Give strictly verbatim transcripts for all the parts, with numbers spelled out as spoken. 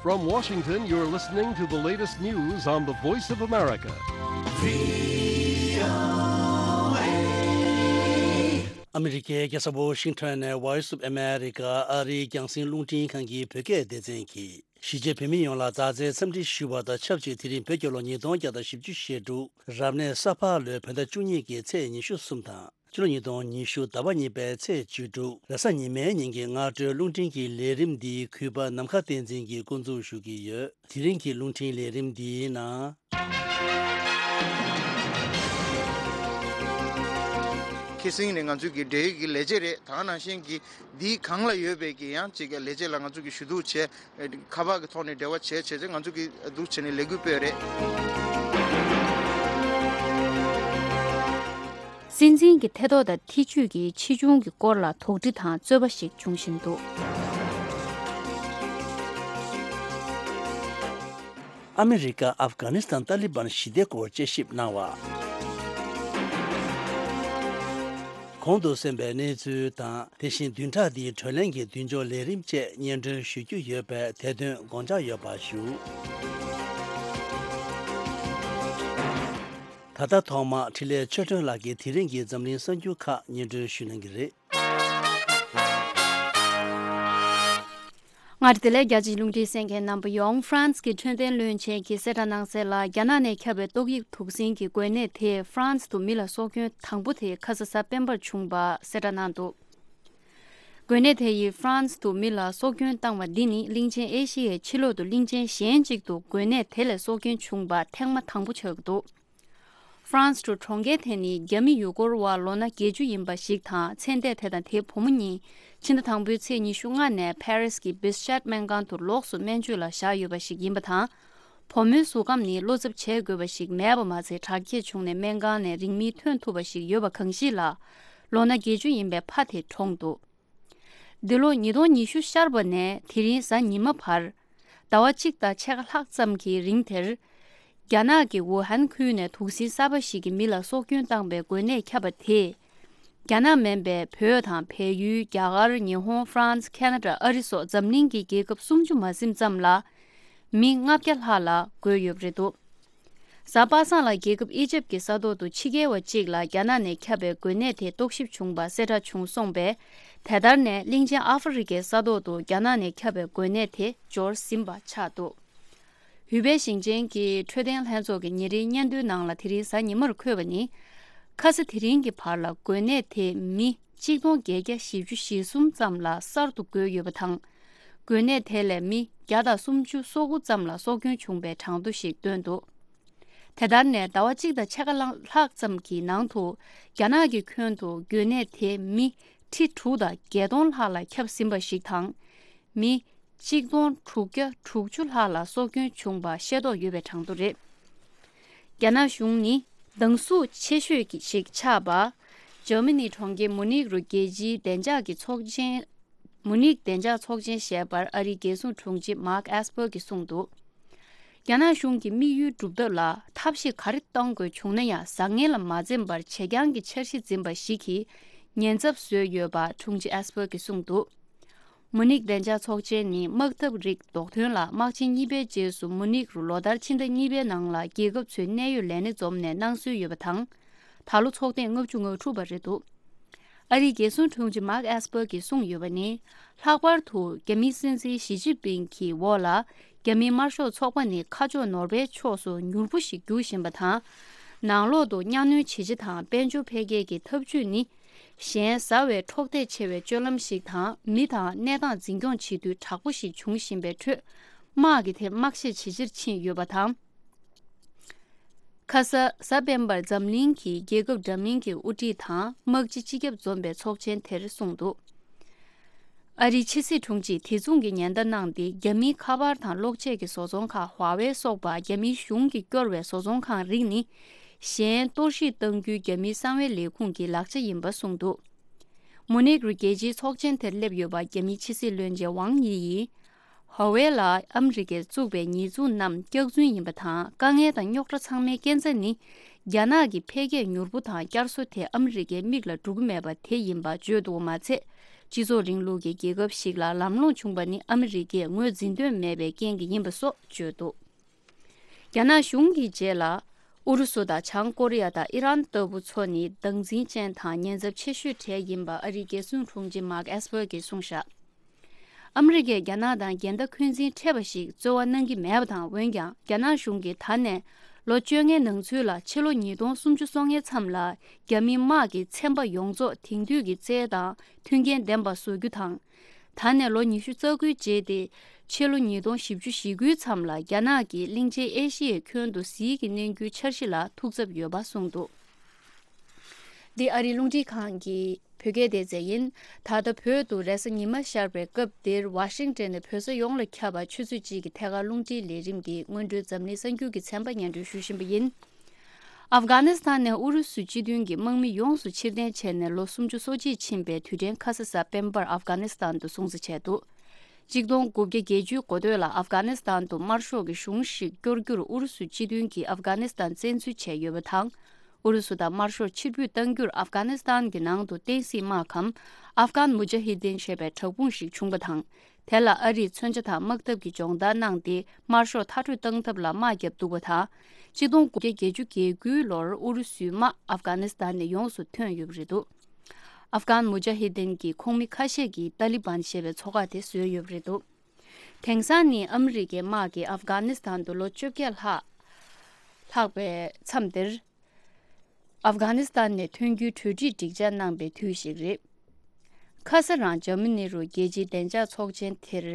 From Washington, you're listening to the latest news on the Voice of America. ཨ་མི་རི་ཀའི་རྒྱལ་ས་ཝོ་ཤིང་ཊོན་ནས་Voice of America ཨ་རིའི་རྒྱང་སྲིང་རླུང་འཕྲིན་ཁང་གི་བོད་སྐད་སྡེ་ཚན་གྱིས། གཞིས་བྱེས་བོད་མི་ཡོངས་ལ་མཛའ་བརྩེའི་འཚམས་འདྲི་ཞུ་བ་དང་ཆབས་ཅིག་དེ་རིང་བོད་རྒྱལ་ལོ་ཉིས་སྟོང་བརྒྱ་དང་བཞི་བཅུ་ཞེ་དྲུག་རབ་གནས་ས་ཕག་ལོའི་བོད་ཟླ་བཅུ་གཉིས་ཀྱི་ཚེས་ཉི་ཤུ་གསུམ་དང་། ཕྱི་ལོ་ཉིས་སྟོང་ཉི་ཤུ་ཟླ་བ་གཉིས་པའི་ཚེས་བཅུ་དྲུག་རེས་གཟའ་ཉི་མའི་ཉིན་གྱི་སྔ་དྲོའི་རླུང་འཕྲིན་གྱི་ལས་རིམ་འདི་གུས་པ་ནམ་མཁའ་བསྟན་འཛིན་གྱིས་འགོ་འཛུགས་ཞུ་གི་ཡོད། དེ་རིང་གི་རླུང་འཕྲིན་ལས་རིམ་འདིའི་ནང་། ཁེ་སང་ནི་ང་ཚོའི་གི་འབྲེལ་ཡོད་ཀྱི་ལས་བྱེད་རེད། ད་ག་ནང་བཞིན་གྱི་འདིའི་སྒང་ལ་ཡོད་པའི་གི་ཡང་ཅིག་གི་ལས་བྱེད་ལ་ང་ཚོ་གི་ཞུ་གཏུག་བྱས། ཁ་པར་གྱི་ཐོག་ནས་འབྲེལ་བ་བྱས་བྱས་བྱས་ང་ཚོ་གི་འདུག་བྱས་ནས་ལས་འགུལ་སྤེལ་རེད། སྲིད་འཛིན་གྱི་ཐེ་གཏོགས་དང་ཐེ་བྱུས་ཀྱི་ཕྱིས་འབྱུང་གི་སྐོར་ལ་དོགས་འདྲི་དང་རྩོད་པ་ཞིག་འབྱུང་བཞིན་འདུག་ཨ་མི་རི་ཀ་ཨབ་གྷ་ནི་སི་ཐན་ཏཱ་ལི་བན་ཞི་བདེ་སྐོར་དཔྱད་ཞིབ་གནང་བ། གོང་དུ་གསན་པའི་གནས་ཚུལ་དང་། དེ་བཞིན་བདུན་ཕྲག་འདིའི་བགྲོ་གླེང་གི་མདུན་ལྕོག་ལས་རིམ་བཅས་སྙན་སྒྲོན་ཞུ་རྒྱུ་ཡོད་པས་དེ་དོན་དགོངས་འཇགས་ཡོད་པ་ཞུ། ད་ལྟ་ཐོག་མར་འཕྲིན་ལས་ཆོས་སྒྲོན་ལགས་ཀྱིས་དེ་རིང་གི་འཛམ་གླིང་གསར་འགྱུར་ཁག་སྙན་སྒྲོན་ཞུ་གནང་གི་རེད། སྔར་བདེ་ལེགས་རྒྱ་ཆེའི་རླུང་འཕྲིན་གསན་མཁན་རྣམ་པ་ཡོངས། ཧྥ་རན་སི་གི་འཕྲོད་བསྟེན་བློན་ཆེན་གྱིས་གསལ་བསྒྲགས་གནང་གསལ་ལ། རྒྱ་ནག་ནས་ཁྱབ་པའི་ཏོག་དབྱིབས་དུག་སྲིན་གྱི་འགོས་ནད་དེས་ཧྥ་རན་སི་དུ་མི་ལ་སྲོག་སྐྱོན་དང་པོ་དེ་ཁ་ས་གཟའ་སྤེན་པར་བྱུང་བ་གསལ་བསྒྲགས་གནང་འདུག་འགོས་ནད་དེ་ཡིས་ཧྥ་རན་སི་དུ་མི་ལ་སྲོག་སྐྱོན་བཏང་བ་འདི་ནི་གླིང་ཆེན་ཨེ་ཤི་ཡའི་ཕྱི་ལོགས་དུ་གླིང་ཆེན་གཞན་གཅིག་ཏུ་འགོས་ནད་དེ་ལས་སྲོག་སྐྱོན་བྱུང་བ་ཐེངས་མ་དང་པོ་ཆགས་ཀྱི་འདུག་ཧྥ་རན་སི་གྲོང་ཁྱེར་དེ་ནི་རྒྱ་མི་ཡུལ་སྐོར་བ་ལོ་ན་བརྒྱད་ཅུ་ཡིན་པ་ཞིག་དང་། ཚེ་འདས་དེ་དང་དེའི་བུ་མོ་གཉིས་ཕྱི་ཟླ་དང་པོའི་ཚེས་ཉི་ཤུ་ལྔ་ནས་ཕ་རི་སི་གི་བིས་ཤད་སྨན་ཁང་དུ་ལོགས་སུ་སྨན་བཅོས་ལ་བཞག་ཡོད་པ་ཞིག་ཡིན་པ་དང་། བུ་མོའི་གཟུགས་ཁམས་ནི་བློ་འཚབ་བྱེད་དགོས་པ་ཞིག་མེད་པ་མ་ཚད། དྲག་སྐྱེད་བྱུང་ནས་སྨན་ཁང་ནས་རིང་མིན་ཐོན་ཐུབ་པ་ཞིག་ཡོད་པ་གང་ཞིག་ལ། ལོ་ན་བརྒྱད་ཅུ་ཡིན་པའི་ཕ་དེ་གྲོངས་འདུག་འདི་ལོ་ཉིས་སྟོང་ཉི་ཤུ་ཤར་བ་ནས་དེ་རིང་གཟའ་ཉི་མ་བར། ཟླ་བ་གཅིག་དང་ཕྱེད་ཀ་ལྷག་ཙམ་གྱི་རིང་དེར། རྒྱ་ནག་གི་ཝུ་ཧན་ཁུལ་ནས་དུག་སྲིན་གསར་པ་ཞིག་གིས་མི་ལ་སྲོག་སྐྱོན་བཏང་པའི་འགོས་ནད་ཁྱབ་པ་དེས། རྒྱ་ནག་མིན་པའི་བོད་དང་བལ་ཡུལ། རྒྱ་གར། ཉི་ཧོང་། ཧྥ་རན་སི། ཁེ་ན་ཌ། ཨ་རི་སོགས་འཛམ་གླིང་གི་རྒྱལ་ཁབ་སུམ་ཅུ་མ་ཟིན་ཙམ་ལ། མི་ལྔ་བརྒྱ་ལྷག་ལ་འགོས་ཡོད་པ་རེད་འདུག་གཟའ་པ་སངས་ལ་རྒྱལ་ཁབ་ཨི་ཇེབ་ཀྱི་ས་ཐོག་ཏུ་ཕྱི་རྒྱལ་བ་གཅིག་ལ་རྒྱ་ནག་ནས་ཁྱབ་པའི་འགོས་ནད་དེ་རྟོག་ཞིབ་བྱུང་བ་གསལ་བསྒྲགས་བྱུང་སོང་པས། དེ་ལྟར་ནས་གླིང་ཆེན་ཨ་ཧྥེ་རི་ཁའི་ས་ཐོག་ཏུ་རྒྱ་ནག་ནས་ཁྱབ་པའི་འགོས་ནད་དེ་འབྱོར་ཟིན་པ་ཆགས་འདུག་ཡུ་པེ་ཞིང་ཆེན་གྱི་འཕྲོད་བསྟེན་ལྷན་ཚོགས་ཀྱི་ཉིན་རེའི་སྙན་ཐོའི་ནང་ལ་དེ་རིང་གཟའ་ཉི་མར་འཁོད་པ་ནི། ཁ་ས་དེ་རིང་གི་བར་ལ་འགོས་ནད་དེ་མི་གཅིག་སྟོང་བརྒྱད་བརྒྱ་བཞི་བཅུ་ཞེ་གསུམ་ཙམ་ལ་གསར་དུ་འགོས་ཡོད་པ་དང་། འགོས་ནད་དེ་ལས་མི་བརྒྱ་དང་སུམ་ཅུ་སོ་དགུ་ཙམ་ལ་སྲོག་སྐྱོན་བྱུང་བའི་གྲངས་ཐོ་ཞིག་བཏོན་འདུག་དེ་ལྟར་ནས་ཟླ་བ་གཅིག་དང་ཕྱེད་ཀ་ལྷག་ཙམ་གྱི་ནང་དུ་རྒྱ་ནག་གི་ཁྱོན་དུ་འགོས་ནད་དེ་མི་ཁྲི་དྲུག་དང་བརྒྱད་སྟོང་ལྷག་ལ་ཁྱབ་ཟིན་པ་ཞིག་དང་། མི་གཅིག་སྟོང་དྲུག་བརྒྱ་དྲུག་ཅུ་ལྷག་ལ་སྲོག་སྐྱོན་བྱུང་བ་ཤེས་རྟོགས་ཡོད་པའི་གྲངས་ཐོ་རེད། རྒྱ་ནག་གཞུང་ནི་སྡང་ཟུག་ཆེ་ཤོས་ཀྱི་ཞིག་ཆགས་པ། ཇར་མ་ནི་གྲོང་ཁྱེར་མུ་ནིག་རུ་རྒྱལ་སྤྱིའི་བདེ་འཇགས་ཀྱི་ཚོགས་ཆེན། མུ་ནིག་བདེ་འཇགས་ཚོགས་ཆེན་ཞེས་པར་ཨ་རིའི་རྒྱལ་སྲུང་དྲུང་ཆེ་མཱག་ཨེས་པར་གྱིས་གསུངས་འདུག་རྒྱ་ནག་གཞུང་གི་དམིགས་ཡུལ་སྒྲུབ་ཐབས་ལ་ཐབས་ཤེས་ག་རེ་གཏོང་དགོས་བྱུང་ན་ཡང་བཟང་ངན་ལ་མ་འཛེམས་པར་བྱེད་རྐྱང་གི་འཆར་གཞི་འཛིན་པ་ཞིག་གིས་ཉེན་ཚབས་བཟོས་ཡོད་པ་དྲུང་ཆེ་ཨེས་པར་གྱིས་གསུངས་འདུག་མུ་ནིག་བདེ་འཇགས་ཚོགས་ཆེན་ནི་དམག་འཐབ་རིགས་ལྡོག་ཐོན་ལ་དམག་ཆེན་གཉིས་པའི་རྗེས་སུ་མུ་ནིག་རུ་ལོ་ལྟར་ཕྱི་ཟླ་གཉིས་པའི་ནང་ལ་རྒྱལ་ཁབ་ཚོའི་གནད་ཡོད་ལས་སྣེ་འཛོམས་ནས་གནང་སྲོལ་ཡོད་པ་དང་། ད་ལོ་ཚོགས་ཐེངས་ལྔ་བཅུ་ང་དྲུག་པ་རེད་འདུག་ཨ་རིའི་རྒྱལ་སྲུང་དྲུང་ཆེ་མཱག་ཨེས་པར་གྱིས་གསུངས་ཡོད་པ་ནི། ལྷག་པར་དུ་རྒྱ་མིའི་སྲིད་འཛིན་ཞི་ཅིན་ཕིང་གི་འོག་ལ་རྒྱ་མིའི་དམར་ཤོག་ཚོགས་པ་ནི་ཁ་ཕྱོགས་ནོར་བའི་ཕྱོགས་སུ་མྱུར་པོ་ཞིག་རྒྱུག་བཞིན་པ་དང་། ནང་ལོགས་སུ་གཉའ་གནོན་ཇེ་ཆེ་དང་དཔལ་འབྱོར་འཕེལ་རྒྱས་ཀྱི་འཐབ་ཇུས་ནི། གཞན་ཟ་བའི་འཕྲོག་བདེ་ཆེ་བའི་སྤྱོད་ལམ་ཞིག་དང་། མི་དང་གནས་སྟངས་འཛིན་སྐྱོང་བྱེད་དུས་དྲག་པོ་ཞིག་འབྱུང་བཞིན་པའི་ཁྲོད། དམག་གི་དེ་དམག་ཤེད་ཇེ་ཆེར་ཕྱིན་ཡོད་པ་དང་། ཁ་ས་གཟའ་སྤེན་པར་འཛམ་གླིང་གི་རྒྱལ་ཁབ་འདྲ་མིན་གྱི་དབུ་ཁྲིད་དང་དམག་སྤྱི་སྤྱི་ཁྱབ་འཛོམས་པའི་ཚོགས་ཆེན་དེར་གསུངས་འདུག་ཨ་རིའི་ཕྱི་སྲིད་དྲུང་ཆེས་དེ་མཚུངས་ཀྱི་ཉེན་བརྡ་གནང་སྟེ། རྒྱ་མིའི་ཁ་པར་དང་གློག་ཆས་ཀྱི་བཟོ་ཚོང་ཁང་ཧྭ་ཝེ་སོགས་པ་རྒྱ་མིའི་གཞུང་གིས་སྐྱོར་བའི་བཟོ་ཚོང་ཁང་རིགས་ནི། གཞན་གཏོར་བཤིག་གཏང་རྒྱུའི་རྒྱ་མིའི་གསང་བའི་ལས་ཁུངས་ཀྱི་ལག་ཆ་ཡིན་པ་གསུངས་འདུག་མུ་ནིག་རུ་རྒྱལ་སྤྱིའི་ཚོགས་ཆེན་དེར་སླེབས་ཡོད་པ་རྒྱ་མིའི་ཕྱི་སྲིད་བློན་ཆེན་ཝང་དབྱི་ཡིས། ཧྭ་ཝེ་ལ་ཨ་མི་རི་ཀས་བཙུགས་པའི་ཉེས་འཛུགས་རྣམས་སྐྱག་རྫུན་ཡིན་པ་དང་། དཀའ་ངལ་དང་རྙོག་དྲ་ཚང་མའི་རྐྱེན་རྩ་ནི། རྒྱ་ནག་གི་འཕེལ་རྒྱས་མྱུར་པོ་དང་བསྐྱར་གསོ་དེ་ཨ་མི་རི་ཀའི་མིག་ལ་འགྲོ་གི་མེད་པ་དེ་ཡིན་པ་བརྗོད་འདུག་པ་མ་ཚད། སྤྱི་ཚོགས་རིང་ལུགས་ཀྱི་རྒྱལ་ཁབ་ཞིག་ལ་ལམ་ལྷོང་བྱུང་པ་ནི་ཨ་མི་རི་ཀས་ངོས་འཛིན་འདོད་མེད་པའི་རྐྱེན་གྱིས་ཡིན་པ་སོགས་བརྗོད་འདུག། རྒྱ་ནག་གཞུང་གི་རྗེས་ལ། ཨུ་རུ་སུ་དང་བྱང་ཀོ་རི་ཡ་དང་ཨི་རན་ལྟ་བུ་ཚོ་ནི་སྡང་འཛིན་ཅན་དང་ཉེན་ཚབས་ཆེ་ཤོས་གྲས་ཡིན་པ་ཨ་རིའི་རྒྱལ་སྲུང་དྲུང་ཆེ་མཱག་ཨེས་པར་གྱིས་གསུངས་བཞག། ཨ་མི་རི་ཀས་རྒྱ་ནག་དང་འགལ་ཟླ་འཁོན་འཛིན་འཕྲད་པ་ཞིག་རྩོལ་བ་གནང་གི་མེད་པ་དང་། འོན་ཀྱང་རྒྱ་ནག་གཞུང་གིས་ད་ནས་ལོ་བཅོ་ལྔའི་ནང་ཚུད་ལ་ཕྱི་ལོ་ཉིས་སྟོང་སུམ་ཅུ་སོ་ལྔའི་མཚམས་ལ་རྒྱ་མི་དམག་གི་ཚན་པ་ཡོངས་རྫོགས་དེང་དུས་ཀྱི་རྩལ་དང་མཐུན་རྐྱེན་ལྡན་པ་བཟོ་རྒྱུ་དང་། ད་ནས་ལོ་ཉི་ཤུ་རྩ་དགུའི་རྗེས་ཏེ། ཕྱི་ལོ་ཉིས་སྟོང་བཞི་བཅུ་ཞེ་དགུའི་མཚམས་ལ་རྒྱ་ནག་གིས་གླིང་ཆེན་ཨེ་ཤི་ཡའི་ཁྱོན་དུ་ཟིལ་གྱིས་གནོན་རྒྱུའི་འཆར་གཞི་ལ་ཐུགས་འཚབ་ཡོད་པ་གསུངས་འདུག། འདི་ཨ་རིའི་རླུང་འཕྲིན་ཁང་གི་བོད་སྐད་སྡེ་ཚན་ཡིན། ད་ལྟ་བོད་དུ་རེས་གཟའ་ཉི་མ་ཤར་བའི་སྐབས་འདིར་ཝ་ཤིང་ཊོན་ནས་བོད་ས་ཡོངས་ལ་ཁྱབ་པ་ཆུ་ཚོད་གཅིག་གི་ཐད་ཀར་རླུང་འཕྲིན་ལས་རིམ་གྱི་སྔོན་འགྲོའི་འཛམ་གླིང་གསར་འགྱུར་གྱི་ཚན་པ་སྙན་སྒྲོན་ཞུ་བཞིན་པ་ཡིན། ཨབ་གྷ་ནི་སི་ཐན་ནས་ཨུ་རུ་སུ་སྤྱི་མཐུན་གྱི་དམག་མི་ཡོངས་སུ་ཕྱིར་འཐེན་བྱས་ནས་ལོ་སུམ་ཅུ་སོ་གཅིག་ཕྱིན་པའི་དུས་དྲན་ཁ་ས་གཟའ་སྤེན་པར་ཨབ་གྷ་ནི་སི་ཐན་དུ་སྲུང་བརྩི་བྱས་འདུག། གཅིག་སྟོང་དགུ་བརྒྱ་བརྒྱད་ཅུའི་འགོ་སྟོད་ལ་ཨབ་གྷ་ནི་སི་ཐན་དུ་དམར་ཤོག་གི་གཞུང་ཞིག་སྐྱོར་རྒྱུར་ཨུ་རུ་སུ་སྤྱི་མཐུན་གྱིས་ཨབ་གྷ་ནི་སི་ཐན་བཙན་འཛུལ་བྱས་ཡོད་པ་དང་། ཨུ་རུ་སུ་དང་དམར་ཤོག་ཕྱིར་འབུད་གཏང་རྒྱུར་ཨབ་གྷ་ནི་སི་ཐན་གྱི་ནང་དུ་བསྟན་སྲིད་དམག་གམ་ཨབ་གྷན་མུ་ཇ་ཧི་དིན་ཞེས་པའི་དྲག་དཔུང་ཞིག་བྱུང་པ་དང་། དེ་ལ་ཨ་རིས་མཚོན་ཆ་དང་དམག་འཐབ་ཀྱི་སྦྱོང་བརྡར་གནང་སྟེ་དམར་ཤོག་མཐར་སྐྲོད་བཏང་ཐབས་ལ་དམག་བརྒྱབ་འདུག་པ་དང་། གཅིག་སྟོང་དགུ་བརྒྱ་བརྒྱད་ཅུ་གྱ་དགུའི་ལོར་ཨུ་རུ་སུའི་དམག་ཨབ་གྷ་ནི་སི་ཐན་ནས་ཡོངས་སུ་ཐོན་ཡོད་པ་རེད་འདུག། ཨབ་གྷན་མུ་ཇ་ཧི་དིན་གྱི་ཁོངས་མི་ཁ་ཤས་ཀྱིས་ཏཱ་ལི་བན་ཞེས་པའི་ཚོགས་ཁག་དེ་བཟོས་ཡོད་པ་རེད་འདུག། དེང་སང་ནི་ཨ་མི་རི་ཀའི་དམག་གིས་ཨབ་གྷ་ནི་སི་ཐན་དུ་ལོ་བཅོ་བརྒྱད་ལྷག་ལྷག་པའི་མཚམས་དེར། ཨབ་གྷ་ནི་སི་ཐན་ནས་ཐོན་རྒྱུའི་གྲོས་འགྲིག་སྒྲིག་འཇགས་གནང་པའི་དུས་ཤིག་རེད། ཁ་ས་རང་འཇར་མ་ནི་རུ་རྒྱལ་སྤྱིའི་བདེ་འཇགས་ཚོགས་ཆེན་དེར་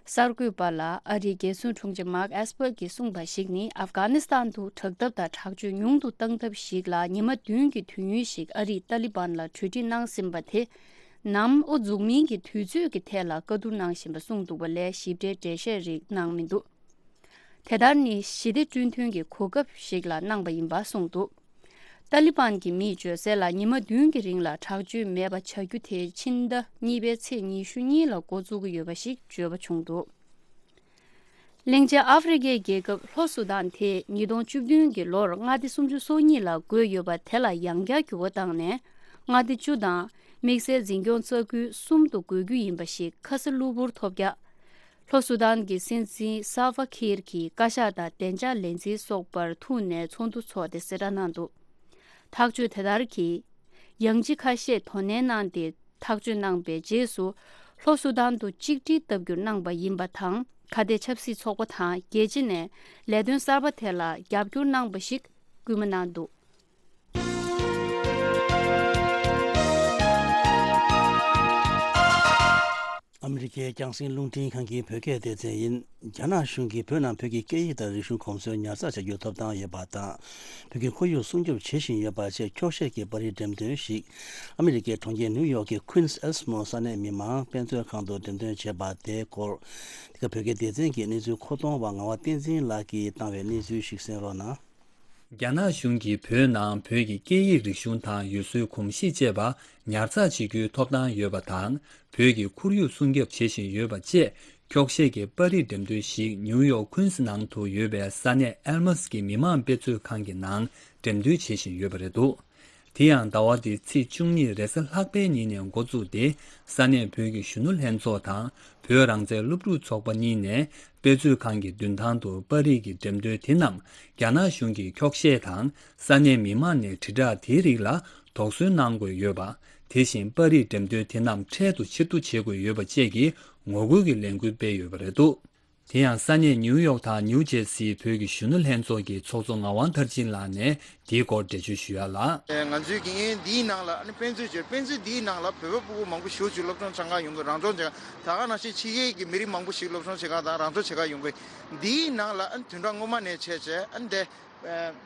གསར་འགོད་པ་ལ་ཨ་རིའི་རྒྱལ་སྲུང་དྲུང་ཆེ་མཱག་ཨེས་པར་གྱིས་གསུངས་པ་ཞིག་ནི། ཨབ་གྷ་ནི་སི་ཐན་དུ་དྲག་འཐབ་དང་དྲག་སྤྱོད་ཉུང་དུ་བཏང་ཐབས་ཤིག་ལ་ཉི་མ་བདུན་གྱི་དུས་ཡུན་ཞིག་ཨ་རིས་ཏཱ་ལི་བན་ལ་གྲོས་འགྲིག་གནང་ཟིན་པ་དེ། ནམ་དབུ་འཛུགས་མིན་གྱི་དུས་ཚོད་ཀྱི་ཐད་ལ་བཀའ་བསྡུར་གནང་བཞིན་པ་གསུངས་འདུག་པ་ལས་ཞིབ་ཕྲའི་འགྲེལ་བཤད་རིགས་གནང་མི་འདུག། དེ་ལྟར་ནི་ཞི་བདེ་བསྐྲུན་ཐོན་གྱི་གོ་སྐབས་ཤིག་ལ་གནང་པ་ཡིན་པ་གསུངས་འདུག། ཏཱ་ལི་བན་གྱི་མིས་བརྗོད་གསལ་ལ་ཉི་མ་བདུན་གྱི་རིང་ལ་དྲག་སྤྱོད་མེད་པ་བྱ་རྒྱུ་དེ་ཕྱི་ཟླ་གཉིས་པའི་ཚེས་ཉི་ཤུ་གཉིས་ལ་འགོ་འཛུགས་ཀྱི་ཡོད་པ་ཞིག་བརྗོད་པ་བྱུང་འདུག། གླིང་ཆེན་ཨ་ཧྥེ་རི་ཁའི་རྒྱལ་ཁབ་ལྷོ་སུ་དཱན་དེ་ཉིས་སྟོང་བཅུ་བདུན་གྱི་ལོར་མངའ་སྡེ་སུམ་ཅུ་སོ་གཉིས་ལ་བགོས་ཡོད་པ་དེ་ལ་ཡང་བསྐྱར་འགྱུར་བ་བཏང་ནས་མངའ་སྡེ་བཅུ་དང་དམིགས་བསལ་འཛིན་སྐྱོང་རྩ་ཁུལ་གསུམ་དུ་བགོ་རྒྱུ་ཡིན་པ་ཞིག་ཁ་ས་གློ་བུར་ཐོལ་རྒྱག། ལྷོ་སུ་དཱན་གྱི་སྲིད་འཛིན་སཱལ་ཕ་ཁིར་གྱིས་བཀའ་ཤག་དང་བདེ་འཇགས་ལས་འཛིན་སོགས་པར་ཐུག་ནས་ཚོགས་འདུ་འཚོགས་ཏེ་གསལ་བསྒྲགས་གནང་འདུག། ཐག་གཅོད་དེ་ལྟར་གྱིས། ཡང་ཅི་ཁ་ཤས་དོ་ནན་གནང་སྟེ་ཐག་གཅོད་གནང་པའི་རྗེས་སུ། ལྷོ་སུ་དཱན་དུ་གཅིག་སྒྲིལ་བཏབ་རྒྱུར་གནང་པ་ཡིན་པ་དང་། ཁ་གཏད་ཆབ་སྲིད་ཚོགས་པ་དང་རྒྱལ་སྤྱི་ནས་ལས་དོན་གསར་པ་དེ་ལ་རྒྱབ་སྐྱོར་གནང་པ་ཞིག་སྐུལ་མ་གནང་འདུག། ཨ་མི་རི་ཀའི་རྒྱང་སྲིང་རླུང་འཕྲིན་ཁང་གི་བོད་སྐད་སྡེ་ཚན་ཡིན། རྒྱ་ནག་གཞུང་གིས་བོད་ནང་བོད་ཀྱི་སྐད་ཡིག་དང་རིག་གཞུང་གོམས་སྲོལ་ཉར་ཚགས་བྱ་རྒྱུའི་ཐོབ་ཐང་ཡོད་པ་དང་། བོད་ཀྱི་ཁོར་ཡུག་སྲུང་སྐྱོབ་བྱེད་བཞིན་ཡོད་པ་བཅས་འཁྱོག་བཤད་ཀྱི་པར་རིས་འགྲེམས་སྟོན་ཞིག་ཨ་མི་རི་ཀའི་གྲོང་ཁྱེར་ནིའུ་ཡོག་གི་Queens Elsmore ས་གནས་མི་མང་དཔེ་མཛོད་ཁང་དུ་འགྲེམས་སྟོན་བྱས་པ་དེའི་སྐོར། འདི་ག་བོད་སྐད་སྡེ་ཚན་གྱིས་གནས་ཚུལ་མཁོ་གཏོང་བ་ངག་དབང་བསྟན་འཛིན་ལགས་ཀྱིས་བཏང་བའི་གནས་ཚུལ་ཞིག་གསན་རོགས་གནང་། རྒྱ་ནག་གཞུང་གིས་བོད་ནང་བོད་ཀྱི་སྐད་ཡིག་རིག་གཞུང་དང་ཡུལ་སྲོལ་གོམས་གཤིས་བཅས་པ་ཉར་ཚགས་བྱེད་རྒྱུའི་ཐོབ་ཐང་ཡོད་པ་དང་། བོད་ཀྱི་ཁོར་ཡུག་སྲུང་སྐྱོབ་བྱེད་བཞིན་ཡོད་པ་བཅས་འཁྱོག་བཤད་ཀྱི་པར་རིས་འགྲེམས་སྟོན་ཞིག་ནིའུ་ཡོག་Queens་ནང་དུ་ཡོད་པའི་ས་གནས་Elmhurst་གྱི་མི་མང་དཔེ་མཛོད་ཁང་གི་ནང་འགྲེམས་སྟོན་བྱེད་བཞིན་ཡོད་པ་རེད་འདུག། དེ་ཡང་ཟླ་བ་འདིའི་ཚེས་བཅུ་གཉིས་རེས་གཟའ་ལྷག་པའི་ཉིན་ནས་འགོ་བཙུགས་ཏེ། ས་གནས་བོད་ཀྱི་གཞོན་ནུ་ལྷན་ཚོགས་དང་བོད་རང་བཙན་སློབ་ཕྲུག་ཚོགས་པ་གཉིས་ནས་དཔེ་མཛོད་ཁང་གི་མདུན་ཐང་དུ་པར་རིས་ཀྱི་འགྲེམས་སྟོན་དེ་རྣམས་རྒྱ་ནག་གཞུང་གིས་འཁྱོག་བཤད་དང་ས་གནས་མི་མང་ནས་དྲིལ་བསྒྲགས་དེའི་རིགས་ལ་དོགས་ཟོན་གནང་དགོས་ཡོད་པ། དེ་བཞིན་པར་རིས་འགྲེམས་སྟོན་དེ་རྣམས་འཕྲལ་དུ་ཕྱིར་བསྡུ་བྱེད་དགོས་ཡོད་པ་བཅས་ཀྱི་ངོ་རྒོལ་གྱི་ལས་འགུལ་སྤེལ་ཡོད་པ་རེད་འདུག། དེ་ཡང་ས་གནས་ནིའུ་ཡོག་དང་ནིའུ་ཇེར་སིའི་བོད་ཀྱི་གཞོན་ནུ་ལྷན་ཚོགས་ཀྱི་ཚོགས་གཙོ་ངག་དབང་མཐར་ཕྱིན་ལགས་ནས་དེའི་སྐོར་འགྲེལ་བརྗོད་ཞུ་ཡ་ལ། ང་ཚོའི་ཀྱི་འདིའི་ནང་ལ་ཨ་ནི་དཔེ་མཛོད་ཅིག་དཔེ་མཛོད་འདིའི་ནང་ལ་བོད་པ་ཕྲུ་གུ་མང་པོ་ཞེ་པོ་ཅིག་སློབ་སྦྱོང་སྦྱང་ག་ཡོང་གི། རང་སྦྱོང་བྱེད་ག་ད་ག་ནང་བཞིན་ཕྱི་རྒྱལ་གྱི་མི་རིགས་མང་པོ་ཞིག་སློབ་སྦྱོང་བྱེད་ག་དང་རང་སྦྱོང་བྱེད་ག་ཡོང་གི། འདིའི་ནང་ལ་ཨ་ནི་བདུན་ཕྲག་སྔོན་མ་ནས་བྱས་བྱས་ཨ་ནི་དེ་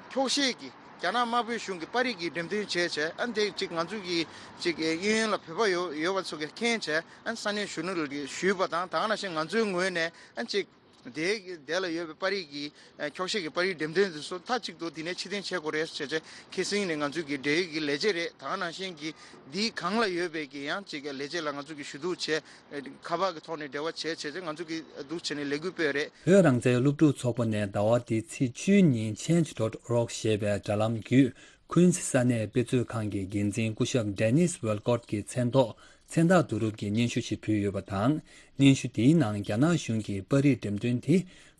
འཁྱོག་བཤད་ཀྱི་རྒྱ་ནག་དམར་པོའི་གཞུང་གི་པར་རིས་ཀྱི་འགྲེམས་སྟོན་བྱས་བྱས་ཨ་ནི་དེ་ཅིག་ང་ཚོ་གི་ཅིག་གཡས་གཡོན་ལ་བོད་པ་ཡོད་ཡོད་པ་ཚོ་གིས་མཁྱེན་བྱས་ཨ་ནི་ས་གནས་གཞོན་ནུ་ལ་ཞུས་པ་དང་། ད་ག་ནང་བཞིན་ང་ཚོའི་ངོས་ནས་ཨ་ནི་ཅིག་དེ་དེ་ལ་ཡོད་པའི་པར་རིས་ཀྱི་ཨ་འཁྱོག་བཤད་ཀྱི་པར་རིས་འགྲེམས་སྟོན་དེ་ཚོ་མཐའ་གཅིག་ཏུ་དེ་ནས་ཕྱིར་འཐེན་བྱེད་དགོས་རེད་ཟེར་བྱས་ཁ་སང་ནས་ང་ཚོས་ཀྱི་འབྲེལ་ཡོད་ཀྱི་ལས་བྱེད་རེད། ད་ག་ནང་བཞིན་གྱི་འདིའི་སྒང་ལ་ཡོད་པའི་ཀྱི་ཡང་ཅིག་ལས་བྱེད་ལ་ང་ཚོས་ཀྱི་ཞུ་གཏུག་བྱས། ཁ་པར་གྱི་ཐོག་ནས་འབྲེལ་བ་བྱས་བྱས་བྱས་ང་ཚོས་ཀྱི་འདུག་བྱས་ནས་ལས་འགུལ་སྤེལ་རེད། བོད་རང་བཙན་སློབ་ཕྲུག་ཚོགས་པ་ནས་ཟླ་བ་འདིའི་ཚེས་བཅུའི་ཉིན་Change dot org ཞེས་པའི་དྲ་ལམ་བརྒྱུད། Queens་ས་གནས་དཔེ་མཛོད་ཁང་གི་འགན་འཛིན་སྐུ་ཞབས་Dennis Walcott་གི་མཚན་ཐོག་ མཚན་རྟགས་བསྡུ་རུབ་ཀྱི་སྙན་ཞུ་ཞིག་ཕུལ་ཡོད་པ་དང་། སྙན་ཞུ་དེའི་ནང་རྒྱ་ནག་གཞུང་གིས་པར་རིས་འགྲེམས་སྟོན་དེ་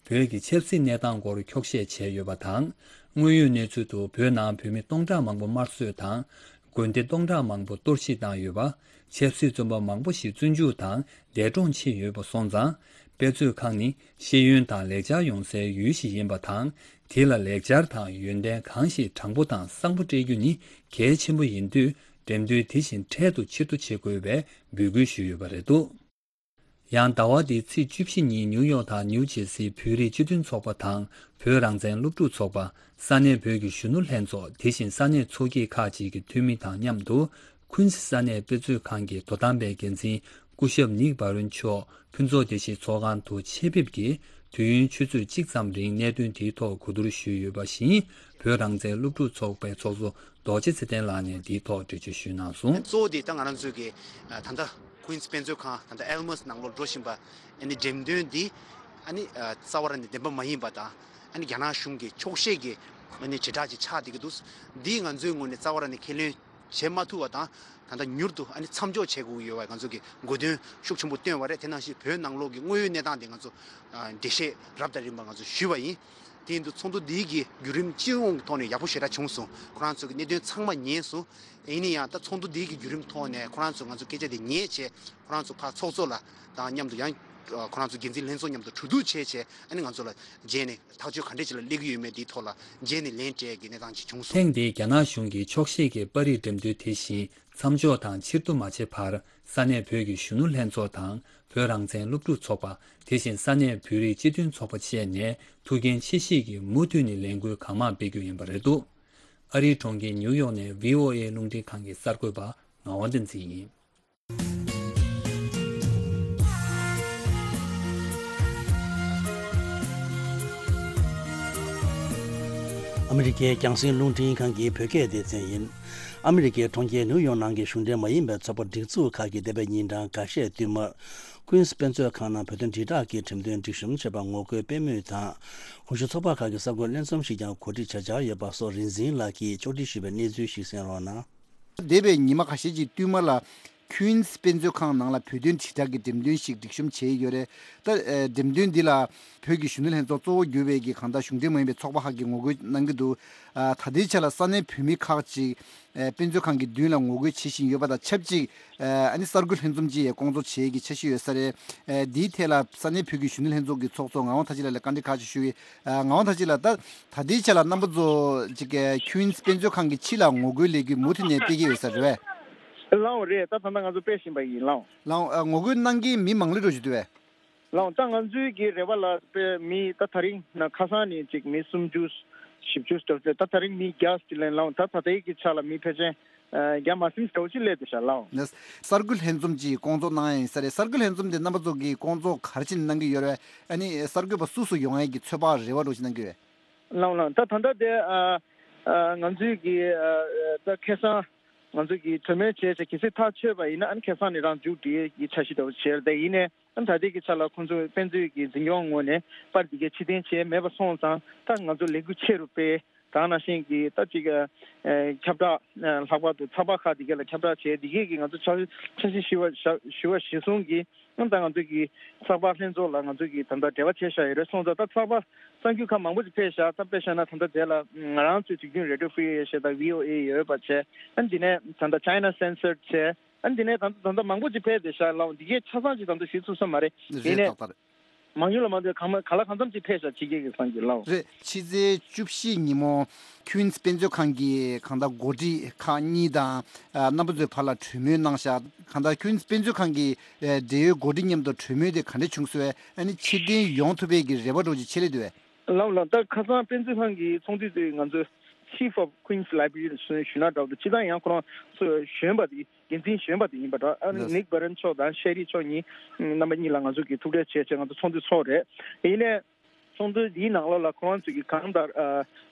བོད་ཀྱི་ཆབ་སྲིད་གནས་སྟངས་སྐོར་འཁྱོག་བཤད་བྱས་ཡོད་པ་དང་། དངོས་ཡོད་གནས་ཚུལ་དུ་བོད་ནང་བོད་མི་སྟོང་ཕྲག་མང་པོ་དམར་གསོད་དང་། དགོན་སྡེ་སྟོང་ཕྲག་མང་པོ་གཏོར་བཤིག་བཏང་ཡོད་པ། ཆབ་སྲིད་བཙོན་པ་མང་པོ་ཞིག་བཙོན་འཇུག་དང་འདས་གྲོངས་ཕྱིན་ཡོད་པ་སོང་ཙང་། དཔེ་མཛོད་ཁང་ནི་ཤེས་ཡོན་དང་ལེགས་སྦྱར་ཡོང་སའི་ཡུལ་ཞིག་ཡིན་པ་དང་། དེ་ལ་ལེགས་སྦྱར་དང་ཡོན་ཏན་གང་ཞིག་དྲང་པོ་དང་བཟང་པོ་སྤྲད་རྒྱུ་ནི་གལ་ཆེན་པོ་ཡིན་དུས། འགྲེམས་སྟོན་དེ་བཞིན་འཕྲལ་དུ་ཕྱིར་བསྡུ་བྱེད་དགོས་པའི་འབོད་སྐུལ་ཞུས་ཡོད་པ་རེད་འདུག་ཡང་ཟླ་བ་འདིའི་ཚེས་བཅུ་བཞི་ཉིན་ནིའུ་ཡོག་དང་ནིའུ་ཇེ་སིའི་བོད་རིགས་སྤྱི་མཐུན་ཚོགས་པ་དང་བོད་རང་བཙན་སློབ་ཕྲུག་ཚོགས་པ། ས་གནས་བོད་ཀྱི་གཞོན་ནུ་ལྷན་ཚོགས། དེ་བཞིན་ས་གནས་ཚོགས་སྐྱིད་ཁག་ཅིག་གི་འཐུས་མི་དང་མཉམ་དུ། ཁུན་སི་ས་གནས་དཔེ་མཛོད་ཁང་གི་དོ་དམ་པའི་འགན་འཛིན་སྐུ་ཞབས་ནིག་བྷ་རོན་མཆོག་ཕུན་ཚོགས་བདེ་སྐྱིད་ཚོགས་ཁང་དུ་ཆེད་ཕེབས་ཀྱིས་དུས་ཡུན་ཆུ་ཚོད་གཅིག་ཙམ་རིང་གནད་དོན་དེའི་ཐོག་གོ་བསྡུར་ཞུས་ཡོད་པ་བཞིན། བོད་རང་བཙན་སློབ་ཕྲུག་ཚོགས་པའི་ཚོགས་གཙོ་རྡོ་རྗེ་ཚེ་བརྟན་ལགས་ནས་འདིའི་ཐོག་འགྲེལ་བརྗོད་ཞུས་གནང་སོང་། གཙོ་བོ་དེ་ད་ང་རང་ཚོའི་གི་ད་ལྟ་ཀུན་སི་དཔེ་མཛོད་ཁང་ད་ལྟ་ཨེལ་མོ་སི་ནང་ལོགས་འགྲོ་བཞིན་པ་ཨ་ནི་འགྲེམས་སྟོན་འདི་ཨ་ནི་རྩ་བ་རང་ནས་བདེན་པ་མ་ཡིན་པ་དང་། ཨ་ནི་རྒྱ་ནག་གཞུང་གི་འཁྱོག་བཤད་ཀྱི་ཨ་ནི་དྲིལ་བསྒྲགས་ཅིག་ཆགས་བསྡད་ཀྱི་འདུག་འདིས་ང་ཚོའི་ངོས་ནས་རྩ་བ་རང་ནས་ཁས་ལེན་བྱེད་མ་ཐུབ་པ་དང་། ད་ལྟ་མྱུར་དུ་ཨ་ནི་མཚམས་འཇོག་བྱེད་དགོས་ཀྱི་ཡོད་པ་ང་ཚོ་གི་དགོས་འདུན་ཤུགས་ཆེན་པོ་བཏོན་པ་རེད། དེ་ནང་བཞིན་བོད་ནང་ལོགས་ཀྱི་དངོས་ཡོད་གནས་སྟངས་དེ་ང་ཚོ་འགྲེལ་བཤད་རབ་དང་རིམ་པ་ང་ཚོ་ཞུས་པ་ཡིན། དེ་ཡིན་དུས་ཚོགས་འདུ་འདིའི་གི་བརྒྱུད་རིམ་སྤྱི་ཡོངས་ཀྱི་ཐོག་ནས་ཡག་པོ་ཞེ་དྲག་བྱུང་སོང་། ཁོ་རང་ཚོ་གི་གནད་དོན་ཚང་མ་ཉན་སོང་། ཡིན་ན་ཡང་ད་ཚོགས་འདུ་འདིའི་གི་བརྒྱུད་རིམ་ཐོག་ནས་ཁོ་རང་ཚོ་ང་ཚོ་སྐད་ཆ་དེ་ཉན་བྱས། ཁོ་རང་ཚོ་ཕར་ཚོགས་གཙོ་ལ་དང་མཉམ་དུ་ཡང་ཁོ་རང་ཚོ་འགན་འཛིན་ལྷན་ཚོགས་མཉམ་དུ་གྲོས་བསྡུར་བྱས་བྱས། ཨ་ནི་ང་ཚོ་ལ་རྗེས་ནས་ཐག་གཅོད་ག་འདྲས་ཅིག་ལ་སླེབས་ཀྱི་ཡོད་མེད་འདིའི་ཐོག་ལ་རྗེས་ནས་ལན་སྤྲད་ཀྱི་གནས་སྟངས་ཅིག་བྱུང་སོང་། ཐེངས་འདིའི་རྒྱ་ནག་གཞུང་གིས་འཁྱོག་བཤད་ཀྱི་པར་རིས་འགྲེམས་སྟོན་དེ་བཞིན་མཚམས་འཇོག་དང་ཕྱིར་བསྡུ་མ་བྱས་བར། ས་གནས་བོད་ཀྱི་གཞོན་ནུ་ལྷན་ཚོགས་དང་བོད་རང་བཙན་སློབ་ཕྲུག་ཚོགས་པ། དེ་བཞིན་ས་གནས་བོད་རིགས་སྤྱི་མཐུན་ཚོགས་པ་བཅས་ནས་ཐུགས་འགན་ཆེ་བཞེས་ཀྱིས་མུ་མཐུད་ནས་ལས་འགུལ་གང་མང་སྤེལ་རྒྱུ་ཡིན་པ་རེད་འདུག་ཨ་རིའི་གྲོང་ཁྱེར་ཉིའུ་ཡོག་ནས་བྷི་ཨོ་ཨེ་རླུང་འཕྲིན་ཁང་གི་གསར་འགོད་པ་ངག་དབང་བསྟན་འཛིན་ཡིན། ཨ་མི་རི་ཀའི་རྒྱང་སྲིང་རླུང་འཕྲིན་ཁང་གི་བོད་སྐད་སྡེ་ཚན་ཡིན། ཨ་མི་རི་ཀའི་གྲོང་ཁྱེར་ནིའུ་ཡོག་ནང་གི་གཞུང་འབྲེལ་མ་ཡིན་པའི་ཚོགས་པ་སྒྲིག་འཛུགས་ཁག་གིས་འདས་པའི་ཉིན་གྲངས་འགའ་ཤས་བསྟུད་མར་ཀུན་སི་དཔེ་མཛོད་ཁང་ནང་བོད་དོན་དྲིལ་བསྒྲགས་ཀྱི་འགྲེམས་སྟོན་སྒྲིག་གཤོམ་བྱས་པར་ངོ་རྒོལ་སྤེལ་མུས་དང་། གོང་ཞུས་ཚོགས་པ་ཁག་གི་གསར་འགོད་ལྷན་འཛོམས་ཤིག་ཀྱང་གོ་སྒྲིག་བྱ་འཆར་ཡོད་པ་སོགས་རིག་འཛིན་ལགས་ཀྱིས་ཕྱོགས་སྒྲིག་ཞུས་པའི་གནས་ཚུལ་ཞིག་གསན་རོགས་གནང་། འདས་པའི་ཉི་མ་ཁ་ཤས་ཀྱི་བསྟུད་མར་ལ། ཁུན་སི་དཔེ་མཛོད་ཁང་ནང་ལ་བོད་དོན་དྲིལ་བསྒྲགས་ཀྱི་འགྲེམས་སྟོན་ཞིག་སྒྲིག་གཤོམ་བྱས་ཡོད་རེད། ད་ཨ་འགྲེམས་སྟོན་འདི་ལ་བོད་ཀྱི་གཞོན་ནུ་ལྷན་ཚོགས་གཙོ་བོ་གྱུར་བའི་གི་གང་ལྟར་གཞུང་འབྲེལ་མ་ཡིན་པའི་ཚོགས་པ་ཁག་གིས་ངོ་རྒོལ་གནང་གི་འདུག་ཨ་ད་ལྟའི་ཆ་ལ་ས་གནས་བོད་མི་ཁག་ཅིག་ཨ་དཔེ་མཛོད་ཁང་གི་མདུན་ལ་ངོ་རྒོལ་བྱེད་བཞིན་ཡོད་པ་དང་ཆབས་ཅིག་ཨ་ཨ་ནི་གསར་འགོད་ལྷན་འཛོམས་ཅིག་ཡང་སྐོང་ཚོགས་བྱེད་ཀྱི་འཆར་གཞི་ཡོད་ས་རེད། ཨ་འདིའི་ཐད་ལ་ས་གནས་བོད་ཀྱི་གཞོན་ནུ་ལྷན་ཚོགས་ཀྱི་ཚོགས་གཙོ་ངག་དབང་མཐར་ཕྱིན་ལགས་ལ་བཀའ་འདྲི་ཁག་ཅིག་ཞུ་གི། ཨ་ངག་དབང་མཐར་ཕྱིན་ལགས། ད་ད་ལྟའི་ཆ་ལ་རྣམ་པ་ཚོ་ཅིག་གི་ཁུན་སི་དཔེ་མཛོད་ཁང་གི་ཕྱི་ལ་ངོ་རྒོལ་ལས་འགུལ་མུ་མཐུད་ནས་སྤེལ་གྱི་ཡོད་ས་རེད་པས། ལགས་འོང་རེད། ད་ད་ལྟ་ང་ཚོ་སྤེལ་བཞིན་པ་ཡིན། ལགས་འོང་། ལགས་འོང་། ཨ་ངོ་རྒོལ་གནང་མཁན་མི་མང་ལོས་འགྲོ་བཞིན་འདུག་པས། ལགས་འོང་། ད་ང་ཚོའི་གི་རེ་བ་ལ་དཔེ་མི་ད་ད་རིང་ན་ཁ་སང་ནས་ཅིག་མི་སུམ་ཅུ་བཞི་བཅུ་ལྟར་ད་ད་རིང་མི་བརྒྱ་ཅིག་ལེན། ལགས་འོང་། ད་ད་ལྟའི་གི་ཆ་ལ་མི་ཕལ་ཆེར་ཨ་བརྒྱ་མ་ཟིན་འདྲ་བོ་ཅིག་སླེབས་བསྡད་ཤག། ལགས་འོང་། ནས་གསར་འགོད་ལྷན་འཛོམས་ཅིག་སྐོང་ཚོགས་གནང་ཡ་ཡིན་ས་རེད། གསར་འགོད་ལྷན་འཛོམས་དེ་རྣམ་པ་ཚོ་གིས་སྐོང་ཚོགས་ག་རེ་བྱས་ནས་གནང་གི་ཡོད་རེད། ཨ་ནི་གསར་འགོད་པ་སུ་སུ་ཡོང་ཡ་གི་ཚོད་དཔག་རེ་བ་འདྲ་བོ་ཅིག་གནང་གི་ཡོད་རེད། ལགས་འོང་། ལགས་འོང་། ད་ད་ལྟ་དེ་ཨ་ཨ་ང་ཚོའི་གི་ཨ་ཨ་ད་ཁ་སང་ང་ཚོ་གི་གྲོས་མོལ་བྱས་བྱས་གལ་སྲིད་ཐག་ཆོད་པ་ཡིན་ན་ཨ་ནི་ཁ་སང་ནས་རང་མཇུག་སྒྲིལ་གྱི་འཆར་གཞི་འདྲ་བོ་བྱས་རེད། དེ་ཡིན་ནའི་ཨ་ནི་ད་ལྟའི་གི་ཆ་ལ་ཁོང་ཚོ་དཔེ་མཛོད་ཀྱི་འཛིན་སྐྱོང་ངོས་ནས་པར་འདི་གའི་ཕྱིར་འཐེན་བྱས་མེད་པ་སོང་ཙང་ད་ང་ཚོ་ལས་འགུལ་ཆེ་རུ་སྤེལ། ད་ནང་བཞིན་གྱི་ད་ཅིག་ཨ་ཨ་ཁྱབ་བསྒྲགས་ཨ་ལྷག་པར་དུ་ཚགས་པར་ཁག་འདི་གའི་ལ་ཁྱབ་བསྒྲགས་བྱས། འདི་གའི་གི་ང་ཚོ་འཆར་འཆར་གཞི་ཞུ་བ་ཞུ་བ་གཞིར་བཟུང་གིས་ཨ་ནི་ད་ང་ཚོ་གི་ཚགས་པར་ལྷན་ཚོགས་ལ་ང་ཚོ་གི་ད་ལྟ་འབྲེལ་བ་བྱས་བཞག་ཡོད་རེད། སོང་ཙང་ད་ཚགས་པར་གསར་འགྱུར་ཁག་མང་པོ་ཅིག་ཕེབས་བཞག། ད་དཔེ་བཞག་ན་ད་ལྟ་དེ་ལ་ང་རང་ཚོའི་དུས་རྒྱུན་Radio Free Asia་དང་V O A་ཡོད་པ་བྱས། ཨ་ནི་འདི་ནས་ད་ལྟ་China Censored་བྱས། ཨ་ནི་འདི་ནས་ད་ལྟ་ད་ལྟ་མང་པོ་ཅིག་ཕེབས་བསྡད་ཤག་ལགས། འདི་གའི་ཆ་ཚང་ཅིག་ད་ལྟ་ཞུ་ཐུབ་ས་མ་རེད། རེད། ཡིན་ནའི་ཏག་ཏག་རེད། མང་ཉུང་ལ་མ་ལྟོས་གང་མ་ག་ལ་གང་འཚམ་ཅིག་ཕེབས་ཤག་ཕྱི་རྒྱལ་གྱི་སང་གི་ལགས། རེད། ཕྱི་ཚེས་བཅུ་བཞི་ཉིན་མོ་ཁུན་སི་དཔེ་མཛོད་ཁང་གི་གང་ལྟར་འགོ་ཁྲིད་ཁག་གཉིས་དང་ཨ་རྣམ་པ་ཚོའི་བར་ལ་གྲོས་མོལ་གནང་ཤག། གང་ལྟར་ཁུན་སི་དཔེ་མཛོད་ཁང་གི་ཨ་འབྲེལ་ཡོད་འགོ་ཁྲིད་མཉམ་དུ་གྲོས་མོལ་དེ་ག་འདྲ་བྱུང་སོང་བས། ཨ་ནི་ཕྱིར་འཐེན་ཡོང་ཐུབ་པའི་གི་རེ་བ་འདྲ་བོ་ཅིག་ཆེ་ལེ་འདུག་བས། ལགས་ལགས། ད་ཁ་སང་དཔེ་མཛོད་ཁང་གི་ཚོགས་འདུ་དེ་ང་ཚོའི་Chief of Queensland Library་ཞུ་ན་འདྲ་བོ་འདུག། སྤྱིར་བཏང་ཡང་ཁོ་རང་ཚོ་གཞོན་པ་དེ་འགན་འཛིན་གཞོན་པ་དེ་ཡིན་པ་འདྲ། ཨ་ནི་ལགས། ནིག་བྷ་རན་མཆོག་དང་ཤེ་རི་མཆོག་གཉིས་རྣམ་པ་གཉིས་ལ་ང་ཚོ་གིས་ཐུག་འཕྲད་བྱས་བྱས་ང་ཚོ་ཚོགས་འདུ་ཚོགས་རེད། ཡིན་ནའི་ཚོགས་འདུ་འདིའི་ནང་ལོགས་ལ་ཁོ་རང་ཚོ་གིས་གང་ལྟར་ཨ་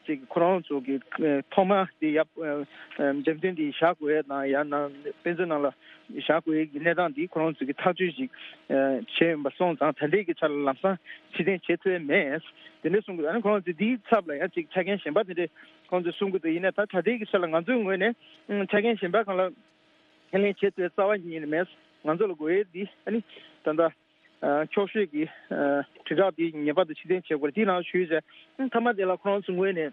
ཅིག་ཁོ་རང་ཚོ་གི་ཨ་ཐོག་མ་དེ་ཡབ་ཨ་ཨ་འགྲེམས་སྟོན་འདི་བཞག་དགོས་ཡས་དང་ཡང་ན་དཔེ་མཛོད་ནང་ལ་བཞག་དགོས་ཡས་ཀྱི་གནས་སྟངས་འདི་ཁོ་རང་ཚོ་གིས་ཐག་གཅོད་ཅིག་ཨ་བྱས་ཡོད་པ་སོང་ཙང་ད་ལྟའི་གི་ཆ་ལ་ལམ་སང་ཕྱིར་འཐེན་བྱེད་ཐུབ་ཡས་མེད། དེ་འདྲ་གསུང་གི་འདུག། ཨ་ནི་ཁོ་རང་ཚོ་འདིའི་ཚབ་ལ་ཡང་ཅིག་ཆ་རྐྱེན་གཞན་པ་དེ་འདྲས་ཁོང་ཚོས་གསུང་གི་འདུག། ཡིན་ནའི་ད་ད་ལྟའི་གི་ཆ་ལ་ང་ཚོའི་ངོས་ནས་ཨང་ཆ་རྐྱེན་གཞན་པ་གང་ལ་ཁས་ལེན་བྱེད་ཐུབ་རྩ་བ་ཉིད་ནས་མེད། ང་ཚོ་ལ་དགོས་ཡས་འདི་ཨ་ནི་ད་ལྟ་འཁྱོག་བཤད་ཀྱི་དྲིལ་བསྒྲགས་འདི་ངེས་པར་དུ་ཕྱིར་འཐེན་བྱེད་དགོས་རེད། དེའི་ནང་ཞུས་བྱས་མཐའ་མ་དེ་ལ་ཁོ་རང་ཚོ་ངོས་ནས་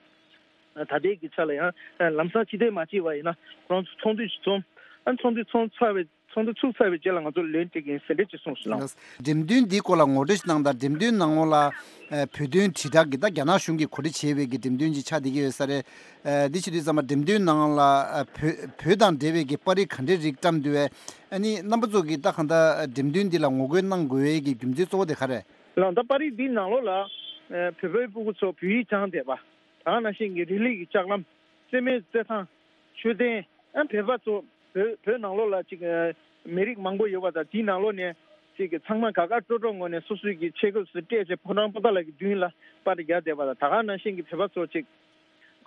ད་ལྟའི་གི་ཆ་ལ་ཡང་ལམ་སང་ཕྱིར་འཐེན་མ་བྱས་པ་ཡིན་ན་ཁོ་རང་ཚོ་ཚོགས་འདུ་ཞིག་འཛོམས། ཨ་ཚོགས་འདུ་ཚོགས་ཚར་བའི་ཚོགས་འདུ་ཚུགས་ཚར་བའི་རྗེས་ལ་ང་ཚོ་ལན་སྤྲད་ཀྱི་ཡིན་ཟེར་འདྲ་ཅིག་གསུངས་སོང་ལགས། འགྲེམས་སྟོན་འདིའི་སྐོར་ལ་ངོ་སྤྲོད་ཞིག་གནང་དང་། འགྲེམས་སྟོན་ནང་ལོགས་ལ་ཨ་བོད་དོན་དྲིལ་བསྒྲགས་ཀྱི་ད་རྒྱ་ནག་གཞུང་གིས་གོ་སྒྲིག་བྱས་པའི་གི་འགྲེམས་སྟོན་ཅིག་ཆགས་བསྡད་ཀྱི་ཡོད་ས་རེད། ཨ་འདི་བྱེད་དུས་ཙམ་པ་འགྲེམས་སྟོན་ནང་ལ་ཨ་བོད་བོད་དང་འབྲེལ་བའི་གི་པར་རིས་ག་འདྲའི་རིགས་བཀྲམ་འདུག་བས། ཨ་ནི་རྣམ་པ་ཚོ་གིས་ད་གང་ལྟར་འགྲེམས་སྟོན་འདི་ལ་ངོ་རྒོལ་གནང་དགོས་པའི་གི་རྒྱུ་མཚན་གཙོ་བོ་དེ་ག་རེད། ལགས། ད་པར་རིས་འདིའི་ནང་ལོགས་ལ་ཨ་བོད་པའི་སྤུ་གུ་ཚོ་བོད་ཡིག་སྦྱངས་བསྡད་པ། ད་ག་ནང་བཞིན་གྱི་རི་ལི་གི་ལྕགས་ལམ། རྩེད་མོའི་རྩེད་ཐང་། མཆོད་རྟེན། ཨ་བོད་པ་ཚོ་བོད་བོད་ནང་ལོགས་ལ་ཅིག་ཨ་མི་རིགས་མང་པོ་ཡོད་པ་དང་དེའི་ནང་ལོགས་ནས་ཅིག་གི་ཚང་མ་དགའ་དགའ་སྤྲོ་སྤྲོ་ངང་ནས་སོ་སོའི་གི་ཆས་གོས་སུ་སྤྲས་བྱས་ཕོ་བྲང་པོ་ཏཱ་ལ་གི་མདུན་ལ་པར་རྒྱག་བསྡད་པ་དང་། ད་ག་ནང་བཞིན་གྱི་བོད་པ་ཚོ་ཅིག་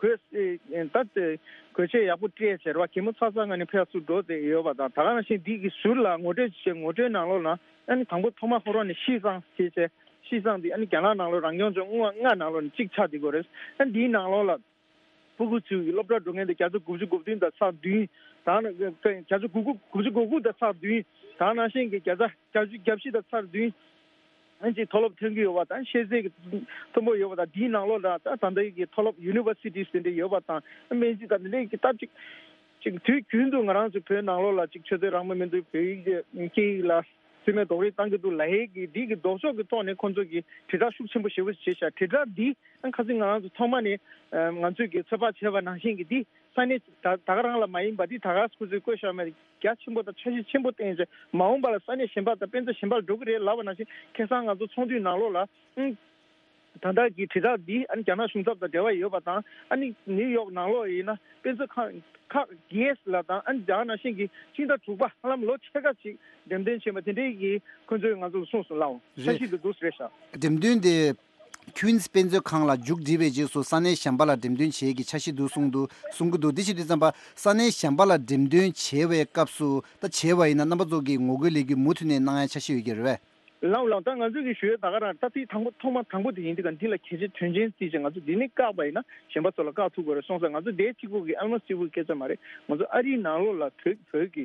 གོས་ཨེ་ད་ཨེ་གོས་ཆས་ཡག་པོ་སྤྲས་བྱས་རེད་བ། གད་མོ་ཚ་ཚ་ངང་ནས་ཕར་ཚུར་འགྲོ་བསྡད་ཡོད་པ་དང་། ད་ག་ནང་བཞིན་འདི་གི་ཟུར་ལ་ངོ་སྤྲོད་བྱས། ངོ་སྤྲོད་ནང་ལོགས་ལ་ཨ་ནི་དང་པོ་ཐོག་མ་ཁོ་རང་ནས་ཤིས་ཙང་ཞེས་བྱས། ཤིས་ཙང་འདི་ཨ་ནི་རྒྱ་ནག་ནང་ལོགས་རང་སྐྱོང་ལྗོངས་ལྔ་ནང་ལོགས་ནས་གཅིག་ཆགས་བསྡད་ཀྱི་ཡོད་རེད། ཨ་ནི་འདིའི་ནང་ལོགས་ལ། སྤུ་གུ་ཚོའི་སློབ་གྲྭ་འགྲོ་མཁན་དེ་བརྒྱ་ཆ་དགུ་བཅུ་གོ་བདུན་དང་ཚེག་བདུན། ད་ནི་བརྒྱ་ཆ་དགུ་དགུ་བཅུ་གོ་དགུ་དང་ཚེག་བདུན། ད་ནང་བཞིན་གྱི་བརྒྱ་ཆ་བརྒྱད་ཅུ་གྱ་བཞི་དང་ཚེག་བདུན། ཨ་ཅིག་མཐོ་སློབ་ཐོན་གྱི་ཡོད་པ་དང་། ཤེས་ཚད་ཀྱི་མཐོན་པོ་ཡོད་པ་དང་། དེའི་ནང་ལོགས་ལ་ད་ད་ལྟའི་གི་མཐོ་སློབ་ཡུ་ནི་ཝར་སི་ཊི་ཟེར་འདྲ་ཡོད་པ་དང་། སྨན་རྩིས་དང་འདི་འདྲའི་གི་སྟབས་ཅིག་ཅིག་དུས་རྒྱུན་དུ་ང་རང་ཚོ་བོད་ནང་ལོགས་ལ་ཅིག་ཆོས་དད་རང་མོས་མི་འདུག་བོད་ཡིག་སྐད་ཡིག་ལ་རྩིས་མེད་རྡོག་རོལ་བཏང་གི་འདུག་ལབ་ཡས་ཀྱི་འདི་གི་ལྡོག་ཕྱོགས་ཀྱི་ཐོག་ནས་ཁོང་ཚོ་གིས་དྲིལ་བསྒྲགས་ཤུགས་ཆེན་པོ་ཞེ་པོ་བྱས་ཤག་དྲིལ་བསྒྲགས་འདི་ཁ་སང་ང་རང་ཚོ་ཐོག་མ་ནས་ང་ཚོས་ཀྱི་ཚོད་དཔག་བྱས་པ་ནང་བཞིན་གྱི་འདི་ས་གནས་ད་ད་ག་རང་ལ་མ་ཡིན་པ། འདི་ད་ག་ཁོ་ཚོས་བཀོད་བཞག་མེད། རྒྱ་ཆེན་པོ་དང་འཆར་གཞི་ཆེན་པོ་བཏིང་བྱས་མ་འོངས་པ་ལ་ས་གནས་གཞན་པ་དང་དཔེ་མཛོད་གཞན་པ་ལ་འགྲོ་གི་རེད་ལབ་པ་ནང་བཞིན། ཁ་སང་ང་ཚོ་ཚོགས་འདུའི་ནང་ལོགས་ལ་ཨང་། ད་ལྟ་གི་དྲིལ་བསྒྲགས་འདི་ཨ་ནི་རྒྱ་ནག་གཞུང་ཚབ་དང་འབྲེལ་བ་ཡོད་པ་དང་། ཨ་ནི་ནིའུ་ཡོག་ནང་ལོགས་ཡིན་ན་དཔེ་མཛོད་ཁང་ཁག་བརྒྱད་ལ་དང་། ཨ་ནི་ད་ག་ནང་བཞིན་གྱི་སྤྱི་ཟླ་དྲུག་པ་ཧ་ལམ་ལོ་ཕྱེད་ཀ་ཅིག་འགྲེམས་སྟོན་བྱེད་པ་དེ་འདྲའི་གི་ཁོང་ཚོས་ང་ཚོ་ལ་གསུངས་སོང་ལགས། འཆར་གཞི་འདི་འདུག་ཟེར་ཤག་འགྲེམས་སྟོན་དེ་ཁུན་སི་དཔེ་མཛོད་ཁང་ལ་མཇུག་བསྒྲིལ་བའི་རྗེས་སུ་ས་གནས་གཞན་པ་ལ་འགྲེམས་སྟོན་བྱེད་ཀྱི་འཆར་གཞི་འདུག་གསུངས་འདུག་གསུང་གི་འདུག་འདི་བྱེད་དུས་ཙམ་པ་ས་གནས་གཞན་པ་ལ་འགྲེམས་སྟོན་བྱེད་པའི་སྐབས་སུ་ད་བྱས་པ་ཡིན་ན་རྣམ་པ་ཚོ་གིས་ངོ་རྒོལ་ལས་འགུལ་མུ་མཐུད་ནས་གནང་ཡ་འཆར་གཞི་ཡོད་ཀྱི་རེད་པས། ལགས་ལགས། ད་ང་ཚོས་ཀྱི་ཞུ་ཡས་ད་ག་རང་ད་ཐེངས་དང་པོ་ཐོག་མ་དང་པོ་དེ་ཡིན་དུས་ཀ་འདི་ལ་གལ་ཆེ་དོན་ཆེན་བརྩིས་བྱས་ང་ཚོ་འདི་ནས་བཀག་པ་ཡིན་ན་གཞན་པ་ཚོ་ལ་བཀག་ཐུབ་དགོས་རེད་སོང་ཙང་། ང་ཚོ་དེ་གཅིག་པོ་གི་ཨལ་མོ་སི་གཅིག་པོ་གི་སྐད་ཆ་མ་རེད། ང་ཚོ་ཨ་རིའི་ནང་ལོགས་ལ་བོད་བོད་ཀྱི་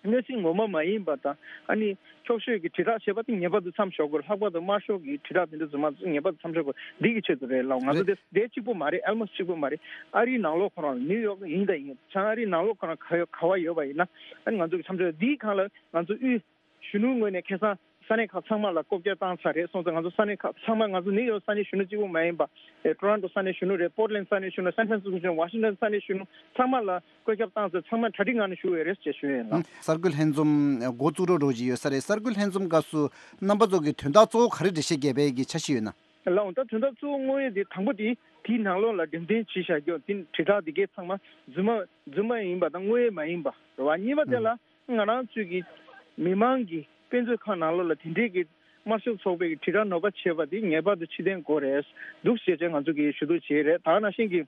གནས་ཚུལ་ངོ་མ་མ་ཡིན་པ་དང་། ཨ་ནི་འཁྱོག་བཤད་ཀྱི་དྲིལ་བསྒྲགས་བྱས་པ་དེ་ངེས་པར་དུ་མཚམས་འཇོག་དགོས། ལྷག་པར་དུ་དམར་ཤོག་གི་དྲིལ་བསྒྲགས་དེ་འདྲ་རྫུན་མ་ཚོ་ངེས་པར་དུ་མཚམས་འཇོག་དགོས། འདི་གི་ཆེད་དུ་རེད་ལགས། ང་ཚོ་རེད། དེ་དེ་གཅིག་པོ་མ་རེད། ཨལ་མོ་སི་གཅིག་པོ་མ་རེད། ཨ་རིའི་ནང་ལོགས་ཁོ་རང་ནིའུ་ཡོག་ཡིན་དང་ཡིན་བྱང་ཨ་རིའི་ནང་ལོགས་ཁོ་རང་ག་ཡོད་ག་བ་ཡོད་པ་ཡིན་ན། ཨ་ནི་ང་ཚོ་གི་མཚམས་འཇོག་འདིའི་སྒང་ལ་ང་ཚོ་དབུས་གཞོན་ནུ་ངོས་ནས་ཁ་སང་ས་གནས་ཁག་ཚང་མ་ལ་ལྐོག་རྒྱག་བཏང་ཚར་རེད་སོང་ཙང་། ང་ཚོ་ས་གནས་ཁག་ཚང་མ། ང་ཚོ་ནིའུ་ཡོག་ས་གནས་གཞོན་ནུ་གཅིག་པུ་མ་ཡིན་པ། ཨེ་ཊོ་རོན་ཊོ་ས་གནས་གཞོན་ནུ་རེད། པོར་ཊ་ལེན་ཌ་ས་གནས་གཞོན་ནུ། སན་ཧྥ་རན་སི་སྐོ་གཞོན། ཝ་ཤིང་ཊོན་ས་གནས་གཞོན་ནུ་ཚང་མ་ལ་བཀོད་ཁྱབ་བཏང་ཚར། ཚང་མ་གྲ་སྒྲིག་ངང་ནས་བཞུགས་ཡོད་རེད་ཅེས་ཞུ་ཡས་ཡིན་ལགས། གསར་འགོད་ལྷན་འཛོམས་འགོ་བཙུགས་རོགས་རོགས་ཀྱི་ཡོད་ས་རེད། གསར་འགོད་ལྷན་འཛོམས་སྐབས་སུ་རྣམ་པ་ཚོ་གི་དོན་དག་གཙོ་བོ་ག་རེ་འགྲེལ་བཤད་རྒྱག་པའི་གི་འཆར་གཞི་ཡོད་ན། ལགས་འོང་། ད་དོན་དག་གཙོ་བོ་དངོས་ཡོད་དེ་དང་པོ་དེ་དེའི་ནང་ལོགས་ལ་འགྲེམས་སྟོན་བྱས་བཞག་རྒྱུ་དེ་དྲིལ་བསྒྲགས་དེ་གའི་ཚང་མ་རྫུན་མ་རྫུན་མ་ཡིན་པ་དང་དངོས་ཡོད་མ་ཡིན་པ་རེད་བ། གཉིས་པ་དེ་ལ་ང་རང་ཚོའི་གི་མི་མང་གི་དཔེ་མཛོད་ཁང་ནང་ལོགས་ལ་དེ་འདྲའི་གི་དམར་ཤོག་ཚོགས་པའི་གི་དྲིལ་བསྒྲགས་ནོར་བ་བྱས་པ་དེ་ངེས་པར་དུ་ཕྱིར་འཐེན་དགོས་རེད་འདུག་ཟེར་བྱས་ང་ཚོ་གིས་ཞུ་གཏུག་བྱས་རེད། ད་ག་ནང་བཞིན་གི་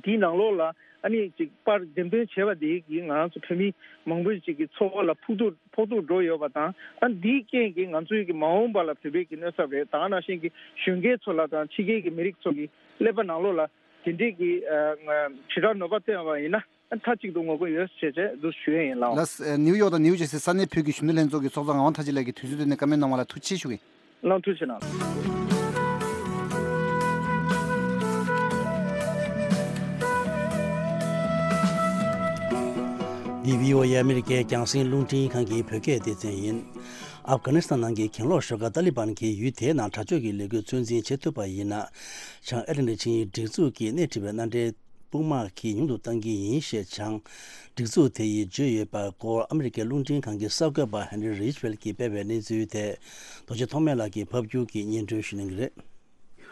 དེའི་ནང་ལོགས་ལ་ཨ་ནི་ཅིག་པར་འགྲེམས་སྟོན་བྱས་པ་དེ་གིས་ང་རང་ཚོ་བོད་མི་མང་པོ་ཅིག་གི་འཚོ་བ་ལ་ཕོག་ཐུག་ཕོག་ཐུག་འགྲོ་ཡོད་པ་དང་། ཨ་འདིའི་རྐྱེན་གྱིས་ང་ཚོའི་གི་མ་འོངས་པ་ལ་བོད་པའི་གི་གནོད་ཚབས་རེད། ད་ག་ནང་བཞིན་གི་གཞོན་སྐྱེས་ཚོ་ལ་དང་ཕྱི་རྒྱལ་གྱི་མི་རིགས་ཚོ་གི་ཀླད་པ་ནང་ལོགས་ལ་དེ་འདྲའི་གི་ཨ་དྲིལ་བསྒྲགས་ནོར་བ་བཏོན་པ་ཡིན་ན་ཨ་མཐའ་གཅིག་ཏུ་ངོ་རྒོལ་ཡོད་ཅེས་བྱས་འདུག་ཞུ་ཡས་ཡིན་ལགས། ལགས། ནིའུ་ཡོག་དང་ནིའུ་ཇར་སི་ས་གནས་བོད་ཀྱི་གཞོན་ནུ་ལྷན་ཚོགས་ཀྱི་ཚོགས་གཙོ་ངག་དབང་མཐར་ཕྱིན་ལགས་ཀྱིས་དུས་ཚོད་བཏོན་ནས་བཀའ་མོལ་གནང་བ་ལ་ཐུགས་རྗེ་ཆེ་ཞུ་གི་ཡིན། ལགས། ཐུགས་རྗེ་གནང་། འདི་བྷི་ཨོ་ཨེ་ཨ་མི་རི་ཀའི་རྒྱང་སྲིང་རླུང་འཕྲིན་ཁང་གི་བོད་སྐད་སྡེ་ཚན་ཡིན། ཨབ་གྷ་ནི་སི་ཐན་ནང་གི་གྱེན་ལོག་ཤོག་ཁག་ཏཱ་ལི་བན་གྱིས་ཡུལ་དེའི་ནང་དྲག་སྤྱོད་ཀྱི་ལས་འགུལ་ཚོད་འཛིན་བྱེད་ཐུབ་པ་ཡིན་ན། བྱང་ཨེ་ཊ་ལན་ཊིག་ཆིངས་ཡིག་སྒྲིག་འཛུགས་ཀྱིས་སྣེ་ཁྲིད་པའི་མནའ་འབྲེལ་དཔུང་དམག་གི་ཉུང་དུ་གཏང་གི་ཡིན་ཞེས་བྱང་སྒྲིག་འཛུགས་དེ་ཡིས་བརྗོད་ཡོད་པའི་སྐོར་ཨ་མི་རི་ཀའི་རླུང་འཕྲིན་ཁང་གི་གསར་འགོད་པ་ཧན་རི་རིཆ་ཝེལ་གྱིས་སྤེལ་བའི་གནས་ཚུལ་དེ། རྡོ་རྗེ་ཐོགས་མེད་ལགས་ཀྱིས་ཕབ་བསྒྱུར་གྱིས་སྙན་སྒྲོན་ཞུ་གནང་གི་རེད།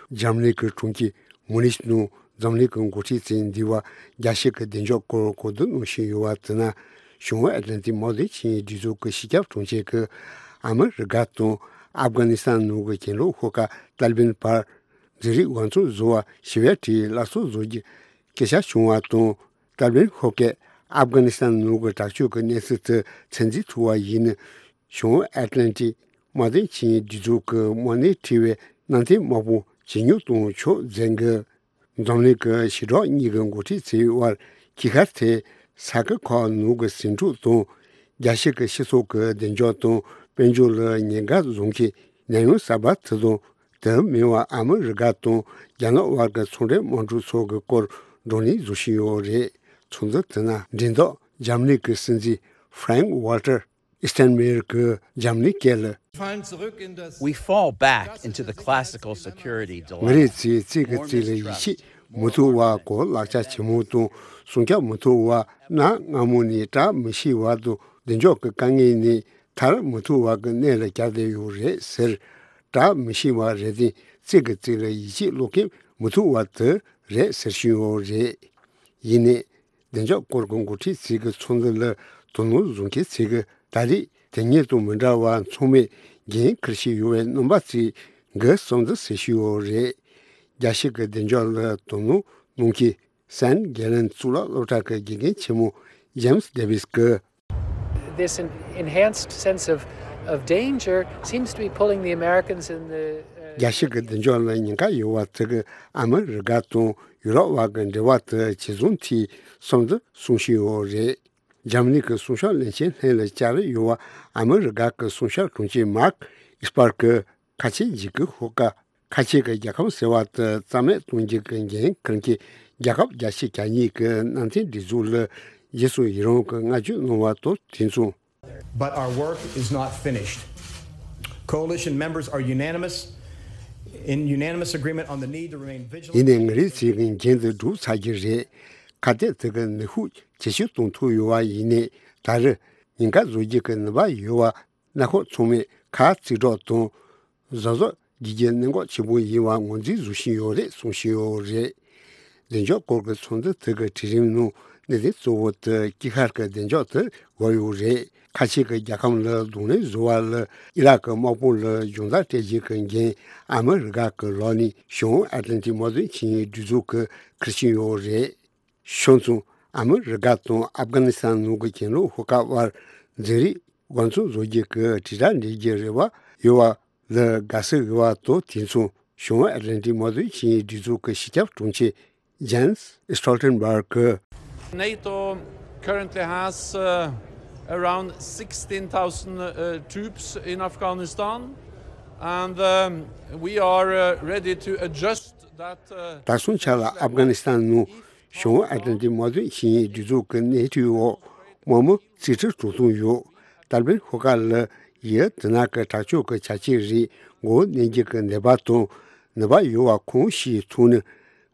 འཛམ་གླིང་གི་གྲོང་ཁྱེར་མུ་ནིག་ནང་འཛམ་གླིང་གི་འགོ་ཁྲིད་ཚོས་འདས་པའི་རྒྱལ་སྤྱི་གི་བདེ་འཇགས་སྐོར་གོ་བསྡུར་གནང་བཞིན་ཡོད་པ་དེ་ནི་བྱང་ཨེ་ཊ་ལན་ཊིག་དམག་དོན་ཆིངས་ཡིག་སྒྲིག་འཛུགས་ཀྱི་སྤྱི་ཁྱབ་དྲུང་ཆེ་གིས་ཨ་མི་རི་ཀ་དང་ཨབ་གྷ་ནི་སི་ཐན་ནང་གི་གྱེན་ལོག་ཤོག་ཁག་ཏཱ་ལི་བན་བར་འཛིང་རེས་འོས་འཚམ་བཟོ་བར་ཞི་བའི་གྲས་སླར་གསོ་བཟོ་རྒྱུའི་སྐད་ཆ་བྱུང་བ་དང་། ཏཱ་ལི་བན་ཤོག་ཁག་ཨབ་གྷ་ནི་སི་ཐན་ནང་གི་དྲག་སྤྱོད་ཀྱི་གནས་ཚུལ་དེ་ཚོད་འཛིན་ཐུབ་པ་ཡིན་ན། བྱང་ཨེཊ་ལན་ཊིག་དམག་དོན་ཆིངས་ཡིག་སྒྲིག་འཛུགས་ཀྱི་དམག་སྣེ་ཁྲིད་པའི་མནའ་མཐུན་དམག་དཔུང་ཇེ་ཉུང་གཏོང་ཆོག་མཛད་འགོ། འཛམ་གླིང་གི་ཞི་དྲག་གཉིས་ཀྱི་འགོ་ཁྲིད་ཚོའི་དབར་ཁྱིམ་ཁ་དེ་ས་ཁུལ་ཁག་ནང་གི་ཟིང་འཁྲུག་དང་ རྒྱལ་སྤྱི་གི་སྤྱི་ཚོགས་ཀྱི་བདེ་འཇགས་དང་དཔལ་འབྱོར་ལ་ཉེན་ཁ་བཟོ་མཁན་ཉེན་གཡོལ་གསར་པ་དེ་དང་། དེ་མིན་པ་ཨ་མི་རི་ཀ་དང་རྒྱ་ནག་དབར་གྱི་ཚོང་འབྲེལ་དམག་འཁྲུག་སོགས་ཀྱི་སྐོར་བགྲོ་གླེང་བཟོ་བཞིན་ཡོད་རེད། ཚོགས་འདུ་དེ་ནང་འགྲེམས་སྟོན་འཇར་མ་ནི་གི་སྲིད་འཛིན་Frank Walter Steinmeier གྱིས་འཇར་མ་ནི་སྐད་ལ། We fall back into the classical security dilemma. ང་རའི་ཚེ་རྩིས་ཀྱི་རྩིས་ལ་ཡིད་ཆེས་མི་ཐུབ་པ། གོ་ལག་ཆ་ཆེན་མོ་དང་སྲུང་སྐྱོབ་མི་ཐུབ་པ། གནའ་སྔ་མོ་ནས་བཀྲ་མི་ཤིས་པ་དང་བདེ་འཇགས་ཀྱི་དཀའ་ངལ་ནས་ཐར་མི་ཐུབ་པ་གི་གནས་ལ་གྱར་བསྡད་ཡོད་རེད་ཟེར། བཀྲ་མི་ཤིས་པ་རེད་དེ། རྩིས་ཀྱི་རྩིས་ལ་ཡིད་ཆེས་བློ་སྐྱེད་མི་ཐུབ་པ་དེ་རེད་ཟེར་བཞིན་ཡོད་རེད། ཡིན་ནའི། བདེ་འཇགས་སྐོར་གྱི་འགོ་ཁྲིད་ཚོས་ཀྱི་ཚོགས་འདུ་ལ་དོ་སྣང་བཟོ་མཁན་ཚོས་ཀྱི་ད་རེས་དེ་སྔ་དང་མི་འདྲ་བ་ཚང་མས་འགན་འཁུར་བཞིན་ཡོད་པའི་རྣམ་པ་ཚོས་འགུལ་གསུམ་དུ་ཟེར་བཞིན་ཡོད་རེད། རྒྱལ་སྤྱི་གི་བདེ་འཇགས་ལ་དོ་སྣང་གནང་མཁན་སན་གྷེ་ལན་གཙུག་ལག་སློབ་གྲྭ་གི་དགེ་རྒན་ཆེན་མོ་ཇེམ་སི་ཌེ་ཝིས་ཀྱིས། This en- enhanced sense of, of danger seems to be pulling the Americans in the, uh, རྒྱལ་སྤྱི་གི་བདེ་འཇགས་ལ་ཉེན་ཁ་ཡོད་པ་དེ་གིས་ཨ་མི་རི་ཀ་དང་ཡུ་རོབ་དབར་གྱི་འབྲེལ་བ་དེ་ཇེ་བཟང་དུ་སོང་དུ་སོང་བཞིན་ཡོད་རེད། འཇར་མ་ནི་གི་སྲུང་སྐྱོབ་བློན་ཆེན་ལྷན་ལ་བཅར་ཡོད་པ་ཨ་མི་རི་ཀ་གི་སྲུང་སྐྱོབ་དྲུང་ཆེ་མཱརྐ་ཨིས་པར་གྱིས། ཁ་ཆེ་འཇིགས་སྐུལ་ཤོག་ཁག་ཁ་ཆེ་གི་རྒྱལ་ཁམས་ཟེར་བ་དེ་རྩ་མེད་གཏོང་རྒྱུ་གི་འགན་འཁུར་མཁན་རྒྱལ་ཁབ་རྒྱལ་སྤྱི་གྱ་གཉིས་ཀྱི་གནམ་ཐེངས་སྒྲིག་འཛུགས་ལ་རྗེས་སུ་ཡི་རང་གི་བསྔགས་བརྗོད་གནང་བ་དང་དེ་མཚུངས། But our work is not finished. Coalition members are unanimous, in unanimous agreement on the need to remain vigilant. ཡིན་ནའི་ང་རའི་ཚོའི་འགན་དེ་སྒྲུབ་ཚར་གྱི་རེད། ཁ་གཏད་དེ་གི་ནུས་ཤུགས་ཇེ་ཆེར་གཏོང་ཐུབ་ཡོད་པ་ཡིན་ནའི་ད་རེས་ཉེན་ཁ་བཟོ་རྒྱུ་གི་ནུས་པ་ཡོད་པ། སྣ་ཁོག་ཚང་མས་ཁ་གཅིག་གྲོགས་དང་། གཟབ་གཟབ་བྱེད་རྒྱུ་གནད་འགག་ཆེན་པོ་ཡིན་པ་ངོས་འཛིན་བཟོ་བཞིན་ཡོད་རེད་གསུང་བཞིན་ཡོད་རེད། བདེ་འཇགས་སྐོར་གྱི་ཚོགས་འདུ་དེ་གི་གྲོས་རིམ་ནང་གནད་དོན་གཙོ་བོ་དེ་དཀྱིལ་ཤར་གྱི་བདེ་འཇགས་དེ་དགོས་ཡོད་རེད། ཁ་ཆེ་གི་རྒྱལ་ཁམས་ལ་གདོང་ལེན་བཟོ་བ་ལ་ཨི་རག་གི་དམག་དཔུང་ལ་སྦྱོང་བརྡར་སྤྲད་རྒྱུ་གི་འགན་ཨ་མི་རི་ཀ་གི་ལག་ནས་བྱང་ཨ་ཏི་ལན་ཏི་དམག་དོན་ཆིངས་ཡིག་སྒྲིག་འཛུགས་ཀྱིས་འཁུར་བཞིན་ཡོད་རེད། ཕྱོགས་མཚུངས། ཨ་མི་རི་ཀ་དང་ཨབ་གྷ་ནི་སི་ཐན་ནང་གི་གྱེན་ལོག་ཤོག་ཁག་དབར་འཛིང་རེས་འགོ་འཛུགས་བཟོ་རྒྱུ་གི་དྲིལ་བསྒྲགས་འབྲི་རྒྱུའི་རེ་བ་ཡོད་པ་ལ་དགའ་བསུ་ཡོད་པ་དང་དེ་མཚུངས། བྱང་ཨེཊ་ལན་ཊིག་དམག་དོན་ཆིངས་ཡིག་སྒྲིག་འཛུགས་ཀྱི་སྤྱི་ཁྱབ་དྲུང་ཆེ་ཇན་སི་སི་ཊོལ་ཊེན་བྷར་གྱིས། NATO currently has, uh, around sixteen thousand, uh, troops in Afghanistan, and, um, we are, uh, ready to adjust that, uh, ད་སོང་ཆ་ལ་ཨབ་གྷ་ནི་སི་ཐན་ནང་བྱང་ཨེཊ་ལན་ཊིག་དམག་དོན་ཆིངས་ཡིག་སྒྲིག་འཛུགས་ཀྱི་སྣེ་ཁྲིད་འོག་དམག་མི་རྩིས་ཁྲི་དྲུག་སྟོང་ཡོད། ཏཱ་ལི་བན་ཤོག་ཁག་ལ་ཡིས་དེ་ནང་གི་དྲག་སྤྱོད་ཀྱི་བྱ་སྤྱོད་རིགས་མགོ་བོ་མནན་རྒྱུ་གི་ནུས་པ་དང་ནུས་པ་ཡོད་པ་གང་ཞིག་ཐོན་ནས་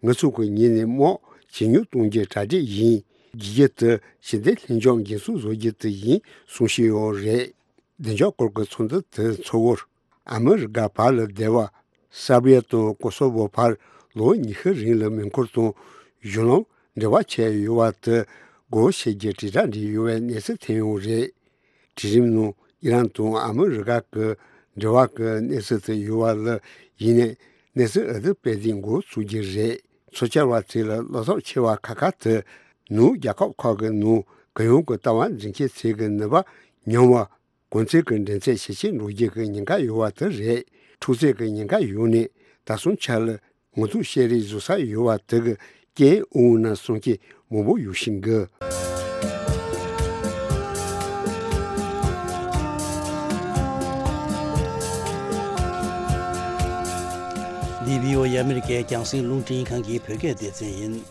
ང་ཚོ་གི་ངོས་ནས་དམག་ཇེ་ཉུང་གཏོང་རྒྱུ་གྲ་སྒྲིག་ཡིན། གྱི་རྒྱུ་དེ་ཞི་བདེ་ལྷིང་འཇགས་འགན་སྲུང་བཟོ་རྒྱུ་དེ་ཡིན་གསུང་བཞིན་ཡོད་རེད། བདེ་འཇགས་སྐོར་གྱི་ཚོགས་འདུ་དེ་གཙོ་བོར་ཨ་མི་རི་ཀ་བར་ལ་སྡེ་བ་སར་བྷི་ཡ་དང་ཀོ་སོ་བོ་བར་ལོ་ཉི་ཤུ་རིང་ལ་མེ་འཁོར་དང་གཞུང་ལམ་འབྲེལ་བ་ཆད་ཡོད་པ་དེ་སྒོ་ཕྱེ་རྒྱུ་དྲིལ་བསྒྲགས་འབྲི་ཡོད་པའི་གནས་ཚུལ་ཐོན་ཡོད་རེད། གྲོས་རིམ་ནང་ཨི་རན་དང་ཨ་མི་རི་ཀ་གི་འབྲེལ་བ་གི་གནས་ཚུལ་དེ་ཡོད་པ་ལ་ཡིན་ནའི་གནས་ཚུལ་ཨ་ཏི་སྤེལ་དུས་འགོ་ཚུགས་རྒྱུ་རེད། ཚོད་བཅར་བ་ཚོས་ལ་བློ་འཚབ་ཆེ་བ་ཁག་ཁག་དེ་ནུབ་རྒྱལ་ཁབ་ཁག་གི་ནང་གུ་ཡངས་ཀྱི་ལྟ་བ་འཛིན་མཁན་ཚོས་ཀྱི་ནུས་པ་ཉམས་པ། གོང་ཚད་ཀྱི་འགྲན་ཚད་ཇེ་ཆེར་འགྲོ་རྒྱུ་གི་ཉེན་ཁ་ཡོད་པ་དེ་རེད། འཁྲུག་རྩོད་ཀྱི་ཉེན་ཁ་ཡོད་ནས་ད་སོང་ཆ་ལ་ངོ་ཐུག་བཤད་རེས་བཟོ་ས་ཡོད་པ་དེ་གི་རྐྱེན་འོང་ན་བསམ་མཁན་མང་པོ་ཡོད་བཞིན་གི། འདི་བྷི་ཨོ་ཨེ་ཨ་མི་རི་ཀའི་རྒྱང་སྲིང་རླུང་འཕྲིན་ཁང་གི་བོད་སྐད་སྡེ་ཚན་ཡིན།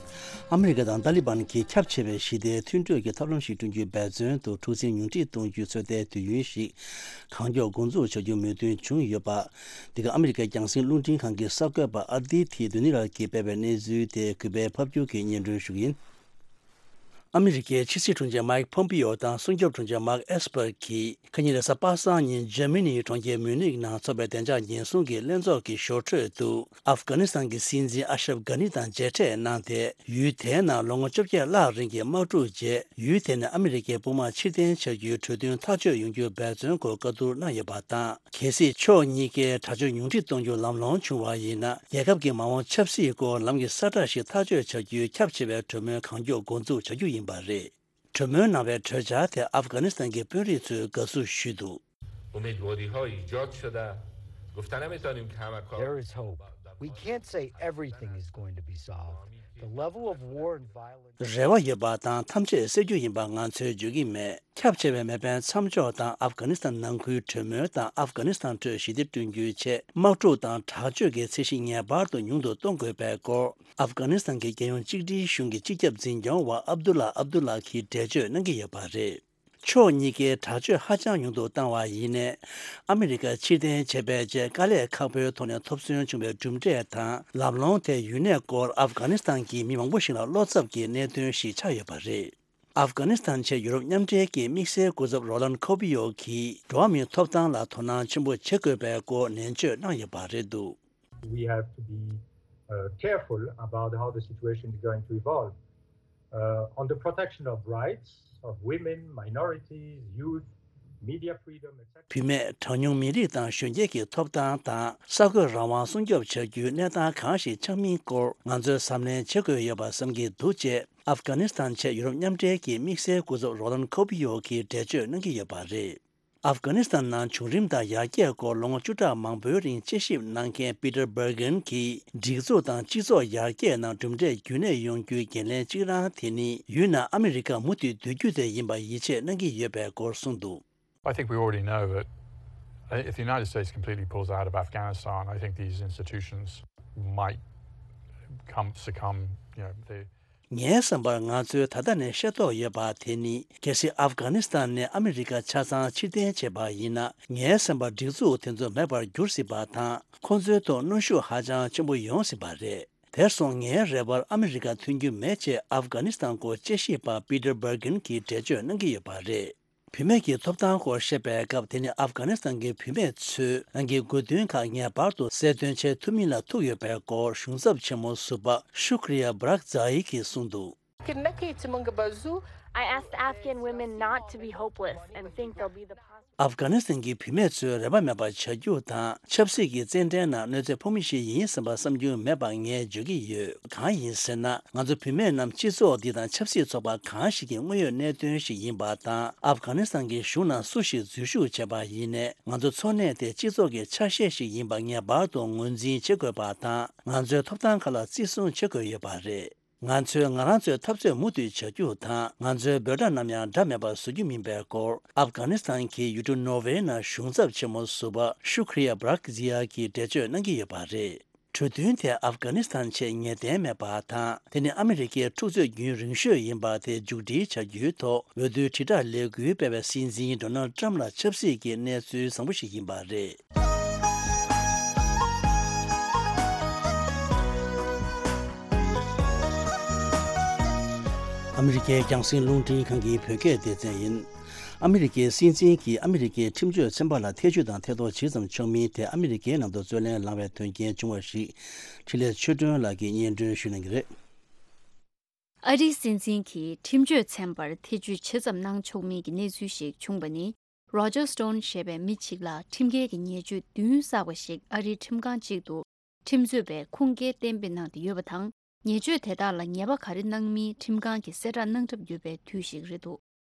ཨ་མི་རི་ཀ་དང་ཏཱ་ལི་བན་གྱིས་ཁྱབ་ཆེ་བའི་ཞི་བདེའི་མཐུན་གྲོས་ཀྱི་ཐབས་ལམ་ཞིག་བསྐྲུན་རྒྱུའི་འབད་བརྩོན་དུ་འཁྲུག་འཛིང་ཉུང་འཕྲི་གཏོང་རྒྱུའི་ཚོད་ལྟའི་དུས་ཡུན་ཞིག་གང་མགྱོགས་འགོ་འཛུགས་བྱ་རྒྱུའི་མོས་མཐུན་བྱུང་ཡོད་པ། འདི་ག་ཨ་མི་རི་ཀའི་རྒྱང་སྲིང་རླུང་འཕྲིན་ཁང་གི་གསར་འགོད་པ་ཨ་དྷི་ཐི་དྷུ་ནི་རལ་གྱིས་སྤེལ་བའི་གནས་ཚུལ་དེ་གུས་པས་ཕབ་སྒྱུར་གྱིས་སྙན་སྒྲོན་ཞུ་གི་ཡིན། ཨ་མི་རི་ཀའི་ཕྱི་སྲིད་དྲུང་ཆེ་མཱིག་ཕོམ་པི་ཨོ་དང་སྲུང་སྐྱོབ་དྲུང་ཆེ་མཱརྐ་ཨེས་པར་གྱིས་ཁ་ཉིན་རེས་གཟའ་པ་སངས་ཉིན་འཇར་མ་ནིའི་གྲོང་ཁྱེར་མུ་ནིག་ནང་འཚོགས་པའི་བདེ་འཇགས་ཉེན་སྲུང་གི་ལྷན་ཚོགས་ཀྱི་ཞོར་འཕྲོས་དུ། ཨབ་གྷ་ནི་སི་ཐན་གྱི་སྲིད་འཛིན་ཨ་ཤྲབ་གྷ་ནི་དང་མཇལ་འཕྲད་གནང་སྟེ། ཡུལ་དེའི་ནང་ལོ་ངོ་བཅོ་བརྒྱད་ལྷག་རིང་གི་དམག་འཁྲུག་རྗེས། ཡུལ་དེ་ནས་ཨ་མི་རི་ཀའི་དཔུང་དམག་ཕྱིར་འཐེན་བྱ་རྒྱུའི་གྲོས་མཐུན་ཐག་གཅོད་ཡོང་རྒྱུའི་འབད་བརྩོན་སྐོར་བཀའ་བསྡུར་གནང་ཡོད་པ་དང་། གལ་སྲིད་ཕྱོགས་གཉིས་ཀས་དྲག་སྤྱོད་ཉུང་འཕྲི་གཏོང་རྒྱུ་ལམ་ལྷོང་བྱུང་བ་ཡིན་ན། རྒྱལ་ཁབ་ཀྱི་མ་འོངས་ཆབ་སྲིད་སྐོར་ལམ་གྱི་གསལ་བསྒྲགས་ཤིག་ཐག་གཅོད་བྱ་རྒྱུའི་ཁྱབ་ཆེ་བའི་གྲོས་མོལ་གང་མགྱོགས་འགོ་འཛུགས་བྱ་རྒྱུ་ཡིན་པ་རེད། གྲོས་མོལ་གནང་བའི་གྲོས་འཆར་དེ་ཨབ་གྷ་ནི་སི་ཐན་གྱི་དཔོན་རིགས་ཚོས་དགའ་བསུ་ཞུས་འདུག. امیدواری ها ایجاد شده، گفتن نمی‌تونیم که همه کار There is hope. We can't say everything is going to be solved. The level of war and violence. རེ་བ་ཡོད་པ་དང་ཐམས་ཅད་སེལ་རྒྱུ་ཡིན་པ་ང་ཚོས་བརྗོད་ཀྱི་མེད། ཁྱབ་ཆེ་བའི་མེ་འཕེན་མཚམས་འཇོག་དང་ཨབ་གྷ་ནི་སི་ཐན་ནང་ཁུལ་གྲོས་མོལ་དང་ཨབ་གྷ་ནི་སི་ཐན་ཁྲོད་ཞི་བདེ་བསྐྲུན་རྒྱུའི་ཆེད་དམག་འཁྲུག་དང་དྲག་སྤྱོད་ཀྱི་ཚད་གཞི་ངེས་པར་དུ་ཉུང་དུ་གཏོང་དགོས་པའི་སྐོར། ཨབ་གྷ་ནི་སི་ཐན་གྱི་རྒྱལ་ཡོངས་གཅིག་སྒྲིལ་གཞུང་གི་སྤྱི་ཁྱབ་འཛིན་སྐྱོང་བ་ཨབ་དུ་ལ་ཨབ་དུ་ལ་གིས་འགྲེལ་བརྗོད་གནང་གི་ཡོད་པ་རེད། ཕྱོགས་གཉིས་ཀས་དྲག་སྤྱོད་ཧ་ཅང་ཉུང་དུ་བཏང་བ་ཡིན་ནའི། ཨ་མི་རི་ཀ་ཕྱིར་འཐེན་བྱས་པའི་རྗེས་དཀའ་ལས་ཁག་པོའི་ཐོག་ནས་ཐོབ་སོན་བྱུང་བའི་གྲུབ་འབྲས་དང་ལམ་ལྷོང་དེ་ཡུན་གནས་སྐོར་ཨབ་གྷ་ནི་སི་ཐན་གྱི་མི་མང་པོ་ཞིག་ལ་བློ་འཚབ་ཀྱི་གནད་དོན་ཞིག་ཆགས་ཡོད་པ་རེད། ཨབ་གྷ་ནི་སི་ཐན་ཆེད་ཡུ་རོབ་མཉམ་འབྲེལ་གྱི་དམིགས་བསལ་སྐུ་ཚབ་རོ་ལན་ཁོ་པི་ཡོ་གིས་འགྲོ་བ་མིའི་ཐོབ་ཐང་ལ་དོ་སྣང་ཆེན་པོ་བྱེད་དགོས་པའི་སྐོར་ནན་བརྗོད་གནང་ཡོད་པ་རེད་འདུག We have to be uh, careful about how the situation is going to evolve. Uh, on the protection of rights of women, minorities, youth, media freedom, et cetera. བུད་མེད། གྲངས་ཉུང་མི་རིགས་དང་གཞོན་སྐྱེས་ཀྱི་ཐོབ་ཐང་དང་གསར་འགོད་རང་དབང་སྲུང་སྐྱོབ་བྱ་རྒྱུའི་གནས་སྟངས་གང་ཞིག་ཆགས་མིན་སྐོར་ང་ཚོས་གཟབ་ནན་བྱེད་དགོས་ཡོད་པ་བསམ་གྱི་འདུག་ཅེས་ཨབ་གྷ་ནི་སི་ཐན་ཆེད་ཡུ་རོབ་མཉམ་འབྲེལ་གྱི་དམིགས་བསལ་སྐུ་ཚབ་རོ་ལན་ཁོ་པི་ཡོ་གིས་འགྲེལ་བརྗོད་གནང་གི་ཡོད་པ་རེད། ཨབ་གྷ་ནི་སི་ཐན་ནང་བྱུང་རིམ་དང་ཡར་རྒྱས་སྐོར་ལོ་ངོ་བཅུ་ཕྲག་མང་པོའི་རིང་དཔྱད་ཞིབ་གནང་མཁན་པི་ཏར་སྦར་གྷན་གྱིས་སྒྲིག་འཛུགས་དང་སྤྱི་ཚོགས་ཡར་རྒྱས་ནང་གྲུབ་འབྲས་རྒྱུན་གནས་ཡོང་རྒྱུའི་འགན་ལེན་གཅིག་རང་དེ་ནི་ཡུལ་ནང་ཨ་མི་རི་ཀ་མུ་མཐུད་སྡོད་རྒྱུ་དེ་ཡིན་པར་ཡིད་ཆེས་གནང་གི་ཡོད་པའི་སྐོར་གསུངས་འདུག I think we already know that if the United States completely pulls out of Afghanistan, I think these institutions might come succumb, you know, they ངའི་བསམ་པར་ང་ཚོས་ད་ལྟ་ནས་ཤེས་རྟོགས་ཡོད་པ་དེ་ནི། གལ་སྲིད་ཨབ་གྷ་ནི་སི་ཐན་ནས་ཨ་མི་རི་ཀ་ཆ་ཚང་ཕྱིར་འཐེན་བྱས་པ་ཡིན་ན། ངའི་བསམ་པར་སྒྲིག་འཛུགས་དེ་ཚོ་མེད་པར་འགྱུར་སྲིད་པ་དང་། ཁོང་ཚོའི་ཐོག་གནོན་ཤུགས་ཧ་ཅང་ཆེན་པོ་ཡོང་སྲིད་པ་རེད། དེར་སོང་ངའི་རེ་བར་ཨ་མི་རི་ཀ་ཐོན་རྒྱུ་མེད་ཅེས་ཨབ་གྷ་ནི་སི་ཐན་སྐོར་དཔྱད་ཞིབ་པ་པི་ཏར་སྦར་གྷན་གྱིས་འགྲེལ་བརྗོད་གནང་གི་ཡོད་པ་རེད། བུད་མེད་ཀྱི་ཐོབ་ཐང་སྐོར་བཤད་པའི་སྐབས། དེ་ནི་ཨབ་གྷ་ནི་སི་ཐན་གྱི་བུད་མེད་ཚོས་རང་གི་དགོས་འདུན་ཁག་ངེས་པར་དུ་གསལ་སྟོན་བྱེད་ཐུབ་མིན་ལ་ཐུག་ཡོད་པའི་སྐོར་གཞུང་ཚབ་ཆེན་མོ་ཟུར་པ་ཤུ་ཁྲི་ཡ་བྷ་རག་ཛ་ཡི་གིས་གསུངས་འདུག Kırım'daki tümün bazı I asked Afghan women not to be hopeless and think they'll be the positive. ཨབ་གྷ་ནི་སི་ཐན་གྱི་བུད་མེད་ཚོས་རེ་བ་མེད་པར་བྱ་རྒྱུ་དང་། ཆབ་སྲིད་ཀྱི་རྩེད་འགྲན་ནང་གནོད་འཚེ་ཕོག་མི་ཞིག་ཡིན་བསམ་པ་བསམ་རྒྱུ་མེད་པ་ངས་བརྗོད་ཀྱི་ཡོད། གང་ཡིན་ཟེར་ན། ང་ཚོ་བུད་མེད་རྣམས་སྤྱི་ཚོགས་འདི་དང་ཆབ་སྲིད་ཚོགས་པ་གང་ཞིག་གི་དངོས་ཡོད་གནད་དོན་ཞིག་ཡིན་པ་དང་། ཨབ་གྷ་ནི་སི་ཐན་གྱི་གཞུང་ནང་སུ་ཞིག་འཛུལ་ཞུགས་བྱས་པ་ཡིན་ནའི། ང་ཚོ་འཚོ་གནས་དེ་སྤྱི་ཚོགས་ཀྱི་ཆ་ཤས་ཤིག་ཡིན་པ་ངེས་པར་དུ་ངོས་འཛིན་བྱེད་དགོས་པ་དང་། ང་ཚོའི་ཐོབ་ཐང་ཁག་ལ་བརྩི་སྲུང་བྱེད་དགོས་ཡོད་པ་རེད། ང་ཚོས་ང་རང་ཚོའི་འཐབ་རྩོད་མུ་མཐུད་བྱ་རྒྱུ་དང་། ང་ཚོའི་འབོད་སྒྲ་ནམ་ཡང་འདྲ་མེད་པར་བཟོ་རྒྱུ་མིན་པའི་སྐོར། ཨབ་གྷ་ནི་སི་ཐན་གྱི་ཡུལ་གྲུ་ནོར་ཝེ་ནང་གཞུང་ཚབ་ཆེན་མོ་ཟུར་པ་ཤུ་ཁྲི་ཡ་བྷ་རག་ཛི་ཡ་གིས་འགྲེལ་བརྗོད་གནང་གི་ཡོད་པ་རེད། གྲོས་མཐུན་དེ་ཨབ་གྷ་ནི་སི་ཐན་ཆེད་ངེས་གཏན་མེད་པ་དང་། དེ་ནི་ཨ་མི་རི་ཀའི་འཁྲུག་རྩོད་རྒྱུན་རིང་ཤོས་ཡིན་པ་དེ་མཇུག་སྒྲིལ་བྱ་རྒྱུའི་ཐོག་འོས་བསྡུའི་དྲིལ་བསྒྲགས་ལས་འགུལ་སྤེལ་བའི་སྲིད་འཛིན་ཌོ་ནལ་ཊམ་ལ་ཆབ་སྲིད་ཀྱི་གནས་ཚུལ་བཟང་པོ་ཞིག་ཡིན་པ་རེད། ཨ་མི་རི་ཀའི་རྒྱང་སྲིང་རླུང་འཕྲིན་ཁང་གི་བོད་སྐད་སྡེ་ཚན་ཡིན། ཨ་མི་རི་ཀའི་སྲིད་འཛིན་གྱིས་ཨ་མི་རི་ཀའི་ཁྲིམས་གཅོད་ཚན་པ་ལ་ཐེ་བྱུས་དང་ཐེ་གཏོགས་ཇི་ཙམ་བྱུང་མིན་དེ་ཨ་མི་རི་ཀའི་ནང་དུ་རྩོད་ལེན་ལངས་པའི་དོན་རྐྱེན་བྱུང་བ་ཞིག་འཕྲིན་ལས་ཆོས་སྒྲོན་ལགས་ཀྱིས་སྙན་སྒྲོན་ཞུ་གནང་གི་རེད། ཨ་རིའི་སྲིད་འཛིན་གྱིས་ཁྲིམས་གཅོད་ཚན་པར་ཐེ་བྱུས་ཇི་ཙམ་གནང་ཆོག་མིན་གྱི་གནས་ཚུལ་ཞིག་བྱུང་བ་ནི། Roger Stone ཞེས་པའི་མི་གཅིག་ལ་ཁྲིམས་འགལ་གྱི་ཉེས་སྤྱོད་བདུན་བསགས་པ་ཞིག་ཨ་རིའི་ཁྲིམས་ཁང་གཅིག་ཏུ་ཁྲིམས་རྩོད་པས་ཁུངས་སྐྱེལ་གཏན་འབེབས་གནང་སྟེ་ཡོད་པ་དང་། ཉེས་སྤྱོད་དེ་དག་ལ་ཉེས་པ་ག་རེ་གནང་མིན་ཁྲིམས་ཁང་གིས་གསལ་བསྒྲགས་གནང་གྲབས་ཡོད་པའི་དུས་ཤིག་རེད་འདུག་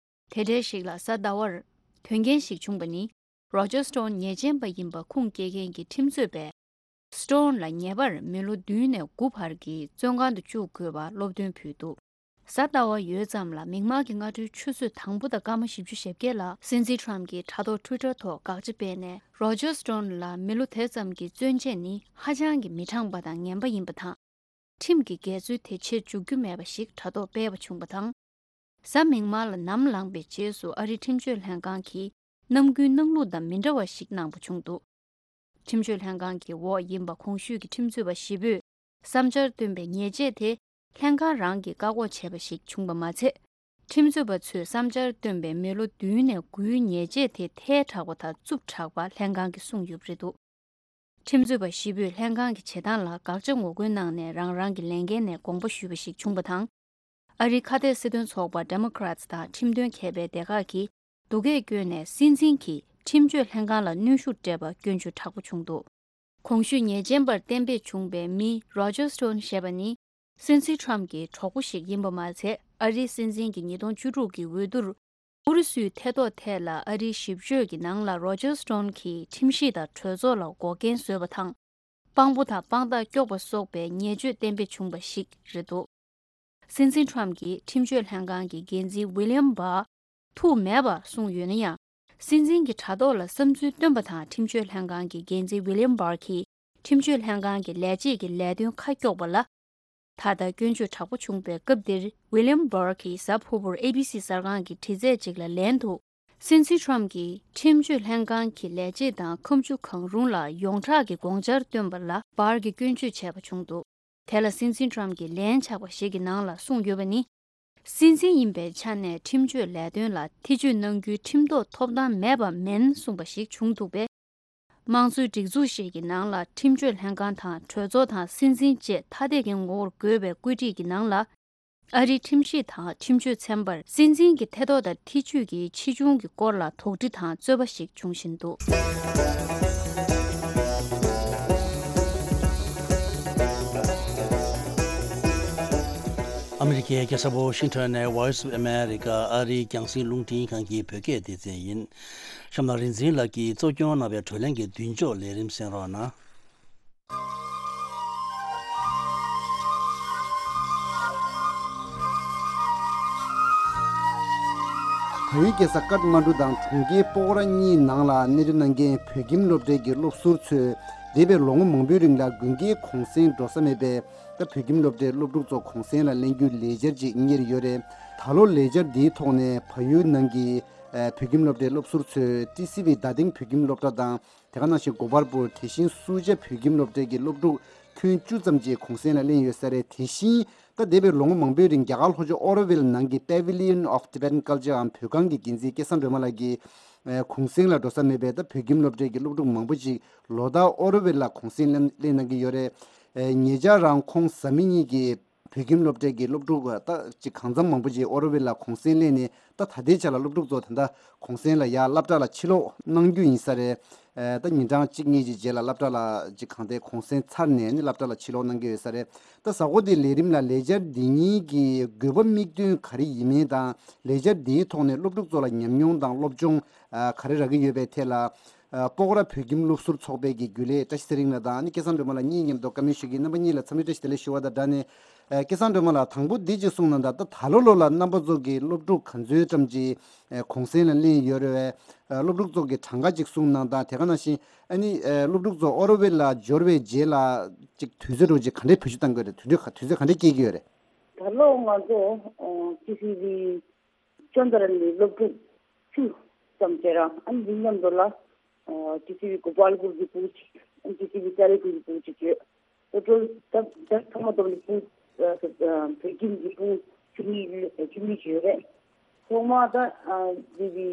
དེ་འདྲའི་ཞིག་ལ་གཟའ་ཟླ་བར་དོན་རྐྱེན་ཞིག་བྱུང་བ་ནི། Roger Stone ཉེས་ཅན་པ་ཡིན་པ་ཁུངས་སྐྱེལ་མཁན་གྱི་ཁྲིམས་རྩོད་པས། Stone ལ་ཉེ་བར་མི་ལོ་བདུན་ནས་དགུ་བར་གྱི་བཙོན་ཁང་དུ་བཅུག་དགོས་པར་སློབ་སྟོན་ཕུལ་འདུག་གཟའ་ཟླ་བ་ཡོལ་ཙམ་ལ་མིག་དམར་གྱི་སྔ་དྲོའི་ཆུ་ཚོད་དང་པོ་དང་སྐར་མ་བཞི་བཅུ་ཞེ་བརྒྱད་ལ་སྲིད་འཛིན་Trump གྱིས་དྲ་ཐོག་Twitter ཐོག་དགག་བྱ་སྤེལ་ནས། Roger Stone ལ་མི་ལོ་དེ་ཙམ་གྱི་བཙོན་བཅད་ནི་ཧ་ཅང་གི་མི་དྲང་པ་དང་ངན་པ་ཡིན་པ་དང་། ཁྲིམས་ཀྱི་འགལ་འཛོལ་དེ་བྱེད་འཇུག་རྒྱུ་མེད་པ་ཞིག་དྲ་ཐོག་སྤེལ་བ་བྱུང་བ་དང་། གཟའ་མིག་དམར་ལ་ནམ་ལངས་པའི་རྗེས་སུ་ཨ་རིའི་ཁྲིམས་གཅོད་ལྷན་ཁང་གིས་ནམ་རྒྱུན་གནང་ལུགས་དང་མི་འདྲ་བ་ཞིག་གནང་པ་བྱུང་འདུག་ཁྲིམས་གཅོད་ལྷན་ཁང་གི་འོག་ཡིན་པ་གོང་ཞུས་ཀྱི་ཁྲིམས་རྩོད་པ་བཞི་པོས་བསམ་འཆར་བཏོན་པའི་ཉེས་ཆད་དེ་ལྷན་ཁང་རང་གིས་བཀག་འགོག་བྱས་པ་ཞིག་བྱུང་བ་མ་ཚད། ཁྲིམས་རྩོད་པ་ཚོས་བསམ་འཆར་བཏོན་པའི་མི་ལོ་བདུན་ནས་དགུའི་ཉེས་ཆད་དེ་ཐལ་དྲགས་པ་དང་རྩུབ་དྲགས་པ་ལྷན་ཁང་གིས་གསུངས་ཡོད་པ་རེད་འདུག་ཁྲིམས་རྩོད་པ་བཞི་པོས་ལྷན་ཁང་གི་བྱེད་སྟངས་ལ་དགག་བྱ་ངོ་རྒོལ་གནང་ནས་རང་རང་གི་ལས་འགན་ནས་དགོངས་པ་ཞུས་པ་ཞིག་བྱུང་བ་དང་། ཨ་རིའི་ཁ་གཏད་སྲིད་དོན་ཚོགས་པ་Democrats དང་ཁྲིམས་དོན་མཁས་པའི་སྡེ་ཁག་གིས་སྡུག་སྐད་བསྐྱོན་ནས་སྲིད་འཛིན་གྱིས་ཁྲིམས་གཅོད་ལྷན་ཁང་ལ་གནོན་ཤུགས་སྤྲད་པ་སྐྱོན་བརྗོད་དྲག་པོ་བྱུང་འདུག་གོང་ཞུས་ཉེས་ཅན་པར་གཏན་འབེབས་བྱུང་བའི་མི་Roger Stone ཞེས་པ་ནི། སྲིད་འཛིན་Trump གྱི་གྲོགས་པོ་ཞིག་ཡིན་པ་མ་ཚད། ཨ་རིའི་སྲིད་འཛིན་གྱི་ཉིས་སྟོང་བཅུ་དྲུག་གི་འོས་བསྡུར། ཨུ་རུ་སུའི་ཐེ་གཏོགས་ཐད་ལ་ཨ་རིའི་ཞིབ་དཔྱོད་ཀྱི་ནང་ལ་Roger Stone གྱིས་ཁྲིམས་གཞི་དང་གྲོས་ཚོགས་ལ་འགོག་རྐྱེན་བཟོས་པ་དང་། དཔང་པོ་དང་དཔང་རྟགས་སྐྱོགས་པ་སོགས་པའི་ཉེས་སྤྱོད་གཏན་འབེབས་བྱུང་བ་ཞིག་རེད་འདུག་སྲིད་འཛིན་ཁྲོམ་གྱིས་ཁྲིམས་གཅོད་ལྷན་ཁང་གི་འགན་འཛིན་ཝི་ལི་ཡམ་བྷར་ཐུགས་མེད་པར་གསུངས་ཡོད་ན་ཡང་། སྲིད་འཛིན་གྱི་དྲ་ཐོག་ལ་བསམ་ཚུལ་བཏོན་པ་དང་ཁྲིམས་གཅོད་ལྷན་ཁང་གི་འགན་འཛིན་ཝི་ལི་ཡམ་བྷར་གྱིས་ཁྲིམས་གཅོད་ལྷན་ཁང་གི་ལས་བྱེད་ཀྱི་ལས་དོན་ཁ་སྐྱོགས་པ་ལ། ད་ལྟ་སྐྱོན་བརྗོད་དྲག་པོ་བྱུང་བའི་སྐབས་འདིར། ཝི་ལི་ཡམ་བྷར་གྱིས་གཟའ་ཕུར་བུར་ཨེ་བི་སི་གསར་ཁང་གི་དྲི་རྩད་ཅིག་ལ་ལན་དུ། སྲིད་འཛིན་ཁྲོམ་གྱིས་ཁྲིམས་གཅོད་ལྷན་ཁང་གི་ལས་བྱེད་དང་ཁ་མཆུ་གང་རུང་ལ་ཡོངས་གྲགས་ཀྱི་དགོངས་འཆར་བཏོན་པ་ལ་བྷར་གྱིས་སྐྱོན་བརྗོད་བྱས་པ་བྱུང་འདུག་དེ་ལ་སྲིད་འཛིན་ཁྲོམ་གྱིས་ལན་ཆགས་པ་ཞིག་གི་ནང་ལ་གསུངས་ཡོད་པ་ནི། སྲིད་འཛིན་ཡིན་པའི་ཆ་ནས་ཁྲིམས་གཅོད་ལས་དོན་ལ་ཐེ་བྱུས་གནང་རྒྱུའི་ཁྲིམས་ཐོག་ཐོབ་ཐང་མེད་པ་མིན་གསུངས་པ་ཞིག་བྱུང་འདུག་པས། དམངས་གཙོའི་སྒྲིག་འཛུགས་ཤིག་གི་ནང་ལ་ཁྲིམས་གཅོད་ལྷན་ཁང་དང་གྲོས་ཚོགས་དང་སྲིད་འཛིན་བཅས་ཐ་དད་ཀྱི་ངོ་བོར་དགོས་པའི་བཀོད་སྒྲིག་གི་ནང་ལ། ཨ་རིའི་ཁྲིམས་ཞིབ་དང་ཁྲིམས་གཅོད་ཚན་པར་སྲིད་འཛིན་གྱི་ཐེ་གཏོགས་དང་ཐེ་བྱུས་ཀྱི་ཆེ་ཆུང་གི་སྐོར་ལ་དོགས་འདྲི་དང་རྩོད་པ་ཞིག་འབྱུང་བཞིན་འདུག་ཨ་མི་རི་ཀའི་རྒྱལ་ས་ཝོ་ཤིང་ཊོན་ནས་Voice of America ཨ་རིའི་རྒྱང་སྲིང་རླུང་འཕྲིན་ཁང་གི་བོད་སྐད་སྡེ་ཚན་ཡིན། གཤམ་ལ་རིག་འཛིན་ལགས་ཀྱིས་གཙོ་སྐྱོང་གནང་བའི་བགྲོ་གླེང་གི་མདུན་ལྕོག་ལས་རིམ་གསན་རོགས་གནང་། བལ་ཡུལ་རྒྱལ་ས་ཀཏ་མན་གྲུ་དང་གྲོང་ཁྱེར་པོ་ཀོ་ར་གཉིས་ནང་ལ་གནས་སྡོད་གནང་མཁན་བོད་ཁྱིམ་སློབ་གྲྭའི་གི་སློབ་ཟུར་ཚོས་འདས་པའི་ལོ་ངོ་མང་པོའི་རིང་ལ་དགུན་ཁའི་གུང་སེང་འགྲོ་ས་མེད་པས། ད་བོད་ཁྱིམ་སློབ་གྲྭའི་སློབ་ཕྲུག་ཚོ་གུང་སེང་ལ་ལེན་རྒྱུའི་ལས་འཆར་ཅིག་གཉེར་ཡོད་རེད། ད་ལོ་ལས་འཆར་འདིའི་ཐོག་ནས་བལ་ཡུལ་ནང་གི་ཨ་བོད་ཁྱིམ་སློབ་གྲྭའི་སློབ་ཟུར་ཚོས་ཊི་སི་ཝི་རྡ་སྟེང་བོད་ཁྱིམ་སློབ་གྲྭ་དང་། དེ་ག་ནང་བཞིན་གོ་པལ་པུར། དེ་བཞིན་སུ་ཇཱ་བོད་ཁྱིམ་སློབ་གྲྭའི་གི་སློབ་ཕྲུག་ཁྱོན་བཅུ་ཙམ་ཅིག་གུང་སེང་ལ་ལེན་ཡོད་ས་རེད། དེ་བཞིན་ད་འདས་པའི་ལོ་ངོ་མང་པོའི་རིང་རྒྱ་གར་ལྷོ་ཕྱོགས་ཨོ་རོ་ཝིལ་ནང་གི་Pavilion of Tibetan Culture འམ་བོད་ཁང་གི་འགན་འཛིན་སྐལ་བཟང་སྒྲོལ་མ་ལགས་ཀྱིས་ཨ་གུང་སེང་ལ་འགྲོ་ས་མེད་པས། ད་བོད་ཁྱིམ་སློབ་གྲྭའི་གི་སློབ་ཕྲུག་མང་པོ་ཅིག་ལོ་ལྟར་ཨོ་རོ་ཝིལ་ལ་གུང་སེང་ལེན་ལེན་གནང་གི་ཡོད་རེད། ཨ་ཉེ་ཆར་རང་ཁོང་བཟའ་མི་གཉིས་ཀྱིས་བོད་ཁྱིམ་སློབ་གྲྭའི་གི་སློབ་ཕྲུག་ད་ཅིག་གང་འཚམ་མང་པོ་ཅིག་ཨོ་རོ་ཝིལ་ལ་གུང་སེང་ལེན་ནས། ད་ད་ལྟའི་ཆ་ལ་སློབ་ཕྲུག་ཚོ་ད་ལྟ་གུང་སེང་ལ་ཡར་སློབ་གྲྭ་ལ་ཕྱིར་ལོག་གནང་རྒྱུ་ཡིན་ས་རེད། ཨ་ད་ཉིན་གྲངས་གཅིག་གཉིས་ཀྱི་རྗེས་ལ་སློབ་གྲྭ་ལ་ཅིག་གང་ལྟར་གུང་སེང་ཚར་ནས་ནི་སློབ་གྲྭ་ལ་ཕྱིར་ལོག་གནང་གི་ཡོད་ས་རེད། ད་གཟའ་འཁོར་འདིའི་ལས་རིམ་ལ་ལས་འཆར་འདི་གཉིས་ཀྱི་དགོས་པ་དམིགས་དོན་ག་རེ་ཡིན་མིན་དང་། ལས་འཆར་འདིའི་ཐོག་ནས་སློབ་ཕྲུག་ཚོ་ལ་ཉམས་མྱོང་དང་སློབ་སྦྱོང་ཨ་ག་རེ་རག་གི་ཡོད་པའི་ཐད་ལ། ཨ་སྤོག་ར་བོད་ཁྱིམ་སློབ་ཟུར་ཚོགས་པའི་གི་རྒྱུན་ལས་བཀྲ་ཤིས་ཚེ་རིང་ལགས་དང་། ཨ་ནི་སྐལ་བཟང་སྒྲོལ་མ་ལགས་གཉིས་མཉམ་དུ་བཀའ་མོལ་ཞུ་གི་ཡིན། རྣམ་པ་གཉིས་ལ་འཚམས་འདྲི་བཀྲ་ཤིས་བདེ་ལེགས་ཞུ་བ་དང་སྦྲགས་ནས། ཨ་སྐལ་བཟང་སྒྲོལ་མ་ལགས། དང་པོ་འདི་གཅིག་གསུངས་གནང་དང་། ད་ད་ལོ་ལོ་ལ་རྣམ་པ་ཚོ་གི་སློབ་ཕྲུག་ག་ཚོད་ཙམ་ཅིག་ཨ་གུང་སེང་ལ་ལེན་ཡོད་རེད་པས། ཨ་སློབ་ཕྲུག་ཚོ་གི་གྲངས་ཀ་ཅིག་གསུངས་གནང་དང་། དེ་ག་ནང་བཞིན་ཨ་ནི་ཨ་སློབ་ཕྲུག་ཚོ་ཨོ་རོ་ཝེལ་ལ་འབྱོར་བའི་རྗེས་ལ་ཅིག་དུས་ཚོད་འགྲོ་ཅིག་ག་འདྲའི་བེད་སྤྱོད་གཏང་གི་ཡོད་རེད། དུས་ཚོད་ག་དུས་ཚོད་ག་འདྲའི་སྐྱེལ་གི་ཡོད་རེད། ད་ལོ་ང་ཚོ་ཨ་ཊི་སི་ཝི་ཅོན་ཏ་ར་ནས་སློབ་ཕྲུག་བཅུ་ཙམ་བྱས་ར། ཨ་ནི་འདི་མཉམ་དུ་ལ་ཨ་ཊི་སི་ཝི་གོ་པལ་པུར་གྱི་ཕྲུ་གུ་གཅིག་ཨ་ཊི་སི་ཝི་ཀ་ལེ་ཀུར་གྱི་ཕྲུ་གུ་གཅིག་ཡོད། ཨོ་ཊོ་ད་ད་ཚང་མ་བསྡོམས་ནས་ཕྲུ་གུ་ཨ་བོད་ཁྱིམ་གྱི་ཕྲུ་གུ་བཅུ་གཉིས་བཅུ་གཉིས་ཅིག་ཡོད་རེད། ཐོག་མ་ད་ཨ་འདི་གི་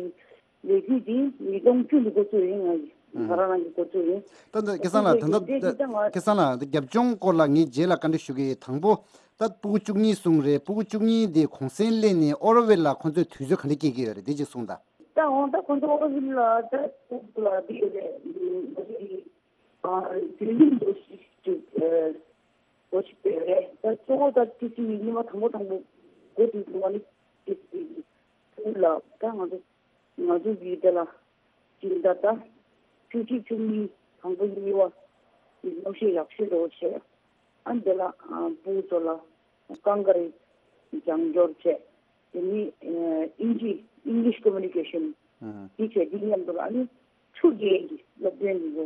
ལས་འགུལ་འདི་ཉིས་སྟོང་བཅུ་ནས་འགོ་བཙུགས་ཡིན། ང་ཡི་ང་རང་རང་གི་འགོ་བཙུགས་ཡིན། ད་ད་སྐལ་བཟང་ལགས། ད་ད་ད་སྐལ་བཟང་ལགས། ད་རྒྱབ་ལྗོངས་སྐོར་ལ་ངས་རྗེས་ལ་བཀའ་འདྲི་ཞུ་གི་ཡིན། དང་པོ་ད་ཕྲུ་གུ་བཅུ་གཉིས་གསུངས་རེད། ཕྲུ་གུ་བཅུ་གཉིས་དེ་གུང་སེང་ལེན་ནས་ཨོ་རོ་ཝེལ་ལ་ཁོང་ཚོས་དུས་ཚོད་ག་འདྲ་སྐྱེལ་གྱི་ཡོད་རེད། དེ་གཅིག་གསུངས་དང་། ད་འོང་ད་ཁོང་ཚོ་ཨོ་རོ་ཝེལ་ལ་ད་ཕྲུ་གུ་ལ་འདི་ཡོད་རེད། ང་ཚོ་གི་ཨ་དུས་ཡུན་འདུག་ཅིག་ཨ་འགོ་ཞིག་ཡོད་རེད། ད་གཙོ་བོ་ད་ཊི་སི་ཝི་ཉི་མ་དང་པོ་དང་པོ་འགོ་དུས་སུ་ང་ནི་ཊི་སི་ཝི་གི་ཕྲུ་གུ་ལ་ད་ང་ཚོ་ང་ཚོ་གི་དེ་ལ་སྦྱིན་བདག་ད་བཅུ་གཅིག་བཅུ་གཉིས་དང་པོ་གཉིས་པ་གི་སློབ་གཞས་ཡག་ཤོས་འགྲོ་བྱས། ཨ་འདི་ལ་ཨ་ཕྲུ་གུ་ཚོ་ལ་ཀང་ཀ་རེ་རྒྱང་སྐྱོར་བྱས། དེ་ནི་ཨ་ཨིན་ཇི་English communication ཨ་དེ་བྱས། དེ་མཉམ་དུ་ལ་ཨ་ནི་ཆུ་རྐྱལ་གྱི་སློབ་ཚན་འདི་ཚོ་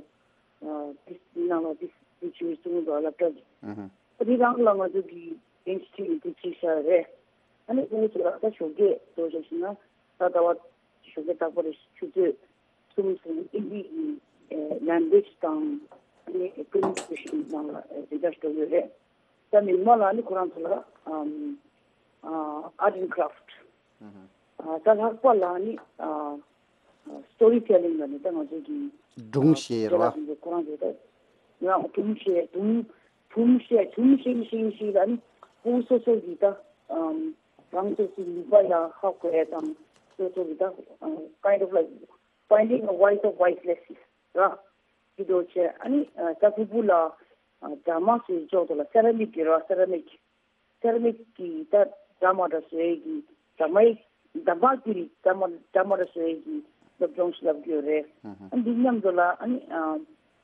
ཨ་དེ་ནང་ལ་དེ་དེ་བྱས་གསུང་འདུག་སློབ་གྲྭ་གི་ཨ་དེ་རང་ལ་ང་ཚོ་གི་ཨིན་སི་ཊི་ཊུཊ་དེ་བྱས་བཞག་རེད། ཨ་ནི་ཕྲུ་གུ་ཚོ་ལ་ད་ཞོགས་ཀས་འགྲོ་བྱས་ཤིག་ན་ད་ཟླ་བ་ཞོགས་ཀས་རྟག་པར་ཆུ་ཚོད་གསུམ་ཙམ་ཨིན་ཇིའི་ཨེ་ལེང་གུ་ཨེ་ཇི་དང་ཨ་ནི་ཀོ་མུ་ནི་ཀེ་ཤན་ནང་ལ་ཨེ་དེ་འདྲ་འགྲོ་གི་རེད། ད་མི་མང་ལ་ཨ་ནི་ཁོ་རང་ཚོ་ལ་ཨམ་ཨ་ཨར་ཊི་ཨེན་ཌི་ཀ་ར་ཕི་ཊི། ཨ་ད་ལྷག་པ་ལ་ཨ་ནི་ཨ་སི་ཊོ་རི་ཊེ་ལིང་ལ་ནི་ད་ང་ཚོ་གི་སྒྲུང་བཤད་རེད་པ། ཁོ་རང་ཚོ་ད་ཡང་སྒྲུང་བཤད་སྒྲུང་སྒྲུང་བཤད་སྒྲུང་བཤད་བཤད་བཤད་ལ་ཨ་ནི་ཕྲུ་གུ་སོ་སོ་གི་ད་ཨམ་རང་སོ་སོའི་ནུས་པ་ཡང་ཧ་གོ་ཡ་དང་སོ་སོ་གི་ད་ཨམ་kind of like finding a voice of voiceless ར། དེ་འདྲ་བྱས། ཨ་ནི་ཨ་ད་ཕྲུ་གུ་ལ་ཨ་ཌ་ར་མ་བཟོས་ཅོག་ཏུ་ལ་སེ་ར་མིག་གི་ར་སེ་ར་མིག་སེ་ར་མིག་གི་ད་ཌ་ར་མ་འདྲ་བཟོ་ཡས་ཀྱི་ཌ་ར་མའི་ཌ་ར་མ་ཀི་རི་ཌ་ར་མ་ཌ་ར་མ་འདྲ་བཟོ་ཡས་ཀྱི་སློབ་སྦྱོང་ཞིག་བསླབ་ཀྱི་ཡོད་རེད། ཨ་འདི་མཉམ་དུ་ལ་ཨ་ནི་ཨ་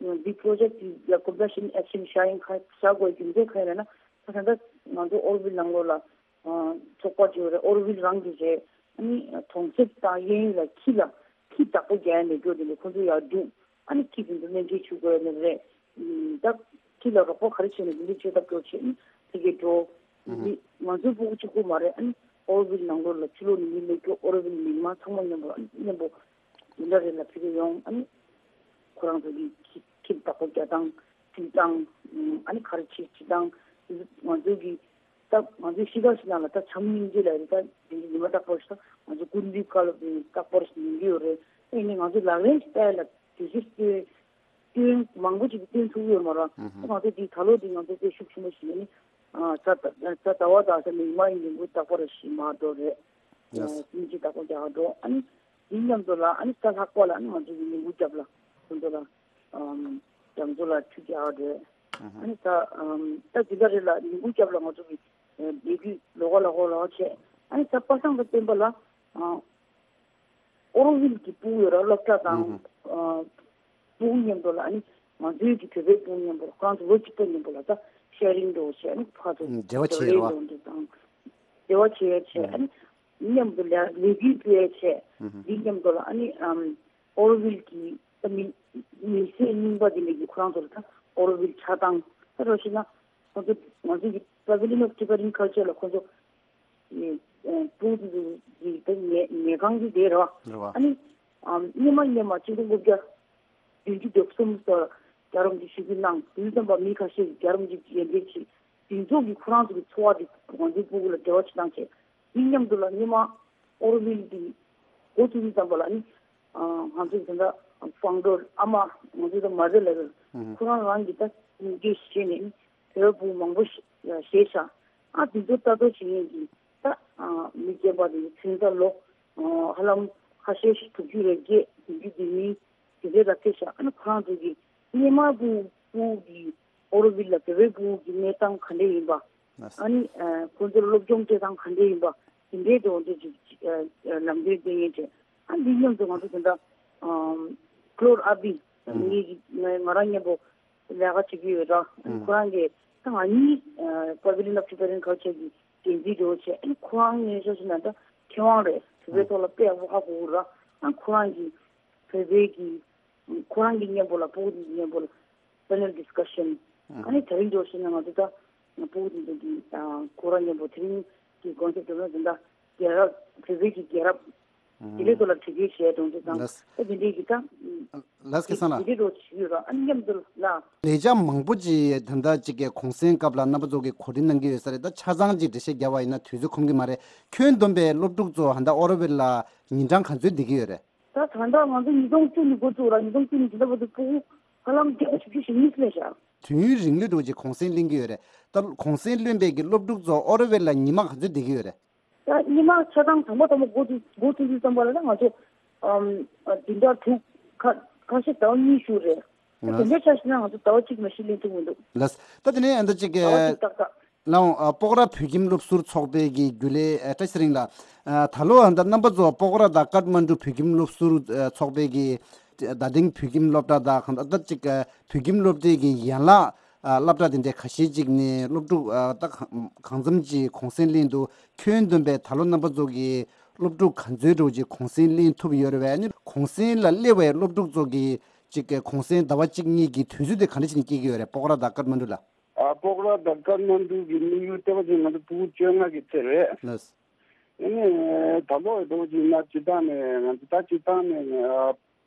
འདི་པོ་རོ་ཇེཀ་འདི་ལ་ཀོམ་པེ་ཤན་ཨེག་ཤན་བྱ་ཡིན་ཁ་བྱ་དགོས་རྒྱུ་མཚན་ག་རེ་ན། ད་ད་ལྟ་ང་ཚོ་ཨོ་རོ་བིལ་ནང་ལོགས་ལ་ཚོགས་པ་བྱས་ཡོད་རེད། ཨོ་རོ་བིལ་རང་གི་རེད། ཨ་ནི་གྲོང་གསེབ་དང་གཡས་གཡོན་ལ་ཁྱི་ལ་ཁྱི་བདག་པོ་རྒྱག་ཡ་མེད་རྒྱུ་དེ་ནི་ཁོ་ཚོ་ཡར་འདུག་ཨ་ནི་ཁྱི་དེ་ཚོ་སྨན་བཅོས་བྱེད་དགོས་ནི་རེད། ད་ཁྱི་ལ་རོགས་པ་ག་རེ་བྱས་ནས་འདི་འདྲ་བྱེད་ཐབས་སྐྱོར་བྱས་ནས་ཕ་གིར་འགྲོ། ཨུ་ཧུ། མི་ང་ཚོའི་སྤུ་གུ་གཅིག་པུ་མ་རེད། ཨ་ནི་ཨོ་རོ་བིལ་ནང་ལོགས་ལ་ཕྱི་ལོགས་ནས་མི་སླེབས་རྒྱུ། ཨོ་རོ་བིལ་མི་མང་ཚང་མ་མཉམ་པོ། ཨ་ནི་མཉམ་པོ་འདི་འདྲ་རེད་ལ་ཕ་གིར་ཡོང་། ཨ་ནི་ཁོ་རང་ཚོ་གི་ཁྱི་ཁྱི་བདག་པོ་རྒྱག་སྟངས་བྱེད་སྟངས། ཨ་ནི་ག་རེ་བྱེད་བྱེད་སྟངས། ང་ཚོ་གི་ད་ང་ཚོའི་གཤིས་ཀ་ཞིག་ནང་ལ་ད་བྱམས་སྙིང་རྗེ་ལབ་རེད། ད་དེ་ཉི་མ་རྟག་པར་ཞིག་ད་ང་ཚོ་སྐུ་མདུན་བཀའ་སློབ་དེ་རྟག་པར་ཞིག་ཉན་གྱི་ཡོད་རེད། ཨེ་ནི་ང་ཚོ་ལག་ལེན་ཞིག་བསྟར་ལ་དུས་ཚོད་སྟོན་སྟོན་མང་པོ་ཞིག་སྟོན་ཐུབ་ཡོད་མ་རེད། ཨུ་ཧུ། ང་ཚོ་དེ་ད་ལོ་དེ་ང་ཚོ་དཔེ་ཤུགས་ཆེན་པོ་ཞིག་ནི་ཨ་ད་ད་ད་ཟླ་བ་དང་ས་མིག་དམར་ཡིན་ལུགས་མཐུན་པར་ཞིག་མ་འགྲོ་རེད། ཡེས། སྙིང་རྗེ་དགོངས་དག་འགྲོ། ཨ་ནི་དེ་མཉམ་དུ་ལ་ཨ་ནི་ས་ལྷག་པ་ལ་ཨ་ནི་ང་ཚོ་གི་ཉིན་གུང་རྒྱབ་ལ་ཁོང་ཚོ་ལ་ཨམ་རྒྱ་མཚོ་ལ་ཆུ་རྒྱག་འགྲོ། ཨ་ནི་ད་ཨམ་ད་དེ་ག་རེ་ལ་ཉིན་གུང་རྒྱབ་ལ་ང་ཚོ་གི་ལས་འགུལ་ལོགས་ཀ་ལོགས་ཀ་ལོགས་ཀ་བྱས། ཨ་ནི་ད་པ་སངས་དང་བསྟན་པ་ལ་ཨ་ཨོ་རོ་བིལ་གྱི་སྤུ་གུ་ཡོད་ར། སློབ་གྲྭ་དང་ཨ་སྤུ་གུ་མཉམ་དུ་ལ་ཨ་ནི་ང་ཚོའི་གི་བོད་པའི་སྤུ་གུ་མཉམ་པོ་ལ་ཁོ་རང་ཚོ་ལོ་གཅིག་པ་མཉམ་པོ་ལ་ད་ཤེ་རིང་འགྲོ་བྱས། ཨ་ནི་ཕར་ཚུར་འབྲེལ་བ་བྱས་ཡོད་ར། འབྲེལ་བ་བྱས་བྱས། ཨ་ནི་མཉམ་དུ་ལ་ལས་འགུལ་སྤེལ་བྱས། འདི་མཉམ་དུ་ལ་ཨ་ནི་ཨམ་ཨོ་རོ་བིལ་གྱི་ད་མི་མི་ཚེ་རྙིང་པ་འདི་ནས་ཀྱི་ཁོ་རང་ཚོ་ལ་ད་ཨོ་རོ་བིལ་ཆགས་སྟངས། ད་རོ་ཤི་ན་ཁོ་ཚོ་ང་ཚོ་གི་Pavilion of Tibetan Culture ལ་ཁོ་ཚོ་ཨེ་ཨེ་སྤུ་གུ་དེ་ཚོ་གི་ད་ཉལ་ཉལ་ཁང་གི་དེ་རེད་བ། རེད་བ། ཨ་ནི་ཨམ་སྔོན་མ་སྔོན་མ་ཆིག་སྟོང་དགུ་བརྒྱ་བདུན་ཅུ་དོན་གསུམ་ལོར་རྒྱལ་རབས་ཀྱི་ཞུ་སྐུལ་གནང་དུས་ཙམ་པ་མི་ཁ་ཤས་ཀྱིས་རྒྱལ་རབས་ཀྱི་ཡོན་ཏན་ཆེ་དེ་ཚོ་གི་ཁོ་རང་ཚོ་གི་འཚོ་བ་དེ་ང་ཚོའི་སྤུ་གུ་ལ་འབྲེལ་བ་བྱེད་སྟངས་བྱས། དེ་མཉམ་དུ་ལ་སྔོན་མ་ཨོ་རོ་བིལ་གྱི་འགོ་བཙུགས་དུས་ཙམ་པ་ལ་ནི་ང་ཚོ་དེ་འདྲ་ཕའུན་ཌར་ཨ་མ་ང་ཚོ་དང་མ་རེད་ལ་ཁོ་རང་རང་གི་ད་ཉིན་རྒྱུན་བྱས་ནས་ནི་བོད་བུ་མང་པོ་ཞིག་བཞེས་བཞག་ཨ་དེ་ཚོ་ལྟ་རྟོག་བྱེད་མཁན་གྱི་ད་མི་རྒན་པ་དེ་ཚོ་ཚུན་ད་ལོ་ཧ་ལམ་ཁ་ཤས་ཤིག་དྲུག་ཅུ་རེ་བརྒྱད་བདུན་ཅུ་དེ་མིན་དེ་འདྲའི་ལ་ཕེབས་ཤག་ཨ་ནི་ཁོ་རང་ཚོ་གི་སྔོན་མ་སྤུ་སྤུ་གི་ཨོ་རོ་བིལ་ལ་བོད་པའི་སྤུ་གུ་གི་གནས་སྟངས་ག་འདྲ་ཡིན་པ། ཨ་ནི་ཁོང་ཚོར་སློབ་སྦྱོང་སྤྲད་སྟངས་ག་འདྲ་ཡིན་པ། དེ་འདྲའི་ཐོག་ཏུ་ཅིག་ལམ་སྟོན་སྟེར་མཁན་བྱས། ཨ་འདི་མཉམ་དུ་ང་ཚོ་དེ་འདྲ་ཀློར་ཨ་བི་ངེད་ཀྱི་ང་རང་མཉམ་པོ་ལས་ཀ་བྱེད་ཀྱི་ཡོད་ར། ཁོ་རང་གིས་ད་ང་གཉིས་Pavilion of Tibetan Culture གི་འགན་འཛིན་འདྲ་བོ་བྱས། ཨ་ནི་ཁོ་རང་ངས་ཤོད་ཤོད་ན་ད་མཁས་དབང་རེད། བོད་པའི་ཐོག་ལ་དཔེ་ཡག་པོ་ཧ་གོ་གི་ར། ཨ་ཁོ་རང་གིས་བོད་པའི་གི་ཁོ་རང་གི་མཉམ་པོ་ལ་སྤུ་གུ་དེ་ཚོ་མཉམ་པོ་ལ་panel discussion ཨ་ནི་དེ་རིང་འདྲ་བོ་བྱས་ན་ང་ཚོ་ད་སྤུ་གུ་དེ་ཚོ་གི་ཁོ་རང་མཉམ་པོ་དེ་རིང་གི་concept དེ་ཚོ་ད་རྒྱལ་རབས་བོད་པའི་གི་རྒྱལ་རབས་དེ་འདྲའི་ཐོག་ལ་དྲི་བ་བཤད་གཏོང་རྒྱུ་དང་ལགས། ད་དེ་འདྲའི་གི་ད་ལགས་ཀྱི་སང་ལ་དེ་འདྲའི་རོགས་བྱེད་ཀྱི་ཡོད་ར། ཨ་ནི་མཉམ་དུ་ལ་ལས་བྱ་མང་པོ་ཅིག་ད་ལྟ་ཅིག་གི་གུང་སེང་སྐབས་ལ་རྣམ་པ་ཚོ་གི་གོ་སྒྲིག་གནང་གི་ཡོད་ས་རེད། ད་ཆ་ཚང་ཅིག་འགྲེལ་བཤད་རྒྱབ་པ་ཡིན་ན་དུས་ཚོད་ཁོམ་གི་མ་རེད། ཁྱོན་བསྡོམས་པའི་སློབ་ཕྲུག་ཚོ་ད་ལྟ་ཨོ་རོ་བིལ་ལ་ཉིན་གྲངས་ག་ཚོད་བསྡད་ཀྱི་ཡོད་རེད། ད་ད་ལྟ་ང་ཚོ་ཉིས་སྟོང་བཅུ་ནས་འགོ་བཙུགས་ར། ཉིས་སྟོང་བཅུ་ནས་ད་ལྟ་བར་དུ་ཕྲུ་གུ་ཧ་ལམ་བརྒྱ་དང་བཞི་བཅུ་ཞེ་གཉིས་སླེབས་ཤག་དུས་ཡུན་རིང་ལོས་འགྲོ་ཅིག་གུང་སེང་ལེན་གྱི་ཡོད་རེད། ད་གུང་སེང་ལོན་པའི་གི་སློབ་ཕྲུག་ཚོ་ཨོ་རོ་བིལ་ལ་ཉི་མ་ག་ཚོད་བསྡད་ཀྱི་ཡོད་རེད། ད་ཉི་མ་ཆ་ཚང་དང་པོ་དང་པོ་འགོ་ཚུགས་འགོ་ཚུགས་དུས་ཙམ་པ་ལ་ད་ང་ཚོ་ཨམ་བདུན་ཕྲག་དྲུག་ཁ་ཁ་ཤས་ཟླ་བ་གཉིས་བཞུགས་རེད། ད་དེ་འདྲའི་ཆ་བཞག་ན་ང་ཚོ་ཟླ་བ་གཅིག་མ་གཞི་ལེན་ཐུབ་མི་འདུག་ལགས། ད་དེ་ནས་ཨ་ད་ཅིག་ཟླ་བ་གཅིག་ཏག་ཏག་ལའང་ཨ་སྤོག་ར་བོད་ཁྱིམ་སློབ་ཟུར་ཚོགས་པའི་གི་རྒྱུན་ལས་ཨ་བཀྲ་ཤིས་ཚེ་རིང་ལགས། ཨ་ད་ལོ་ཨ་ད་རྣམ་པ་ཚོ་སྤོག་ར་དང་ཀཏ་མན་ཌུ་བོད་ཁྱིམ་སློབ་ཟུར་ཨ་ཚོགས་པའི་གི་རྡ་སྟེང་བོད་ཁྱིམ་སློབ་གྲྭ་དང་གང་ལྟར་ཅིག་ཨ་བོད་ཁྱིམ་སློབ་གྲྭའི་གི་ཡན་ལག་ཨ་སློབ་གྲྭ་དེ་འདྲའི་ཁ་ཤས་ཅིག་ནས་སློབ་ཕྲུག་ཨ་ད་གང་གང་འཚམ་ཅིག་གུང་སེང་ལེན་འདུག་ཁྱོན་བསྡོམས་པའི་ད་ལོ་རྣམ་པ་ཚོ་གི་སློབ་ཕྲུག་ག་ཚོད་འདྲ་བོ་ཅིག་གུང་སེང་ལེན་ཐུབ་ཡོད་རེད་པས། ཨ་ནི་གུང་སེང་ལ་སླེབས་པའི་སློབ་ཕྲུག་ཚོ་གི་ཅིག་གི་གུང་སེང་ཟླ་བ་གཅིག་གཉིས་ཀྱི་དུས་ཚོད་དེ་ག་འདྲ་བྱས་ནས་སྐྱེལ་གྱི་ཡོད་རེད། སྤོག་ར་དང་ཀཏ་མན་ཌུ་ལ། ཨ་སྤོག་ར་དང་ཀཏ་མན་ཌུ་གི་དམིགས་ཡུལ་ལྟེ་བ་ཅན་ང་ཚོ་ཕྲུ་གུ་བཅོ་ལྔ་གི་ཚད་རེད། ལགས། ཨ་ནི་ད་ལོ་འདྲ་བོ་ཅིག་ན་སྤྱིར་བཏང་ནས་ང་ཚོ་ད་སྤྱིར་བཏང་ནས་ཨ་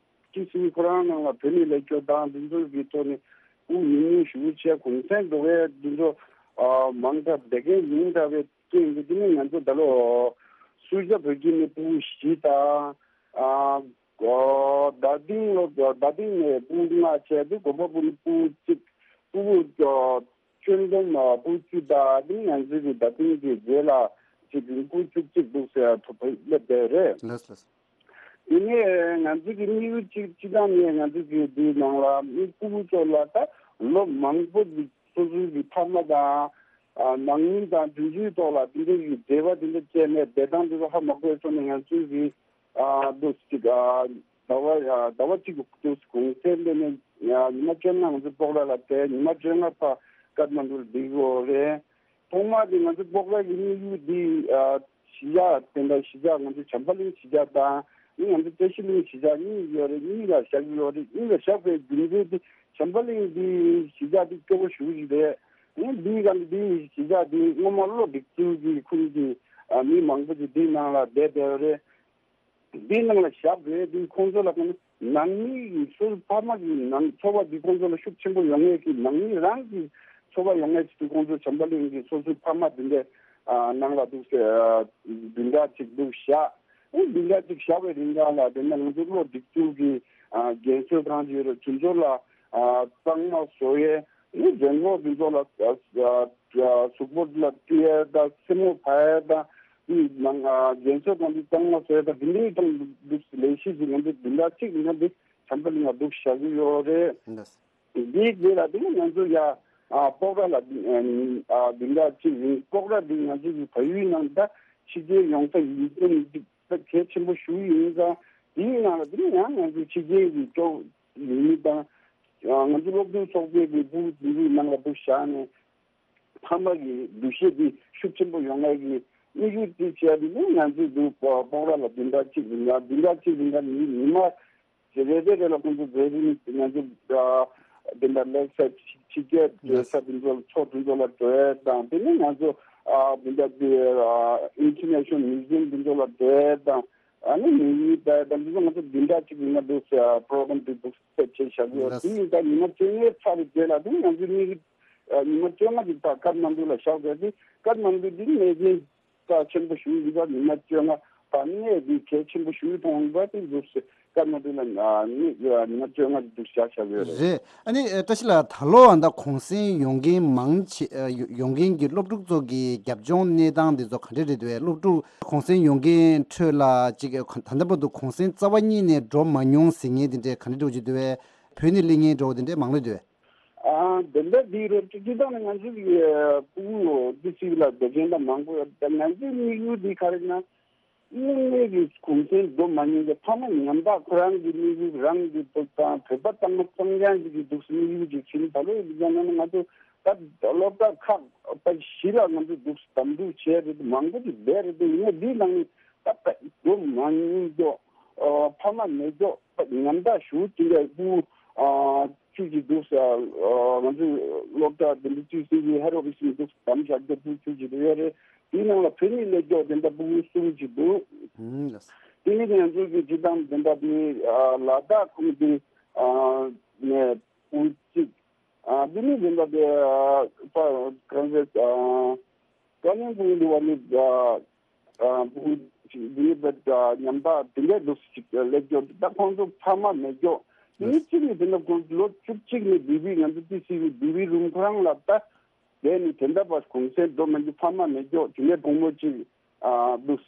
ཊི་སི་ཁོ་རང་ནང་ལ་བོད་ནས་ལས་སྐྱོར་དང་འདི་ཚོ་གི་ཐོག་ནས་དབུ་ཉུང་ཉུང་ཞུ་བྱས་གུང་སེང་འགྲོ་བའི་འདི་ཚོ་ཨ་མང་དྲགས་བསྡད་མཁན་ཡིན་འདྲ་བའི་རྐྱེན་གྱིས་དེ་ནི་ང་ཚོ་ད་ལོ་སུ་ཇཱ་བོད་ཁྱིམ་ནས་ཕྲུ་གུ་བཞི་དང་ཨ། ཨོ། རྡ་སྟེང་ལོ་རྡ་སྟེང་ནས་སྤུ་གུ་ལྔ་བྱས་ཏེ་དགོན་པ་སྤུ་ནི་སྤུ་གུ་གཅིག་སྤུ་གུ་ཨོ་ཁྱོན་བསྡོམས་ཨ་སྤུ་གུ་བཅུ་དང་དེ་ནི་ང་ཚོའི་གི་རྡ་སྟེང་གི་རྗེས་ལ་གཅིག་གི་སྤུ་གུ་བཅུ་གཅིག་འདུག་ཟེར་ཐོབ་སླེབས་བསྡད་རེད། ལགས་ལགས། དེ་ནས་ང་ཚོའི་གི་དམིགས་ཡུལ་གཅིག་སྤྱི་བཏང་ནས་ང་ཚོའི་གི་འདིའི་ནང་ལ་མི་སྤུ་གུ་ཚོ་ལ་ད་ལོ་མང་པོ་གི་སོ་སོའི་གི་ཕ་མ་དང་ཨ་ནང་མི་དང་དེ་ཚོའི་ཐོག་ལ་དེ་འདྲའི་གི་འབྲེལ་བ་དེ་འདྲ་བཅད་ནས་བསྡད་སྟངས་དེ་ཚོ་ཧ་མ་གོ་སོང་ནས་ང་ཚོའི་གི་ཨ་འདུག་ཅིག་ཨ་ཟླ་བ་ཨ་ཟླ་བ་གཅིག་གི་འདུག་གུང་སེང་དེ་ནས་ཉི་མ་བཅོ་ལྔ་ང་ཚོ་སྤོག་ར་ལ་བསྡད། ཉི་མ་བཅོ་ལྔ་ཕར་ཀཏ་མན་ཌུ་ལ་བསྡད་དགོས་རེད། ཐོག་མ་དེ་ང་ཚོ་སྤོག་ར་གི་དམིགས་ཡུལ་འདི་ཨ་གཞིས་ཆགས་དེ་འདྲ་གཞིས་ཆགས་ང་ཚོ་བྱམས་པ་གླིང་གཞིས་ཆགས་དང་ཨ་ནི་ང་ཚོ་བཀྲ་ཤིས་གླིང་གཞིས་ཆགས་གཉིས་ཡོད་རེད། གཉིས་ལ་བཞག་གི་ཡོད་རེད། གཉིས་ལ་བཞག་པའི་རྒྱུ་མཚན་དེ་བྱམས་པ་གླིང་འདི་གཞིས་ཆགས་འདི་སྐྱོ་པོ་ཞེ་པོ་ཞིག་རེད། ཨ་ནི་འདིའི་སྒང་གི་འདི་གཞིས་ཆགས་འདི་སྔོན་མ་བློ་སྒྲིག་ཚུལ་གྱི་ཁུལ་གྱི་ཨ་མི་མང་པོ་ཞིག་འདིའི་ནང་ལ་བསྡད་བསྡད་ཡོད་རེད། འདིའི་ནང་ལ་བཞག་རེད། འདི་ཁོང་ཚོ་ལ་ཁོང་ནང་མི་ཡི་སོ་སོའི་ཕ་མ་གི་ནང་ཚོར་བ་འདི་ཁོང་ཚོ་ལ་ཤུགས་ཆེན་པོ་ཡོང་ངེས་ཀྱི་ནང་མི་རང་གི་ཚོར་བ་ཡོང་ངེས་ཀྱི་ཁོང་ཚོ་བྱམས་པ་གླིང་གི་སོ་སོའི་ཕ་མ་འདི་འདྲའི་ཨ་ནང་ལ་འདུག་སེ་ཨ་བདུན་ཕྲག་གཅིག་འདུག་བཞག་ཨེ་བདུན་ཕྲག་གཅིག་བཞག་པའི་རིང་ག་ལ་དེ་ནས་ང་ཚོ་བློ་སྒྲིག་ཚུལ་གྱི་ཨ་རྒན་གསོ་ཁང་ཅིག་ཡོད་རེད། དེ་ཚོ་ལ་ཨ་གཙང་མ་བཟོ་ཡས། ཨེ་རྒན་གོག་དེ་ཚོ་ལ་ཨ་ཨ་གཟུགས་པོ་ལ་བཀྲུ་ཡས་དང་སེན་མོ་ཕར་ཡས་དང་དེའི་ནང་ཨ་རྒན་གསོ་ཁང་དེ་གཙང་མ་བཟོ་ཡས་དང་དེ་འདྲའི་དང་འདུག་ལས་གཞི་ཞིག་ང་ཚོ་བདུན་ཕྲག་གཅིག་ལ་འདི་བྱམས་པ་གླིང་ལ་འདུག་བཞག་གི་ཡོད་རེད། འདི་འདི་ལ་དེ་ནས་ང་ཚོ་ཡ་ཨ་སྤོག་ར་ལ་ཨ་བདུན་ཕྲག་གཅིག་རིང་སྤོག་ར་འདི་ང་ཚོ་གི་བལ་ཡུལ་ནང་ད་ཕྱི་རྒྱལ་ཡོང་ས་ཡིན་ཙམ་འདི་ད་གལ་ཆེན་པོ་ཞུ་ཡིན་ཙང་དེའི་ནང་ལ་དེ་ནས་ཡང་ང་ཚོ་ཕྱི་རྒྱལ་གྱི་ཅོག་ཡིན་མི་དང་ང་ཚོ་སློབ་ཕྲུག་ཚོགས་པའི་གི་ཕྲུ་གུ་དེ་ཚོའི་ནང་ལ་འདུག་བཞག་ནས། ཕ་མ་གི་འདུ་ཤེས་འདི་ཤུགས་ཆེན་པོ་ཡོང་ཡས་ཀྱི་དམིགས་ཡུལ་དེ་བྱས་ཏེ་ནི་ང་ཚོས་འདུག་སྤོག་ར་ལ་བདུན་ཕྲག་གཅིག་ཡིན་ན་བདུན་ཕྲག་གཅིག་ཡིན་ན་ནི་ཉི་མ་རེ་རེ་རེ་ལ་ཁོང་ཚོ་འཛིན་རིམ་ང་ཚོ་བདུན་ཕྲག་ལེགས་ས་ཕྱི་རྒྱལ་འགྲོ་ས་དེ་ཚོ་ལ་ཚོགས་དེ་ཚོ་ལ་འགྲོ་ཡས་དང་དེ་ནི་ང་ཚོ་བདུན་ཕྲག་དེ་International Museum དེ་ཚོ་ལ་འགྲོ་ཡས་དང་ཨ་ནི་ཉིན་ཡིན་པ་དང་འདི་ཚོ་ང་ཚོ་བདུན་ཕྲག་གཅིག་ཡིན་ན་འདུག་ས་པྲོ་གྷ་རམ་དེ་འདུག་སེ་བྱས་བཞག་ཡོད། དེ་ཡིན་ད་ཉི་མ་བཅོ་ལྔའི་ཚར་བའི་རྗེས་ལ་དེ་ནི་ང་ཚོ་གཉིས་ཉི་མ་བཅོ་ལྔ་ཅིག་ད་ཀཏ་མན་ཌུ་ལ་བཞག་པ་དེ་ཀཏ་མན་ཌུ་འདི་གནས་ཆེན་རྩ་ཆེན་པོ་ཞིག་ཡིན་པ་ཉི་མ་བཅོ་ལྔ་ད་གནས་འདི་གལ་ཆེན་པོ་ཞིག་མཐོང་བ་དེ་འདུག་སེ་ཀཏ་མན་ཌུ་ལ་གནས་ཉི་མ་བཅོ་ལྔ་ཅིག་འདུག་བཞག་བཞག་ཡོད་རེད། རེད། ཨ་ནི་བཀྲ་ཤིས་ལགས་ད་ལོ་ཨ་ད་གུང་སེང་ཡོང་མཁན་མང་ཆེ་ཡོང་མཁན་གྱི་སློབ་ཕྲུག་ཚོ་གི་རྒྱབ་ལྗོངས་གནས་སྟངས་དེ་ཚོ་ག་འདྲ་རེད་འདུག་བས། སློབ་ཕྲུག་གུང་སེང་ཡོང་མཁན་ཁྲོད་ལ་ཅིག་ད་ལྟ་བར་དུ་གུང་སེང་རྩ་བ་ཉིད་ནས་འགྲོ་མ་མྱོང་ཟེར་མཁན་དེ་འདྲ་ག་འདྲ་འདྲ་བོ་ཅིག་འདུག་བས། བོད་ནས་སླེབས་མཁན་འདྲ་བོ་དེ་འདྲ་མང་ལོས་འདུག་བས། ཨ་དེ་འདྲ་འདི་རེད། སྤྱི་བཏང་ནས་ང་ཚོ་གི་ཕྲུ་གུ་འདི་སི་ལ་སྡོད་མཁན་ད་མང་པོ་ཡོད། ད་ང་ཚོའི་དམིགས་ཡུལ་འདི་ག་རེ་ན་དངོས་གནས་ཀྱི་གུང་སེང་འགྲོ་མ་མྱོང་གི་ཕ་མ་ཉམ་ཐག་ཁོ་རང་གི་དམིགས་ཡུལ་རང་གི་བོད་དང་བོད་པ་དང་གཙང་རྐྱང་ཅིག་གི་འདུག་སེ་དམིགས་ཡུལ་ཅིག་བྱིན། ད་ལོ་ཡི་ལ་ན་ང་ཚོ་ད་སློབ་གྲྭ་ཁག་པ་བཞི་ལ་ང་ཚོ་འདུག་སེ་དམ་འཛིན་བྱས་རེད། མང་པོ་ཅིག་བསྡད་རེད། དེ་ཡིན་ན་འདིའི་ནང་ནས་ད་ད་འགྲོ་མ་མྱོང་ཀྱོག་ཨ་ཕ་མ་མེད་ཀྱོག་ད་ཉམ་ཐག་ཞུ་དེ་འདྲ་ཕྲུ་གུ་ཨ་ཅིག་ཅིག་འདུག་སེ་ཨ་ང་ཚོའི་སློབ་གྲྭ་དེ་འདྲ་བཅུ་གསུམ་གྱི་ཧེ་རོ་བི་སི་འདུག་སེ་དམ་བཞག་རྒྱུ་ཕྲུ་གུ་ཅིག་ཡོད་རེད། དེའི་ནང་ལ་བོད་ནས་སླེབས་ཀྱོག་དེ་འདྲ་ཕྲུ་གུ་གསུམ་ཅིག་འདུག་ཨུམ། དེ་ནི་ང་ཚོའི་གི་སྤྱི་བཏང་དེ་འདྲ་དེ་ཨ་ལ་དྭགས་ཁུལ་དེ་ཨ་ནས་ཕྲུ་གུ་གཅིག་ཨ་དེ་ནི་དེ་འདྲ་དེ་ཨ་ཕ་གང་ཟེར་ཨ་ཀ་ནན་ཕྲུ་གུ་འདི་བ་ནི་ཨ་ཨ་ཕྲུ་གུ་གཅིག་དེ་ནི་བེད་ཨ་ཉམ་ཐག་དེ་འདྲ་འདུག་སེ་ཅིག་སླེབས་ཀྱོག་ད་ཁོང་ཚོ་ཕ་མ་མེད་ཀྱོག་དེ་ནི་གཅིག་ནི་དེ་འདྲ་ཁོང་ཚོ་ལོ་བཅུ་གཅིག་ནས་བི་བི་ང་ཚོ་ཏི་སི་བི་བི་བི་རུམ་ཁོ་རང་ལ་ད། དེ་ནི་དེ་འདྲ་བ་གུང་སེང་འགྲོ་མ་རྒྱུ་ཕ་མ་མེད་ཀྱོག་དེ་ནས་བུ་མོ་གཅིག་ཨ་འདུག་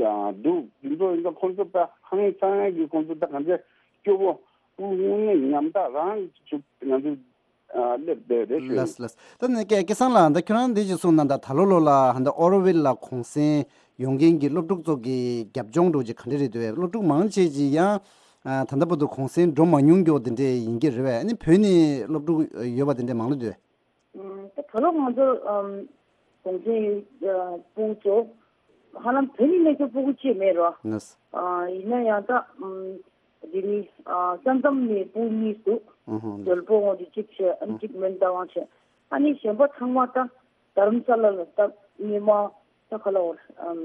ཨ་འདུག་དེ་ཚོ་ཡིན་ཙང་ཁོང་ཚོ་ད་ཧང་སང་གི་ཁོང་ཚོ་ད་གང་ཚེ་སྐྱོ་བོ་དངོས་གནས་ཉམ་ཐག་རང་ཚུགས་ང་ཚོ་ཨ་སླེབས་བསྡད་རེད་ཞུ། ལགས་ལགས། ད་ནི་སྐལ་སྐལ་བཟང་ལགས་ད་ཁྱོད་རང་འདི་ཅིག་གསུངས་ན་ད་ད་ལོ་ལོ་ལ་ཧ་ད་ཨོ་རོ་ཝེལ་ལ་གུང་སེང་ཡོང་མཁན་གྱི་སློབ་ཕྲུག་ཚོ་གི་རྒྱབ་ལྗོངས་འདྲ་བོ་ཅིག་ག་འདྲ་རེད་འདུག་བས། སློབ་ཕྲུག་མང་ཆེ་ཅིག་ཡང་ཨ་ད་ལྟ་བར་དུ་གུང་སེང་འགྲོ་མ་མྱོང་མཁན་དེ་འདྲས་ཡིན་གྱི་རེད་བས། ཨ་ནི་བོད་ནས་སློབ་ཕྲུག་ཡོད་པ་དེ་འདྲས་མང་ལོས་འདུག་བས། ཨམ་ད་ད་ལོ་ང་ཚོ་ཨམ་གུང་སེང་ཨ་ཕྲུ་གུ་ཚོ་ཧ་ལམ་བོད་ནས་སླེབས་མཁན་ཕྲུ་གུ་གཅིག་མེད་རོ། ལགས། ཨ་ཡིན་ན་ཡང་ད་ཨམ་འདི་ནི་ཨ་ས་མཚམས་ནས་ཕྲུ་གུ་གཉིས་འདུག་ཨུ་ཧུ། ལྡོལ་པོ་འོང་དུས་གཅིག་བྱས། ཨ་ནི་གཅིག་མོན་རྟ་དབང་བྱས། ཨ་ནི་གཞན་པ་ཚང་མ་ད་རྡ་རམ་ས་ལ་ལ་ད་སྔོན་མ་ད་ག་ལ་འོ་ཨམ་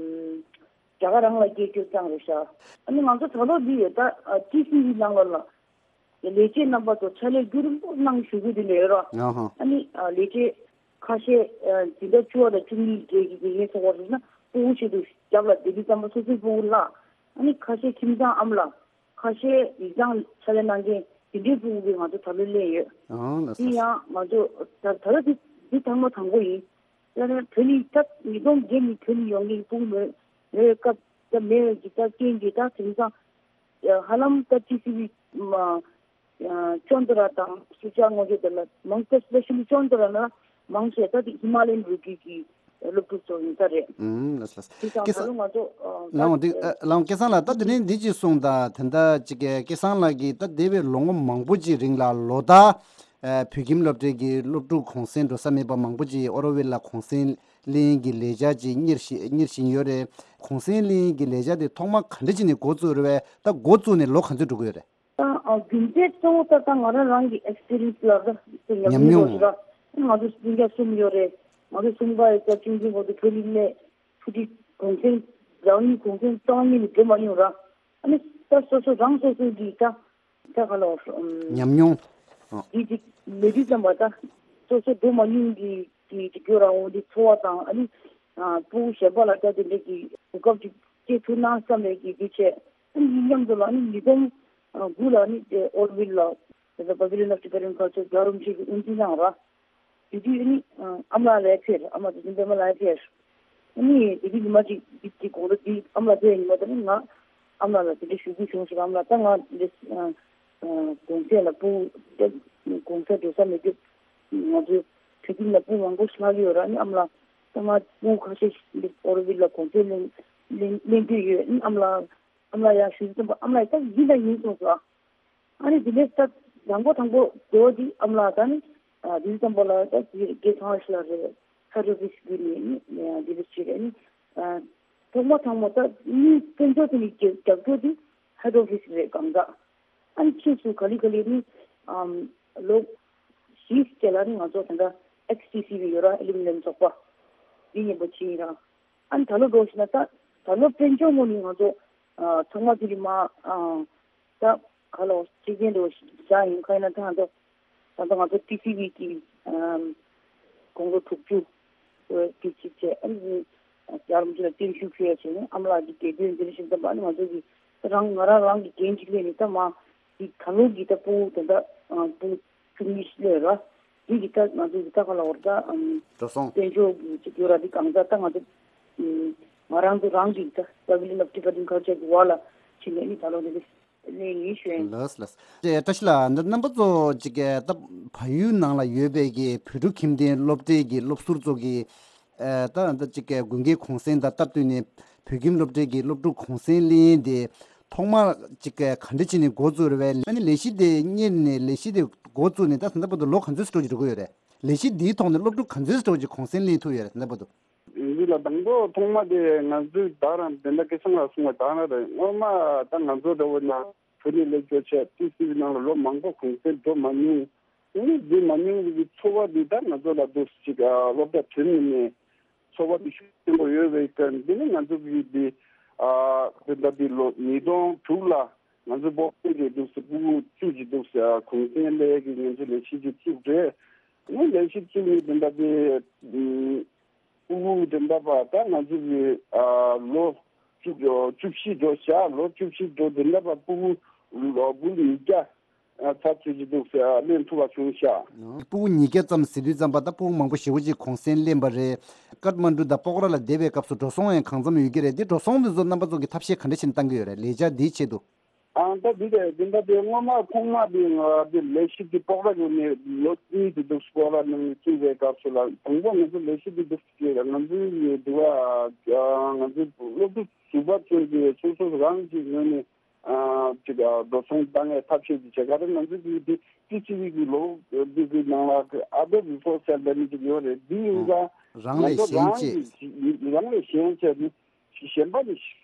རྒྱ་གར་རང་ལ་སྐྱེས་རྒྱུ་ཙང་རེད་ཤག་ཨ་ནི་ང་ཚོ་ད་ལོ་འདི་ཡོད་ད་ཨ་ཏི་སི་ཝི་ནང་ལ་ལ་ལས་བྱེད་རྣམ་པ་ཚོ་ཕྱག་ལས་རྒྱུན་རིང་པོ་གནང་བཞུགས་ཀྱི་འདི་ལས་རོ། ཨ་ཧ། ཨ་ནི་ཨ་ལས་བྱེད་ཁ་ཤས་ཨ་འཛིན་གྲྭ་བཅུ་པ་དང་བཅུ་གཉིས་ཀྱི་དགེ་རྒན་ཚོགས་པ་རེད་ན་ཕྲུ་གུ་ཆེད་དུ་རྒྱབ་ལ་བསྡད་དུས་ཙམ་པ་སོ་སོའི་ཕྲུ་གུ་ལ་ ཨ་ནི་ཁ་ཤས་ཁྱིམ་ཚང་ཨ་མ་ལགས། ཁ་ཤས་ཡིག་ཚང་ཕྱག་ལས་གནང་མཁན་དེ་འདྲའི་ཕྲུ་གུ་གིས་ང་ཚོ་ད་ལོ་སླེབས་ཡོད། ཨང་ལགས་སོ། དེ་ཡང་ང་ཚོ་ད་ད་ལྟ་དེ་དེ་ཐེངས་མ་དང་པོ་ཡིན། ཡང་ན་བོད་ནས་ད་ཉིས་སྟོང་བརྒྱད་ནས་བོད་ནས་ཡོང་མཁན་ཕྲུ་གུ་མེད་མེད་སྐབས་ད་མེད་པའི་གི་ད་རྐྱེན་གྱིས་ད་དེང་སང་ཧ་ལམ་ད་ཊི་སི་ཝི་མ་ཅོན་ཏ་ར་དང་སུ་ཅག་ངོ་ཤེས་དེ་ལ་མང་ཆེ་སི་པེ་ཤལ་ལི་ཅོན་ཏ་ར་ན་མང་ཆེ་ད་དེ་ཧི་མ་ལ་ཡན་རུ་ཀི་གི་སློབ་ཕྲུག་ཚོ་ཡིན་ས་རེད། ཨུམ་ལགས་སོ་ལགས་སོ། དེ་དང་སྐལ་ད་བཟང་ལོ་ང་ཚོ་ཨ་ལའང་འདི་ད་ཨ་ལའང་སྐལ་བཟང་ལགས་ད་དེ་རིང་འདི་ཅིག་གསུངས་དང་དེ་འདྲ་ཅིག་གི་སྐལ་བཟང་ལགས་ཀྱིས་ད་འདས་པའི་ལོ་ངོ་མང་པོ་ཅིག་རིང་ལ་ལོ་ལྟར་ཨ་བོད་ཁྱིམ་སློབ་གྲྭའི་གི་སློབ་ཕྲུག་གུང་སེང་འགྲོ་ས་མེད་པ་མང་པོ་ཅིག་ཨོ་རོ་ཝེལ་ལ་གུང་སེང་གླེང་གི་ལས་འཆར་ཅིག་གཉེར་བཞིན་གཉེར་བཞིན་ཡོད་རེད། གུང་སེང་གླེང་གི་ལས་འཆར་དེ་ཐོག་མ་ག་འདྲ་བྱས་ནས་འགོ་བཙུགས་རེད་པས། ད་འགོ་བཙུགས་ནས་ལོ་ག་ཚོད་འགྲོ་གི་ཡོད་རེད། ད་ཨ་རྒྱུ་མཚན་གཙོ་བོ་ད་ད་ང་རང་རང་གི་ཨེག་སི་པི་རི་ཡན་སི་ལ་ད་ཉམས་ཉམས་མྱོང་མྱོང་རོགས་ཞུ་ར། ང་ཚོ་སྤུན་ཀྱག་གསུམ་ཡོད་རེད། ང་ཚོ་གསུམ་ཀ་ཡི་ད་ཆུང་ཆུང་བར་དུ་བོད་ཡིག་ནས་ཕྲུ་གུ་གུང་སེང་རང་ཉིད་གུང་སེང་རྩ་བ་ཉིད་ནས་འགྲོ་མ་མྱོང་ར། ཨ་ནི་ད་སོ་སོ་རང་སོ་སོ་གི་ད་ད་ག་ལ་ཉམས་མྱོང་ཨ་དེ་དེ་མེད་དུས་ཙམ་པ་ད་སོ་སོ་འགྲོ་མ་མྱོང་གི་གི་གི་སྐྱོ་ར་འོང་དེ་ཚོར་བ་དང་ཨ་ནི་ཨ་ཕྲུ་གུ་གཞན་པ་ལ་ད་དེ་འདྲ་གི་གོ་སྐབས་ཅིག་སྤྲད་ཐུབ་ན་བསམ་ནས་གི་དེ་བྱས། ཨ་ནི་མཉམ་དུ་ལ་ཨ་ནི་ཉིས་སྟོང་དགུ་ལ་ཨ་ནི་དེ་ཨོ་རོ་ཝིལ་ལ་དེ་ཚོ་པ་བི་ལི་ཡན་ཨོཕ་ཊི་པ་རི་ཡན་ཁལ་ཅར་རྒྱལ་བ་རིན་པོ་ཆེ་གི་དབུ་འཛིན་གནང་ར། དེ་དུས་ཨ་ནི་ཨ་མ་ལགས་ཕེབས། ཨ་མ་དེ་དུས་པད་མ་ལགས་ཕེབས། ཨ་ནི་དེ་དུས་ཉི་མ་གཅིག་དེ་དེ་དགོང་དྲོ་དེ་ཨ་མ་ལགས་ཕེབས་ཉི་མ་དེ་ནི་ང་ཨ་མ་ལགས་ལ་དེ་འདྲ་ཞུ་རྒྱུ་བྱུང་ཟེར། ཨ་མ་ལགས་ད་ང་འདི་ཨ་ཨ་གུང་སེང་ལ་ཕྲུ་གུ་གུང་སེང་འགྲོ་ས་མེད་དུས་ང་ཚོའི་བོད་ཁྱིམ་ལ་ཕྲུ་གུ་མང་པོ་ཞིག་ལྷག་གི་ཡོད་ར། ཨ་ནི་ཨ་མ་ལགས་ད་ང་ཕྲུ་གུ་ཁ་ཤས་ཤིག་འདི་ཨོ་རོ་ཝིལ་ལ་གུང་སེང་གླེང་གླེང་གླེང་གི་ཡོད། ཨ་ནི་ཨ་མ་ལགས་ཨ་མ་ལགས་ཡར་ཞུ་ཙམ་པ་ཨ་མ་ལགས་ད་ཡིན་ད་ཡིན་གསུངས་སོང་། ཨ་ནི་དེ་ནས་ད་དང་པོ་དང་པོ་འགྲོ་དེ་ཨ་མ་ལགས་ད་ནི་ཨ་དེ་ཙམ་པ་ལ་ད་དེ་རྒྱལ་ཚང་ལ་རེད། ཧེཌ་ཨོ་ཕི་སི་བརྒྱུད་ནས་ནི་ཨ་དེ་འདྲ་བྱས་རེད། ཨ་ནི་ཨ་ཐོག་མ་ཐོག་མ་ད་ནི་དཔལ་འབྱོར་དེ་ནི་རྒྱབ་རྒྱབ་སྐྱོར་དེ་ཧེཌ་ཨོ་ཕི་སི་རེད་གང་ག་ཨ་ནི་ཕྱིས་སུ་ག་ལེ་ག་ལེ་ནི་ཨམ་ལོ་བཞི་རྗེས་ལ་ནི་ང་ཚོ་ད་ལྟ་ཨེག་སི་ཊི་སི་བི་ཡོད་ར། ཨེ་ལུ་མི་ནམ་ཚོགས་པ་འདི་མཉམ་པོ་ཕྱིན་ར། ཨ་ནི་ད་ལོ་འགྲོ་ཞིག་ན་ད་ད་ལོ་དཔལ་འབྱོར་ངོས་ནས་ང་ཚོ་ཨ་ཚང་མ་དེ་རིང་མ་ཨ་ད་ག་ལོ་གཅིག་རྐྱེན་འགྲོ་བཞག་ཡིན་ཁ་ཡིན་ན་ད་ང་ཚོ་ད་ལྟ་ང་ཚོ་ཊི་སི་ཝི་གི་ཨམ་དགུང་ལོ་དྲུག་ཅུ་དེ་གཅིག་བྱས། ཨ་ནི་རྒྱལ་བ་རིན་པོ་ཆེ་ལ་བརྟན་བཞུགས་ཞུ་ཡ་བྱས་ནས་ཨ་མ་ལགས་ཀྱི་དགེ་འདུན་འདིར་ཞིག་ད་ཨ་ནི་ང་ཚོ་གི་རང་ང་རང་རང་གི་འགན་ཅིག་ལེན་ནས་ད་མ་གི་ད་ལོ་གི་ད་ཕྲུ་གུ་ད་ལྟ་ཨ་ཕྲུ་གུ་བཅུ་གཉིས་ཤིག་སླེབས་ར། དེ་གི་ད་ང་ཚོ་གི་ད་ག་ལ་བར་ད་ཨམ་འགྲོ་སོང་དཔལ་འབྱོར་གི་ཅིག་ཡོད་ར། དེ་གང་ད་ད་ང་ཚོ་ཨམ་ང་རང་ཚོ་རང་གི་ད་པ་བི་ལི་ཡན་ཨོཕ་ཊི་པ་རི་ཡན་ཁལ་ཅར་གི་བར་ལ་ཕྱིན་ནས་ནི་ད་ལོ་འདི་གི་ལེན་ཡིན་ཞུ་ཡིན། ལགས་ལགས། ཅེ་བཀྲ་ཤིས་ལགས་འདི་རྣམ་པ་ཚོ་ཅིག་གི་ད་བལ་ཡུལ་ནང་ལ་ཡོད་པའི་གི་བོད་ཕྲུག་ཁྱིམ་སྡེ་སློབ་གྲྭའི་གི་སློབ་ཟུར་ཚོ་གི་ཨ་ད་ད་ཅིག་གི་དགུན་ཁའི་གུང་སེང་དང་སྟབས་བསྟུན་ནས་བོད་ཁྱིམ་སློབ་གྲྭའི་གི་སློབ་ཕྲུག་གུང་སེང་གླེང་དེ་ཐོག་མར་ཅིག་ག་འདྲ་བྱས་ནས་འགོ་བཙུགས་རེད་པས། ཨ་ནི་ལས་གཞི་དེ་གཉེར་ནས་ལས་གཞི་དེ་འགོ་བཙུགས་ནས་ད་ད་ལྟ་བར་དུ་ལོ་ག་ཚོད་ཙམ་འགྲོ་གི་འགྲོ་གི་ཡོད་རེད། ལས་གཞི་འདིའི་ཐོག་ནས་སློབ་ཕྲུག་ག་ཚོད་ཙམ་ཅིག་གུང་སེང་གླེང་ཐུབ་ཡོད་རེད་ད་ལྟ་བར་དུ། འདི་ལ་དང་པོ་ཐོག་མ་དེ་ང་ཚོའི་ད་རང་དེ་འདྲ་སྐལ་བཟང་ལགས་གསུངས་པ་ད་རང་རེད། སྔོན་མ་ད་ང་ཚོ་འདྲ་བོ་ན་བོད་ནས་སླེབས་ཀྱོག་བྱས་ཊི་སི་ཝི་ནང་ལ་ལོ་མང་པོ་གུང་སེང་འགྲོ་མ་མྱོང་། དེ་ནས་འདི་མ་མྱོང་གི་ཚོར་བ་འདི་ད་ང་ཚོ་ལ་འདུག་ཅིག་ཨ་སློབ་གྲྭ་ཐོན་ནས་ནས་ཚོར་བ་འདི་ཤུགས་ཆེན་པོ་ཡོད་པའི་སྐབས་འདི་ནི་ང་ཚོ་གི་འདི་ཨ་དེ་འདྲ་འདི་ལོ་ཉིས་སྟོང་དྲུག་ལ་ང་ཚོ་སྤོ་སྤོ་གི་འདུག་སེ་ཕྲུ་གུ་བཅུ་གཅིག་འདུག་སེ་ཨ་གུང་སེང་སླེབས་ཀྱི་ང་ཚོ་ལས་གཞི་ཅིག་བཙུགས་རེད། ཨ་ནི་ལས་གཞི་བཙུགས་ནས་དེ་འདྲ་འདི་ཕྲུ་གུ་དེ་འདྲ་པ་ད་ང་ཚོ་གི་ཨ་ལོ་བཅུ་བཅུ་བཞི་འགྲོ་བཞག་ལོ་བཅུ་བཞི་འགྲོ་དེ་འདྲ་པ་ཕྲུ་གུ་ལོ་བུ་ཉིས་བརྒྱ་ཨ་ཚར་ཚུད་ཀྱི་འདུག་ཟེར་ལེན་ཐུབ་པ་བྱུང་ཤག་ཕྲུ་གུ་ཉིས་བརྒྱ་ཙམ་ཟེར་དུས་ཙམ་པ་ད་ཕྲུ་གུ་མང་པོ་ཞེ་པོ་ཅིག་གུང་སེང་ལེན་པ་རེད། ཀཏ་མན་ཌུ་དང་སྤོག་ར་ལ་བསྡད་པའི་སྐབས་སུ་འགྲོ་སོང་ཡང་གང་འཚམ་ཡོད་ཀྱི་རེད། འདི་འགྲོ་སོང་འདི་ཚོ་རྣམ་པ་ཚོ་གི་ཐབས་ཤེས་ག་འདྲ་བྱས་ནས་བཏང་གི་ཡོད་རེད་ལས་འཆར་འདིའི་ཆེད་དུ། ཨང་ད་འདི་དེ་འདི་འདྲ་དེ་སྔོན་མ་ཐོག་མ་དེ་ང་དེ་ལས་གཞི་དེ་སྤོག་ར་ཡོད་ནས་ལོ་གཉིས་དེ་འདུག་སྤོག་ར་ནང་བཙུགས་པའི་སྐབས་སུ་ལ་དང་པོ་ང་ཚོ་ལས་གཞི་དེ་འདུག་ཅེས་ང་ཚོའི་ཡོད་འདུག་ཨ། ང་ཚོའི་སློབ་ཕྲུག་ཟུར་པ་ཚོས་ཀྱི་སོ་སོ་རང་གི་ངོས་ནས་ཨ་ཅིག་ཨ་འགྲོ་སོང་བཏང་ཡའི་ཐབས་ཤེས་ཀྱི་བྱེད་ག་རེ་ང་ཚོ་གི་དེ་ཊི་སི་ཝི་གི་ལོ་འདི་གི་ནང་ལ་ཨ་ཏོ་རི་སོར་སི་སེལ་འདྲ་མི་ཅིག་ཡོད་རེད། འདི་ཡིན་ཙང་རང་ང་ལས་ཚོ་གཞན་རང་བྱས། གི་རང་ལས་གཞན་བྱས་ནས། གཞན་པ་ནི་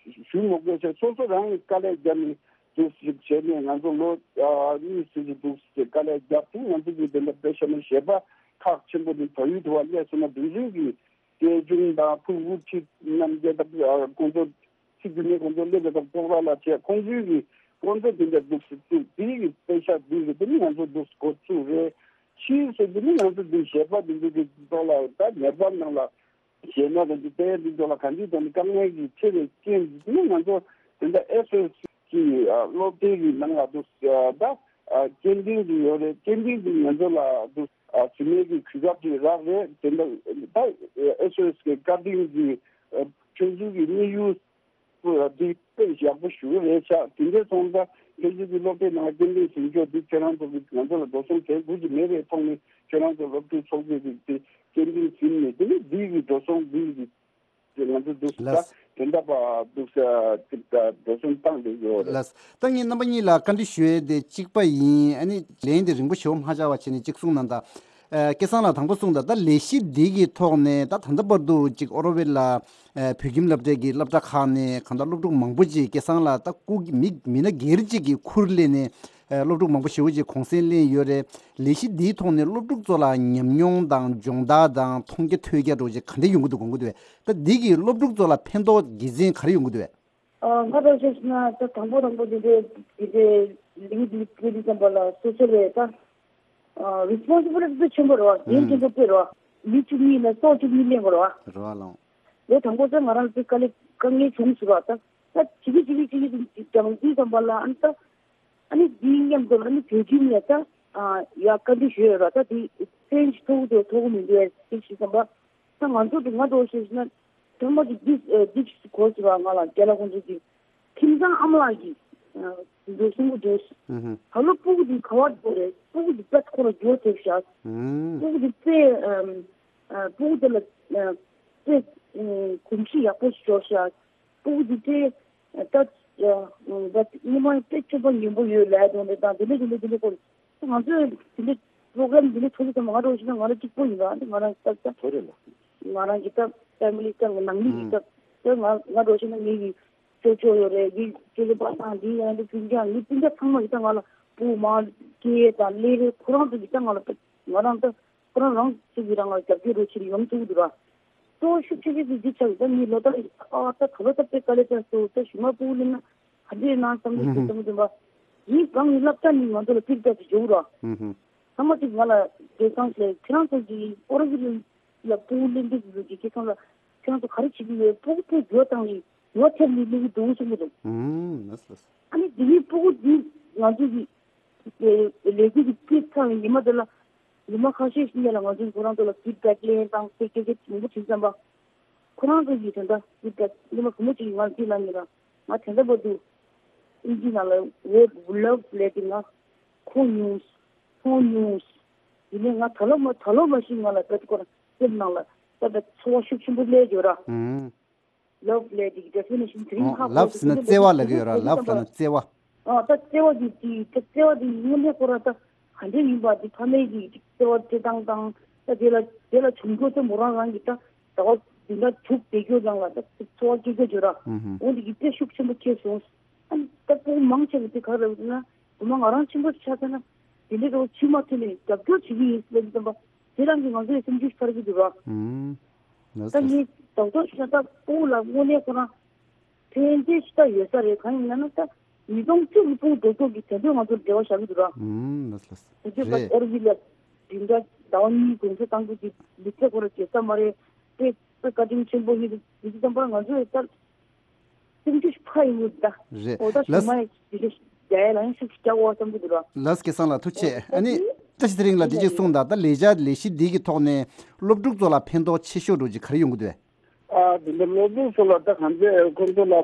ཞུ་མི་དགོས་ཟེར། སོ་སོ་རང་གིས་དཀའ་ལས་བརྒྱབ་ནས་འདུག་ཞིག་བྱས་ནས་ང་ཚོ་ལོ་ཨ་གཉིས་ཙམ་ཅིག་འདུག་ཟེར་དཀའ་ལས་བརྒྱབ་དུས་ང་ཚོ་གིས་དེ་འདྲ་དཔེ་བཤད་ན་གཞས་པ་ཁག་ཆེན་པོ་དེ་བལ་ཡུལ་དུ་བ་སླེབས་སོང་ན་དེང་རིང་གི་སྐད་ཆུང་དང་ཕྲུ་གུ་ཁྲིད་རྣམ་རྒྱལ་དང་ཁོང་ཚོ་ཁྲིད་རྒྱུ་ནས་ཁོང་ཚོ་སླེབས་པའི་སྐབས་ཁོང་རང་ལ་བྱས་ཁོང་ཚོའི་གི་ཁོང་ཚོ་དེ་འདྲ་འདུག་ཟེར་དུས་དེའི་གི་དཔེ་ཤག་འདུག་ཟེར་དེ་ནི་ང་ཚོ་འདུག་འགོ་བཙུགས་རེད། ཕྱིས་སུ་དེ་ནི་ང་ཚོ་འདི་གཞས་པ་འདི་ཚོ་གི་ཐོག་ལ་ད་ངེས་པར་ནང་ལ། གཞས་སྣ་དང་དེ་ལྟའི་འདི་ཚོ་ལ་གང་ཅིའི་ཐོག་ནས་དཀའ་ངལ་གྱི་ཆེ་བའི་རྐྱེན་གྱིས་ནི་ང་ཚོ་ དེ་འདྲ་ཨེས་ཨོ་ཨེས་གི་ཨ་སློབ་གྲྭའི་གི་ནང་ལ་འདུག་ཨ་ད་ཨ་སྐྱེལ་འདྲེན་གྱི་ཡོད་རེད། སྐྱེལ་འདྲེན་གྱི་ང་ཚོ་ལ་འདུག་ཨ་བྱེད་མེད་ཀྱི་གོ་སྐབས་ཅིག་རག་རེད། དེ་འདྲ་ད་ཨེས་ཨོ་ཨེས་གི་བཀའ་དྲིན་གྱི་ཨ་ཁྱོད་ཚོ་གི་དམིགས་ཡུལ་འདི་དཔེ་ཡག་པོ་ཞེ་པོ་རེད་ཤག་དེ་འདྲ་སོང་ཙང་ཁྱོད་ཚོ་གི་སློབ་གྲྭའི་ནང་སྐྱེལ་འདྲེན་བྱེད་ཕྱོགས་འདི་ཁྱོད་རང་ཚོ་གི་ང་ཚོ་ལ་འགྲོ་སོང་གལ་དགོས་ཀྱི་མེད་པའི་ཐོག་ནས་ཁྱོད་རང་ཚོ་སློབ་ཕྲུག་ཚོགས་པའི་གི་དེ་སྐྱེལ་འདྲེན་ཟིན་ནས་དེ་ནས་འདི་གི་འགྲོ་སོང་འདི་གི་ང་ཚོ་འདུག་ལ། ད་དེ་འདྲ་པ་འདུག་ས་ཅིག་ད་འགྲོ་སོང་བཏང་བསྡད་ཡོད་རེད། ལགས། ད་ངས་རྣམ་པ་གཉིས་ལ་བཀའ་འདྲི་ཞུ་ཡས་དེ་གཅིག་པ་ཡིན། ཨ་ནི་ལན་དེ་རིང་པོ་ཞེ་པོ་མ་བྱ་བ་བྱས་ནས་གཅིག་གསུངས་གནང་དང་། ཨ་སྐལ་བཟང་ལགས་དང་པོ་གསུངས་དང་། ད་ལས་གཞི་འདི་གི་ཐོག་ནས་ད་ད་ལྟ་བར་དུ་གཅིག་ཨོ་རོ་ཝེལ་ལ་ཨ་བོད་ཁྱིམ་སློབ་གྲྭའི་གི་སློབ་གྲྭ་ཁག་ནས་གང་ལྟར་སློབ་ཕྲུག་མང་པོ་ཅིག་སྐལ་བཟང་ལགས་ད་སྐུ་མི་མི་སྣ་སྒེར་གཅིག་གི་ཁུར་ལེན་ནས་ཨ་སློབ་ཕྲུག་མང་པོ་ཞེ་པོ་ཅིག་གུང་སེང་ལེན་ཡོད་རེད། ལས་གཞི་འདིའི་ཐོག་ནས་སློབ་ཕྲུག་ཚོ་ལ་ཉམས་མྱོང་དང་སྦྱོང་བརྡར་དང་མཐོང་རྒྱ་ཐོས་རྒྱ་འདྲ་བོ་ཅིག་ག་འདྲ་ཡོང་གི་འདུག་དགོངས་ཀྱི་འདུག་གས། ད་འདི་གིས་སློབ་ཕྲུག་ཚོ་ལ་ཕན་ཐོགས་དགེ་མཚན་ག་རེ་ཡོང་གི་འདུག་གས། ཨ་ང་རང་བཤད་ན་ད་དང་པོ་དང་པོ་འདི་འདྲའི་འདི་འདྲའི་ལས་འགུལ་འདི་འདི་འདི་ཙམ་པ་ལ་སོ་སོ་ལས་ད་ཨ་རི་སི་པོན་སི་བི་ལི་ཊི་ཆེན་པོ་རེད་བ། འགན་ཆེན་པོ་དཔེ་རེད་བ། མི་བཅུ་གཉིས་ལ་སྲོག་བཅུ་གཉིས་ལེན་དགོས་རེད་བ། རེད་བ་ལགས། ལོ་དང་པོ་ཚོ་ང་རང་ཚོ་དཀའ་ལས་དཀའ་ངལ་བྱུང་ཟེར་བ། ད་ད་བྱེད་ཀྱི་བྱེད་ཀྱི་བྱེད་ཀྱི་ཀྱང་འདི་ཙམ་པ་ལ་ཨ་ནི་ད། ཨ་ནི་འདིའི་མཉམ་དུ་ཨ་ནི་བོད་ཁྱིམ་ལ་ད་ཨ་ཡ་བཀའ་འདྲི་ཞུས་ཡོད་ར། ད་དེ་ཕན་ཞིག་ཐོགས་འདུག་ཐོགས་མི་འདུག་ཨེ་ཞིག་བསམ་པ། ད་ང་ཚོ་དེ་ང་འདྲ་བོ་ཞིག་ན་ཐོག་མ་དེ་འདི་ཨེ་འདི་ཞིག་གོ་ཟེར་བ། ང་ལ་རྒན་ལགས་ཁོང་ཚོ་གིས་ཁྱིམ་ཚང་ཨ་མ་ལགས་ཀྱིས་ཨ་འདི་གསུང་གི་འདུག་ཨུ་ཧུ། ད་ལོ་སྤུ་གུ་འདི་ག་བར་འགྲོ་རེད། སྤུ་གུ་འདི་དཔེ་ཁོ་ལ་འགྱུར་ཐེབས་ཤག་ཨུ། སྤུ་གུ་འདི་དཔེ་ཨ་ཨ་སྤུ་གུ་དེ་ལ་ཨ་དཔེ་ཨ་གོམས་གཤིས་ཡག་པོ་ཞིག་འབྱོར་ཤག་སྤུ་གུ་འདི་དཔེ། ད་ད་སྔོན་མ་དཔེ་སྤྱོད་པ་ཡོན་པོ་ཡོད་ལབ་དོན་དེ་དང་དེ་འདྲ་དེ་འདྲ་དེ་འདྲ་སྐོར་ང་ཚོས་དེ་འདྲ་པོ་རོ་གྷ་རམ་དེ་འདྲ་ཚོགས་དུས་ཙམ་པ་ང་འདྲ་བོ་ཞིག་ན་ང་རང་གཅིག་པོ་ཡིན་པ། ང་རང་སྐབས་ད་ང་རང་གི་ད་ཕེ་མི་ལི་ད་ནང་མི་གི་སྐབས་ད་ང་ང་འདྲ་བོ་ཞིག་ན་ངེད་ཀྱི་ཅོ་ཅོ་ཡོད་རེད། ངའི་ཅོ་ཅོ་པ་དང་དེའི་ཡང་དུ་སྤུན་ཀྱག་ངའི་སྤུན་ཀྱག་ཚང་མ་གི་ད་ང་ལ་སྤུ་མ་སྐྱེས་དང་སླེབས་རེད། ཁོ་རང་ཚོ་གི་ད་ང་ལ་ང་རང་ད། ཁོ་རང་རང་ཚུགས་ཀྱི་རང་ལ་རྒྱབ་སྐྱོར་རོགས་བྱེད་ཡོང་ཐུབ་འདུག་ར། གཙོ་བོ་ཤུགས་ཆེ་ཤོས་དེ་འདི་ཆགས་ཡོད། ད་ངའི་ལོ་ལྟར་ཨ་ད་ག་ལོ་ད་དཔེ་དཀའ་ལས་ཆགས་སོང་། ད་གཞུག་མ་སྤུ་གུ་ལེན་ན་ག་འདྲས་ཡིན་ན་བསམ་གྱི་འདུག་བསམ་གྱི་འདུག་པ། ངའི་སྒང་ནས་སློབ་གྲྭ་ནས་ང་ཚོ་ལ་ཕིཌ་བེག་ཞུ་ར། ཚང་མ་གཅིག་ང་ལ་སྐལ་བཟང་ལགས་ཁྱེད་རང་ཚོ་གི་ཨོ་རོ་ཝི་ལ་སྤུ་གུ་ལེན་དུས་ཀྱི་སྐལ་བཟང་ལགས་ཁྱེད་རང་ཚོ་ག་རེ་བྱེད་ཀྱི་ཡོད། སྤུ་གུ་ཕར་འགྱུར་བཏང་ནས་ཡོ་ཐེབས་ནས་སླེབས་ཀྱི་འདུག་གསུང་གི་འདུག་ཨ་ནི་དེ་ནས་སྤུ་གུ་འདི་ང་ཚོ་གི་ལས་འགུལ་གྱི་སྤུས་ཚང་བའི་ཉི་མ་དེ་ལ། ཉི་མ་ཁ་ཤས་ཤིག་ལ་ང་ཚོས་ཁོ་རང་ཚོ་ལ་ཕིཌ་བེག་ལེན་དང་དེ་སྐད་ཆ་མང་པོ་དྲིས་ཙམ་པ། ཁོ་རང་ཚོ་གིས་དེ་འདྲ་ཕིཌ་བེག་ཉི་མ་གང་པོ་ཅིག་ང་ཚོས་ལབ་ཡིན་ར། ང་དེ་འདྲ་བར་དུ་ཨིན་ཇི་ནང་ལ་ཝོཌ་ལབ་ལབ་དེ་ང་གོ་མྱོང་། མཐོང་མྱོང་། ཡིན་ནའི་ང་ད་ལོ་མ་ད་ལོ་མ་ཤེས་ང་ལ་བེད་སྐོར་སེམས་ནང་ལ་ད་བེད་ཚོར་བ་ཤུགས་ཆེན་པོ་སླེབས་ཡོད་ར། ལབ་ལབ་དེ་གི་ཌེ་ཕི་ནེ་ཤན་དེ་རིང་ཧ་གོ་ལབ་ཟེར་ན་བརྩེ་བ་ལབ་ཀྱི་ཡོད་ར། ལབ་ཟེར་ན་བརྩེ་བ། ཨ་ད་བརྩེ་བ་དེ་དེ་ད་བརྩེ་བ་དེ་དངོས་གནས་ཁོ་རང་ད་ག་འདྲ་ཡིན་པ་དེ་ཕ་མའི་གི་བརྩེ་བ་སྤྲད་སྟངས་དང་ད་དེ་ལ་དེ་ལ་བྱུང་ཁུངས་ཚོ་མོ་རང་རང་གི་ད་ཟླ་བ་བདུན་ཕྲག་དྲུག་བསྡད་རྒྱུ་ནང་ལ་ད་ཚོར་བ་སྐྱེ་རྒྱུ་ཡོད་ར། འོ་དེ་གི་དཔེ་ཤུགས་ཆེན་པོ་སྐྱེས་སོང་། ཨ་ད་སྤུ་གུ་མང་ཆེ་བ་དེ་ག་རེ་ཟེར་ན་དུ་མ་ང་རང་ཆེན་པོ་ཆགས་ཚར་ན་དེ་འདྲའི་རོགས་ཕྱི་མ་ཐོན་ནས་རྒྱབ་སྐྱོར་བྱེད་ཀྱི་ཡིན་ཟེར་ལབ་ཀྱི་བསམ་པ། དེ་རང་གིས་ང་ཚོའི་སེམས་ཤུགས་འཕར་གྱི་འདུག་ར། ད་ངས་རྡོག་རྡོག་ཞིག་ན་ད་སྤུ་གུ་ལ་དངོས་གནས་ཁོ་རང་ཕན་ཐོགས་ཤིག་ད་ཡོད་ས་རེད། གང་ཡིན་ན་ན་ད་ཉིས་སྟོང་བཅུ་གི་སྤུ་གུ་རྡོག་རྡོག་གིས་དེ་འདྲའི་ང་ཚོར་འབྲེལ་བ་བཞག་གི་འདུག་ར། དེ་འདྲའི་ད་ཨོ་རོ་ཝི་ལ་བདུན་ཕྲག་ཟླ་བ་གཉིས་གུང་སེང་བཏང་རྒྱུ་དེ་ལུས་རྩལ་ཁོ་ར་བྱེད་ས་མ་རེད། དཔེ་དཔེ་བཀའ་དྲིན་ཆེན་པོ་ཡིན་འདུག་དེ་ཙམ་པར་ང་ཚོས་ད། སེམས་ཤུགས་ཕ་ཡིན་ད། རེད། འོ་ད་ལགས། ཞུ་མ་ཡིན་དེ་འདྲ་རྒྱ་ཡ་ལ་ཡང་ཤུགས་རྒྱག་འོ་བསམ་གྱི་འདུག་ར། ལགས་སྐལ་བཟང་ལགས་ཐུགས་རྗེ་ཆེ། ཨ་ནི་བཀྲ་ཤིས་ཚེ་རིང་ལགས་འདི་གཅིག་གསུངས་དང་། ད་ལས་འཆར་ལས་གཞི་འདི་གི་ཐོག་ནས་སློབ་ཕྲུག་ཚོ་ལ་ཕན་ཐོགས་ཆེ་ཤོས་འདྲ་ཅིག་ག་རེ་ཡོང་གི་འདུག་བས། ཨ་འདི་འདྲ་སློབ་ཕྲུག་ཚོ་ལ་ད་གང་ཚེ་ཁོང་ཚོ་ལ་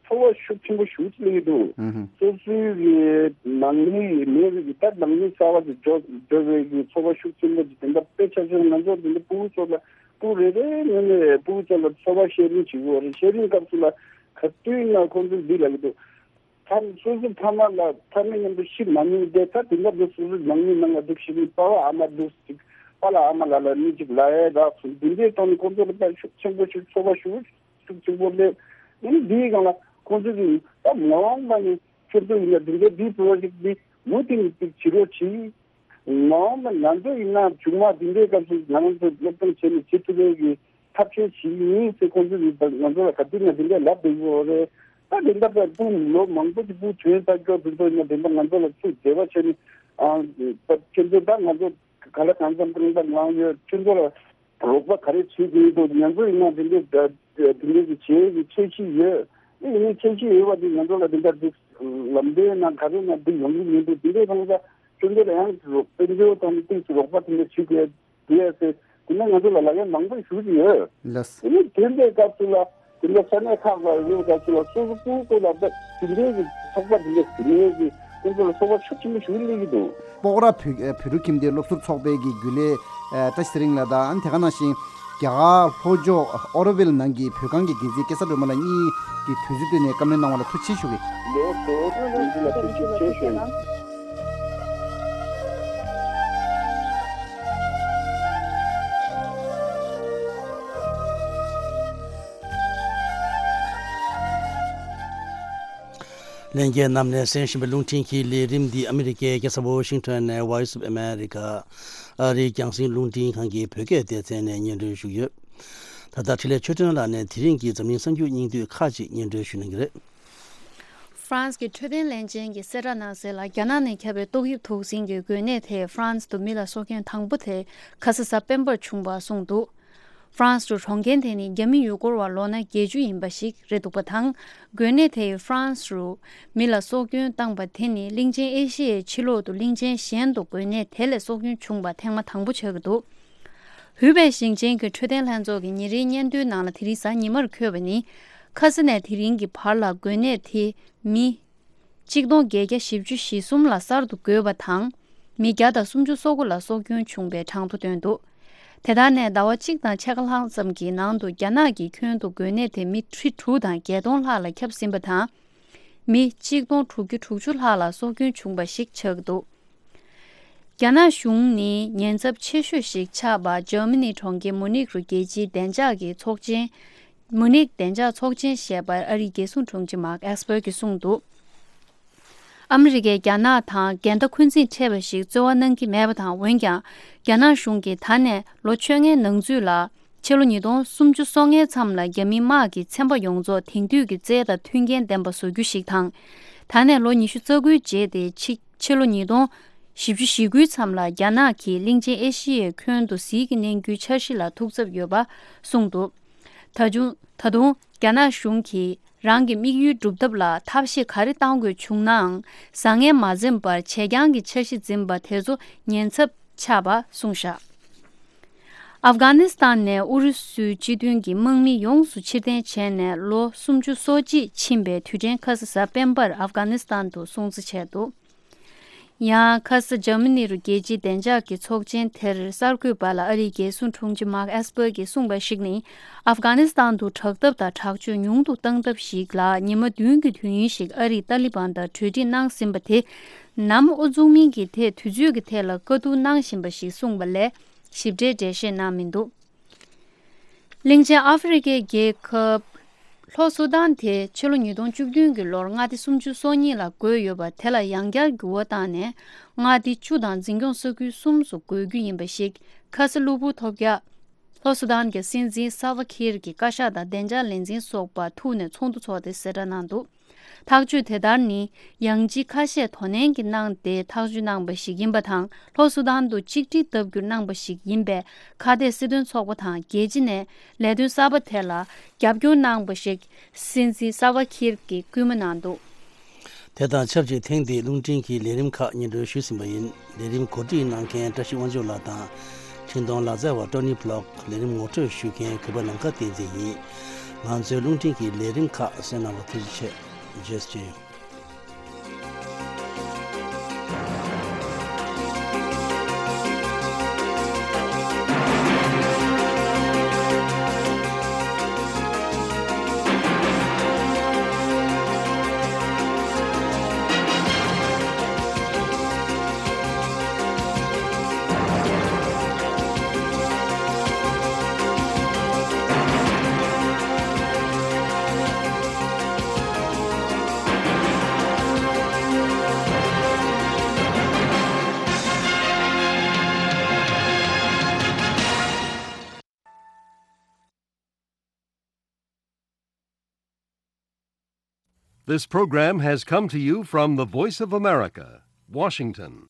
ཚོར་བ་ཤུགས་ཆེན་པོ་ཞིག་སླེབས་ཀྱི་འདུག་ཨུ་ཧུ། སོ་སོའི་གི་ནང་མི་མེད་པའི་གི་ད་ནང་མི་གསར་བ་ཅིག་འགྲོ་འགྲོ་བའི་གི་ཚོར་བ་ཤུགས་ཆེན་པོ་ཅིག་དེ་འདྲ་དཔེ་ཆ་ཆེན་ང་ཚོ་འདི་འདྲ་ཕྲུ་གུ་ཚོ་ལ། ཕྲུ་གུ་རེ་རེའི་ངོས་ནས་ཕྲུ་གུ་ཚོ་ལ་ཚོར་བ་ཤེར་རིང་བྱེད་དགོས་རེད། ཤེར་རིང་སྐབས་སུ་ལ་ག་དུས་ཡིན་ན་ཁོང་ཚོས་འདི་ལབ་ཀྱི་འདུག་ཕ་སོ་སོའི་ཕ་མ་ལ་ཕ་མའི་མཉམ་དུ་ཤི་མ་མྱོང་དེ་ད་དེང་སྐབས་དུ་སོ་སོའི་ནང་མི་ནང་ལ་འདུག་ཤི་མི་པ་ཕ་ཨ་མ་འདུག་ཅིག་པ་ལ་ཨ་མ་ལ་ལ་མི་ཅིག་ལ་ཡའི་རག་སོང་། འདི་འདྲའི་ཐོག་ནས་ཁོང་ཚོ་ལ་དཔེ་ཤུགས་ཆེན་པོ་ཞིག་ཚོར་བ་ཤུགས་ཤུགས་ཆེན་པོ་སླེབས། ཨ་ནི་འདིའི་སྒང་ལ་ཁོང་ཚོ་གིས་ད་མ་འོངས་པ་ནས་ཁྱོད་ཚོ་ཡིན་ན་འདི་འདྲའི་འདིའི་པོ་རོ་ཇེག་འདི་མུ་མཐུད་ནས་ཅིག་བྱེད་རོགས་གྱིས། མ་འོངས་པ་ང་ཚོ་ཡིན་ན་མཇུག་མ་འདི་འདྲའི་སྐབས་སུ་ང་རང་ཚོ་སློབ་སྦྱོང་བྱས་ནས་བྱེད་ཐུབ་པའི་གི་ཐབས་ཤེས་བྱེད་ཀྱི་ཡིན་ཟེར་ཁོང་ཚོས་ང་ཚོ་ལ་ག་དུས་ན་འདི་འདྲ་ལབ་བསྡད་ཡོད་རེད། ད་དེ་འདྲ་པའི་སྤུན་ལོ་མང་པོ་ཅིག་སྤུ་གུ་ཐོན་ཚར་ཀྱོག་དེ་ཚོ་ཡིན་ན་དེ་འདྲ་ང་ཚོ་ལ་ཚུར་འབྲེལ་བ་བྱས་ནས་ཨ་ཁྱེད་ཚོ་ད་ང་ཚོ་ག་ལ་གང་འཚམ་གང་འཚམ་ལངས་ཡོད། ཁྱེད་ཚོ་ལ་རོགས་པ་ག་རེ་བྱེད་དགོས་འདུག་ང་ཚོ་ཡིན་ན་དེ་འདྲའི་དེ་འདྲའི་གི་བྱེད་ཀྱི་འཆར་གཞི་ཡོད། ཨེ་ཡིན་ནའི་ཁྱད་ཆོས་ཡོད་པ་དེ་ང་ཚོ་ལ་དེ་འདྲ་འདུག་ལམ་སྟོན་ན་ག་རེ་ན་འདི་ཡོང་གི་མི་འདུག་དེ་འདྲའི་ཐང་ས་ཁྱོད་ཚོ་ལ་ཡང་དཔལ་འབྱོར་དང་ཏིག་ཙམ་རོགས་པ་དེ་འདྲ་བྱེད་དགོས་འདུག་ཡ་ཟེར་དེ་ནས་ང་ཚོ་ལ་ལག་ལེན་མང་པོ་ཞུ་གི་ཡོད། ལགས། དེ་ནས་དེ་འདྲའི་སྐབས་སུ་ལ་དེ་འདྲ་ས་གནས་ཁག་ལ་ཡོད་སྐབས་སུ་ལ་སོ་སོ་སྐུ་སྐུ་ལ་དེ་འདྲའི་གི་ཚོགས་པ་དེ་འདྲ་དེ་འདྲའི་གི་ཁྱོད་ཚོ་ལ་ཚོགས་པ་ཤུགས་ཆེན་པོ་ཞིག་སླེབས་ཀྱི་འདུག་སྤོག་ར་བོད་བོད་ཕྲུག་ཁྱིམ་སྡེའི་སློབ་ཟུར་ཚོགས་པའི་གི་རྒྱུན་ལས་ཨ་བཀྲ་ཤིས་ཚེ་རིང་ལགས་དང་། ཨ་ནི་དེ་ག་ནང་བཞིན་རྒྱ་གར་ལྷོ་ཕྱོགས་ཨོ་རོ་ཝིལ་ནང་གི་བོད་ཁང་གི་འགན་འཛིན་སྐལ་བཟང་སྒྲོལ་མ་ལགས་གཉིས་ཀྱིས་དུས་ཚོད་བཏོན་ནས་བཀའ་མོལ་གནང་བ་ལ་ཐུགས་རྗེ་ཆེ་ཞུ་གི། ལགས་སོ། ཐུགས་རྗེ་ཆེ་ཞུ་གི། ལྷན་རྒྱས་རྣམས་ནས་གསན་བཞིན་པའི་རླུང་འཕྲིན་གྱི་ལས་རིམ་འདི་ཨ་མི་རི་ཀའི་རྒྱལ་ས་ཝོ་ཤིང་ཊོན་ནས་Voice of America ཨ་རིའི་རྒྱང་སྲིང་རླུང་འཕྲིན་ཁང་གི་བོད་སྐད་སྡེ་ཚན་ནས་སྙན་སྒྲོན་ཞུས་ཡོད། ད་ལྟ་འཕྲིན་ལས་ཆོས་སྒྲོན་ལགས་ནས་དེ་རིང་གི་འཛམ་གླིང་གསར་འགྱུར་སྙིང་བསྡུས་ཁག་ཅིག་སྙན་སྒྲོན་ཞུ་གནང་གི་རེད། ཧྥ་རན་སི་གི་འཕྲོད་བསྟེན་ལྷན་ཅན་གྱིས་གསལ་བསྒྲགས་གནང་གསལ་ལ། རྒྱ་ནག་ནས་ཁྱབ་པའི་ཏོག་དབྱིབས་དུག་སྲིན་གྱི་འགོས་ནད་དེས་ཧྥ་རན་སི་དུ་མི་ལ་སྲོག་སྐྱོན་དང་པོ་དེ་ཁ་ས་གཟའ་སྤེན་པར་བྱུང་བ་གསུངས་འདུག་ཧྥ་རན་སི་རུ་གྲོངས་མཁན་དེ་ནི་རྒྱ་མི་ཡུལ་སྐོར་བ་ལོ་ན་བརྒྱད་ཅུ་ཡིན་པ་ཞིག་རེད་འདུག་པ་དང་། འགོས་ནད་དེས་ཧྥ་རན་སི་རུ་མི་ལ་སྲོག་སྐྱོན་བཏང་པ་དེ་ནི་གླིང་ཆེན་ཨེ་ཤི་ཡའི་ཕྱི་ལོགས་དུ་གླིང་ཆེན་གཞན་དུ་འགོས་ནད་དེ་ལས་སྲོག་སྐྱོན་བྱུང་བ་ཐེངས་མ་དང་པོ་ཆགས་ཀྱི་འདུག་ཧུའུ་པེ་ཞིང་ཆེན་གྱི་འཕྲོད་བསྟེན་ལྷན་ཚོགས་ཀྱི་ཉིན་རེའི་སྙན་ཐོའི་ནང་ལ་དེ་རིང་གཟའ་ཉི་མར་འཁོད་པ་ནི། ཁ་ས་ནས་དེ་རིང་གི་བར་ལ་འགོས་ནད་དེ་མི་གཅིག་སྟོང་བརྒྱད་བརྒྱ་བཞི་བཅུ་ཞེ་གསུམ་ལ་གསར་དུ་འགོས་པ་དང་། མི་བརྒྱ་དང་སུམ་ཅུ་སོ་དགུ་ལ་སྲོག་སྐྱོན་བྱུང་བའི་གྲངས་ཐོ་བཏོན་འདུག་དེ་དག་ནས་ཟླ་བ་གཅིག་དང་ཕྱེད་ཀ་ལྷག་ཙམ་གྱི་ནང་དུ་རྒྱ་ནག་གི་ཁྱོན་དུ་འགོས་ནད་དེ་མི་ཁྲི་དྲུག་དང་བརྒྱད་སྟོང་ལྷག་ལ་ཁྱབ་ཟིན་པ་དང་། མི་གཅིག་སྟོང་དྲུག་བརྒྱ་དྲུག་ཅུ་ལྷག་ལ་སྲོག་སྐྱོན་བྱུང་བ་ཞིག་ཆགས་ཀྱི་འདུག་རྒྱ་ནག་གཞུང་ནི་ཉེན་ཚབས་ཆེ་ཤོས་ཤིག་ཆགས་པ་འཇར་མ་ནི་གྲོང་ཁྱེར་མུ་ནིག་རུ་རྒྱལ་སྤྱིའི་བདེ་འཇགས་ཀྱི་ཚོགས་ཆེན། མུ་ནིག་བདེ་འཇགས་ཚོགས་ཆེན་ཞེས་པར་ཨ་རིའི་རྒྱལ་སྲུང་དྲུང་ཆེ་མཱག་ཨེས་པར་གྱིས་གསུངས་འདུག་ཨ་མི་རི་ཀས་རྒྱ་ནག་དང་འགལ་ཟླ་འཁོན་འཛིན་འཕྲད་པ་ཞིག་རྩོལ་བ་གནང་གི་མེད་པ་དང་། འོན་ཀྱང་རྒྱ་ནག་གཞུང་གིས་ད་ནས་ལོ་བཅོ་ལྔའི་ནང་ཚུད་ལ། ཕྱི་ལོ་ཉིས་སྟོང་སུམ་ཅུ་སོ་ལྔའི་མཚམས་ལ་རྒྱ་མིའི་དམག་གིས་ཚན་པ་ཡོངས་རྫོགས་དེང་དུས་ཀྱི་རྩལ་དང་མཐུན་རྐྱེན་ལྡན་པ་བཟོ་རྒྱུ་ཞིག་དང་། ད་ནས་ལོ་ཉི་ཤུ་རྩ་དགུའི་རྗེས་ཏེ་ཕྱི་ཕྱི་ལོ་ཉིས་སྟོང་བཞི་བཅུ་ཞེ་དགུའི་མཚམས་ལ་རྒྱ་ནག་གིས་གླིང་ཆེན་ཨེ་ཤི་ཡའི་ཁྱོན་དུ་ཟིལ་གྱིས་གནོན་རྒྱུའི་འཆར་གཞི་ལ་ཐུགས་འཚབ་ཡོད་པ་གསུངས་འདུག་ད་དུང་ད་དུང་རྒྱ་ནག་གཞུང་གིས་རང་གི་དམིགས་ཡུལ་སྒྲུབ་ཐབས་ལ་ཐབས་ཤེས་ག་རེ་གཏང་དགོས་བྱུང་ནའང་བཟང་ངན་མ་འཛེམས་པར་བྱེད་རྐྱང་གི་འཆར་གཞི་འཛིན་པ་དེ་ཚོ་ཉེན་ཚབས་ཆགས་པ་གསུངས་བཞག་ཨབ་གྷ་ནི་སི་ཐན་ནས་ཨུ་རུ་སུའི་སྤྱི་མཐུན་གྱི་དམག་མི་ཡོངས་སུ་ཕྱིར་འཐེན་བྱས་ནས་ལོ་སུམ་ཅུ་སོ་གཅིག་ཕྱིན་པའི་དུས་དྲན་ཁ་ས་གཟའ་སྤེན་པར་ཨབ་གྷ་ནི་སི་ཐན་དུ་སྲུང་བརྩི་བྱས་འདུག་ཡང་ཁ་ས་འཇར་མ་ནི་རུ་རྒྱལ་སྤྱིའི་བདེ་འཇགས་ཀྱི་ཚོགས་ཆེན་དེར་གསར་འགོད་པ་ལ་ཨ་རིའི་རྒྱལ་སྲུང་དྲུང་ཆེ་མཱག་ཨེས་པར་གྱིས་གསུངས་པར་གཞིགས་ནི། ཨབ་གྷ་ནི་སི་ཐན་དུ་དྲག་འཐབ་དང་དྲག་སྤྱོད་ཉུང་དུ་བཏང་ཐབས་ཤིག་ལ་ཉི་མ་བདུན་གྱི་དུས་ཡུན་ཞིག་ཨ་རིས་ཏཱ་ལི་བན་དང་གྲོས་འགྲིག་གནང་ཟིན་པ་དེ། ནམ་དབུ་བཙུགས་མིན་གྱི་ཐད་དུས་ཚོད་ཀྱི་ཐད་ལ་བཀའ་བསྡུར་གནང་བཞིན་པ་ཞིག་གསུངས་པ་ལས་ཞིབ་ཕྲའི་འགྲེལ་བཤད་གནང་མི་འདུག་གླིང་ཆེན་ཨ་ཧྥེ་རི་ཁའི་རྒྱལ་ཁབ་ལྷོ་སུ་དཱན་དེ་ཕྱི་ལོ་ཉིས་སྟོང་བཅུ་བདུན་གྱི་ལོར་མངའ་སྡེ་སུམ་ཅུ་སོ་གཉིས་ལ་བགོས་ཡོད་པ་དེ་ལ་ཡང་བསྐྱར་འགྱུར་བ་བཏང་ནས་མངའ་སྡེ་བཅུ་དང་འཛིན་སྐྱོང་ས་ཁུལ་གསུམ་སུ་བགོ་རྒྱུ་ཡིན་པ་ཞིག་ཁ་ས་གློ་བུར་ཐོལ་རྒྱག་ལྷོ་སུ་དཱན་གྱི་སྲིད་འཛིན་སལ་ཝ་ཁིར་གྱི་བཀའ་ཤག་དང་བདེ་འཇགས་ལས་འཛིན་སོགས་པ་ཐུག་ནས་ཚོགས་འདུ་ཚོགས་ཏེ་གསལ་བསྒྲགས་གནང་འདུག་ཐག་གཅོད་དེ་ལྟར་ནི་ཡང་ཅི་ཁ་ཤས་དོ་ནན་གྱིས་གནང་སྟེ་ཐག་གཅོད་གནང་པ་ཞིག་ཡིན་པ་དང་། ལྷོ་སུ་དཱན་དུ་གཅིག་སྒྲིལ་བཏབ་རྒྱུར་གནང་པ་ཞིག་ཡིན་པས། ཁ་གཏད་སྲིད་དོན་ཚོགས་པ་དང་རྒྱལ་སྤྱི་ནས་ལས་དོན་གསར་པ་དེ་ལ་རྒྱབ་སྐྱོར་གནང་པ་ཞིག་སྲིད་འཛིན་སལ་ཝ་ཁིར་གྱིས་སྐུལ་མ་གནང་འདུག་དེ་དང་ཆབས་ཅིག་ཐེངས་འདིའི་རླུང་འཕྲིན་གྱི་ལས་རིམ་ཁག་སྙན་སྒྲོན་ཞུས་ཟིན་པ་ཡིན། ལས་རིམ་གོ་སྒྲིག་གནང་མཁན་བཀྲ་ཤིས་དབང་ཕྱུག་ལགས་དང་། འཕྲིན་གཏོང་ལག་རྩལ་བ་ཀྲོ་ནི་བྷི་ལོག་ལས་རིམ་ངོ་སྤྲོད་ཞུ་མཁན་གུས་པ་ནམ་མཁའ་བསྟན་འཛིན་ཡིན། ང་ཚོའི་རླུང་འཕྲིན་གྱི་ལས་རིམ་ཁག་གསན་གནང་བར་ཐུགས་རྗེ་ཆེ། རྗེས་སུ་མཇལ་ཡོང་། This program has come to you from the Voice of America, Washington.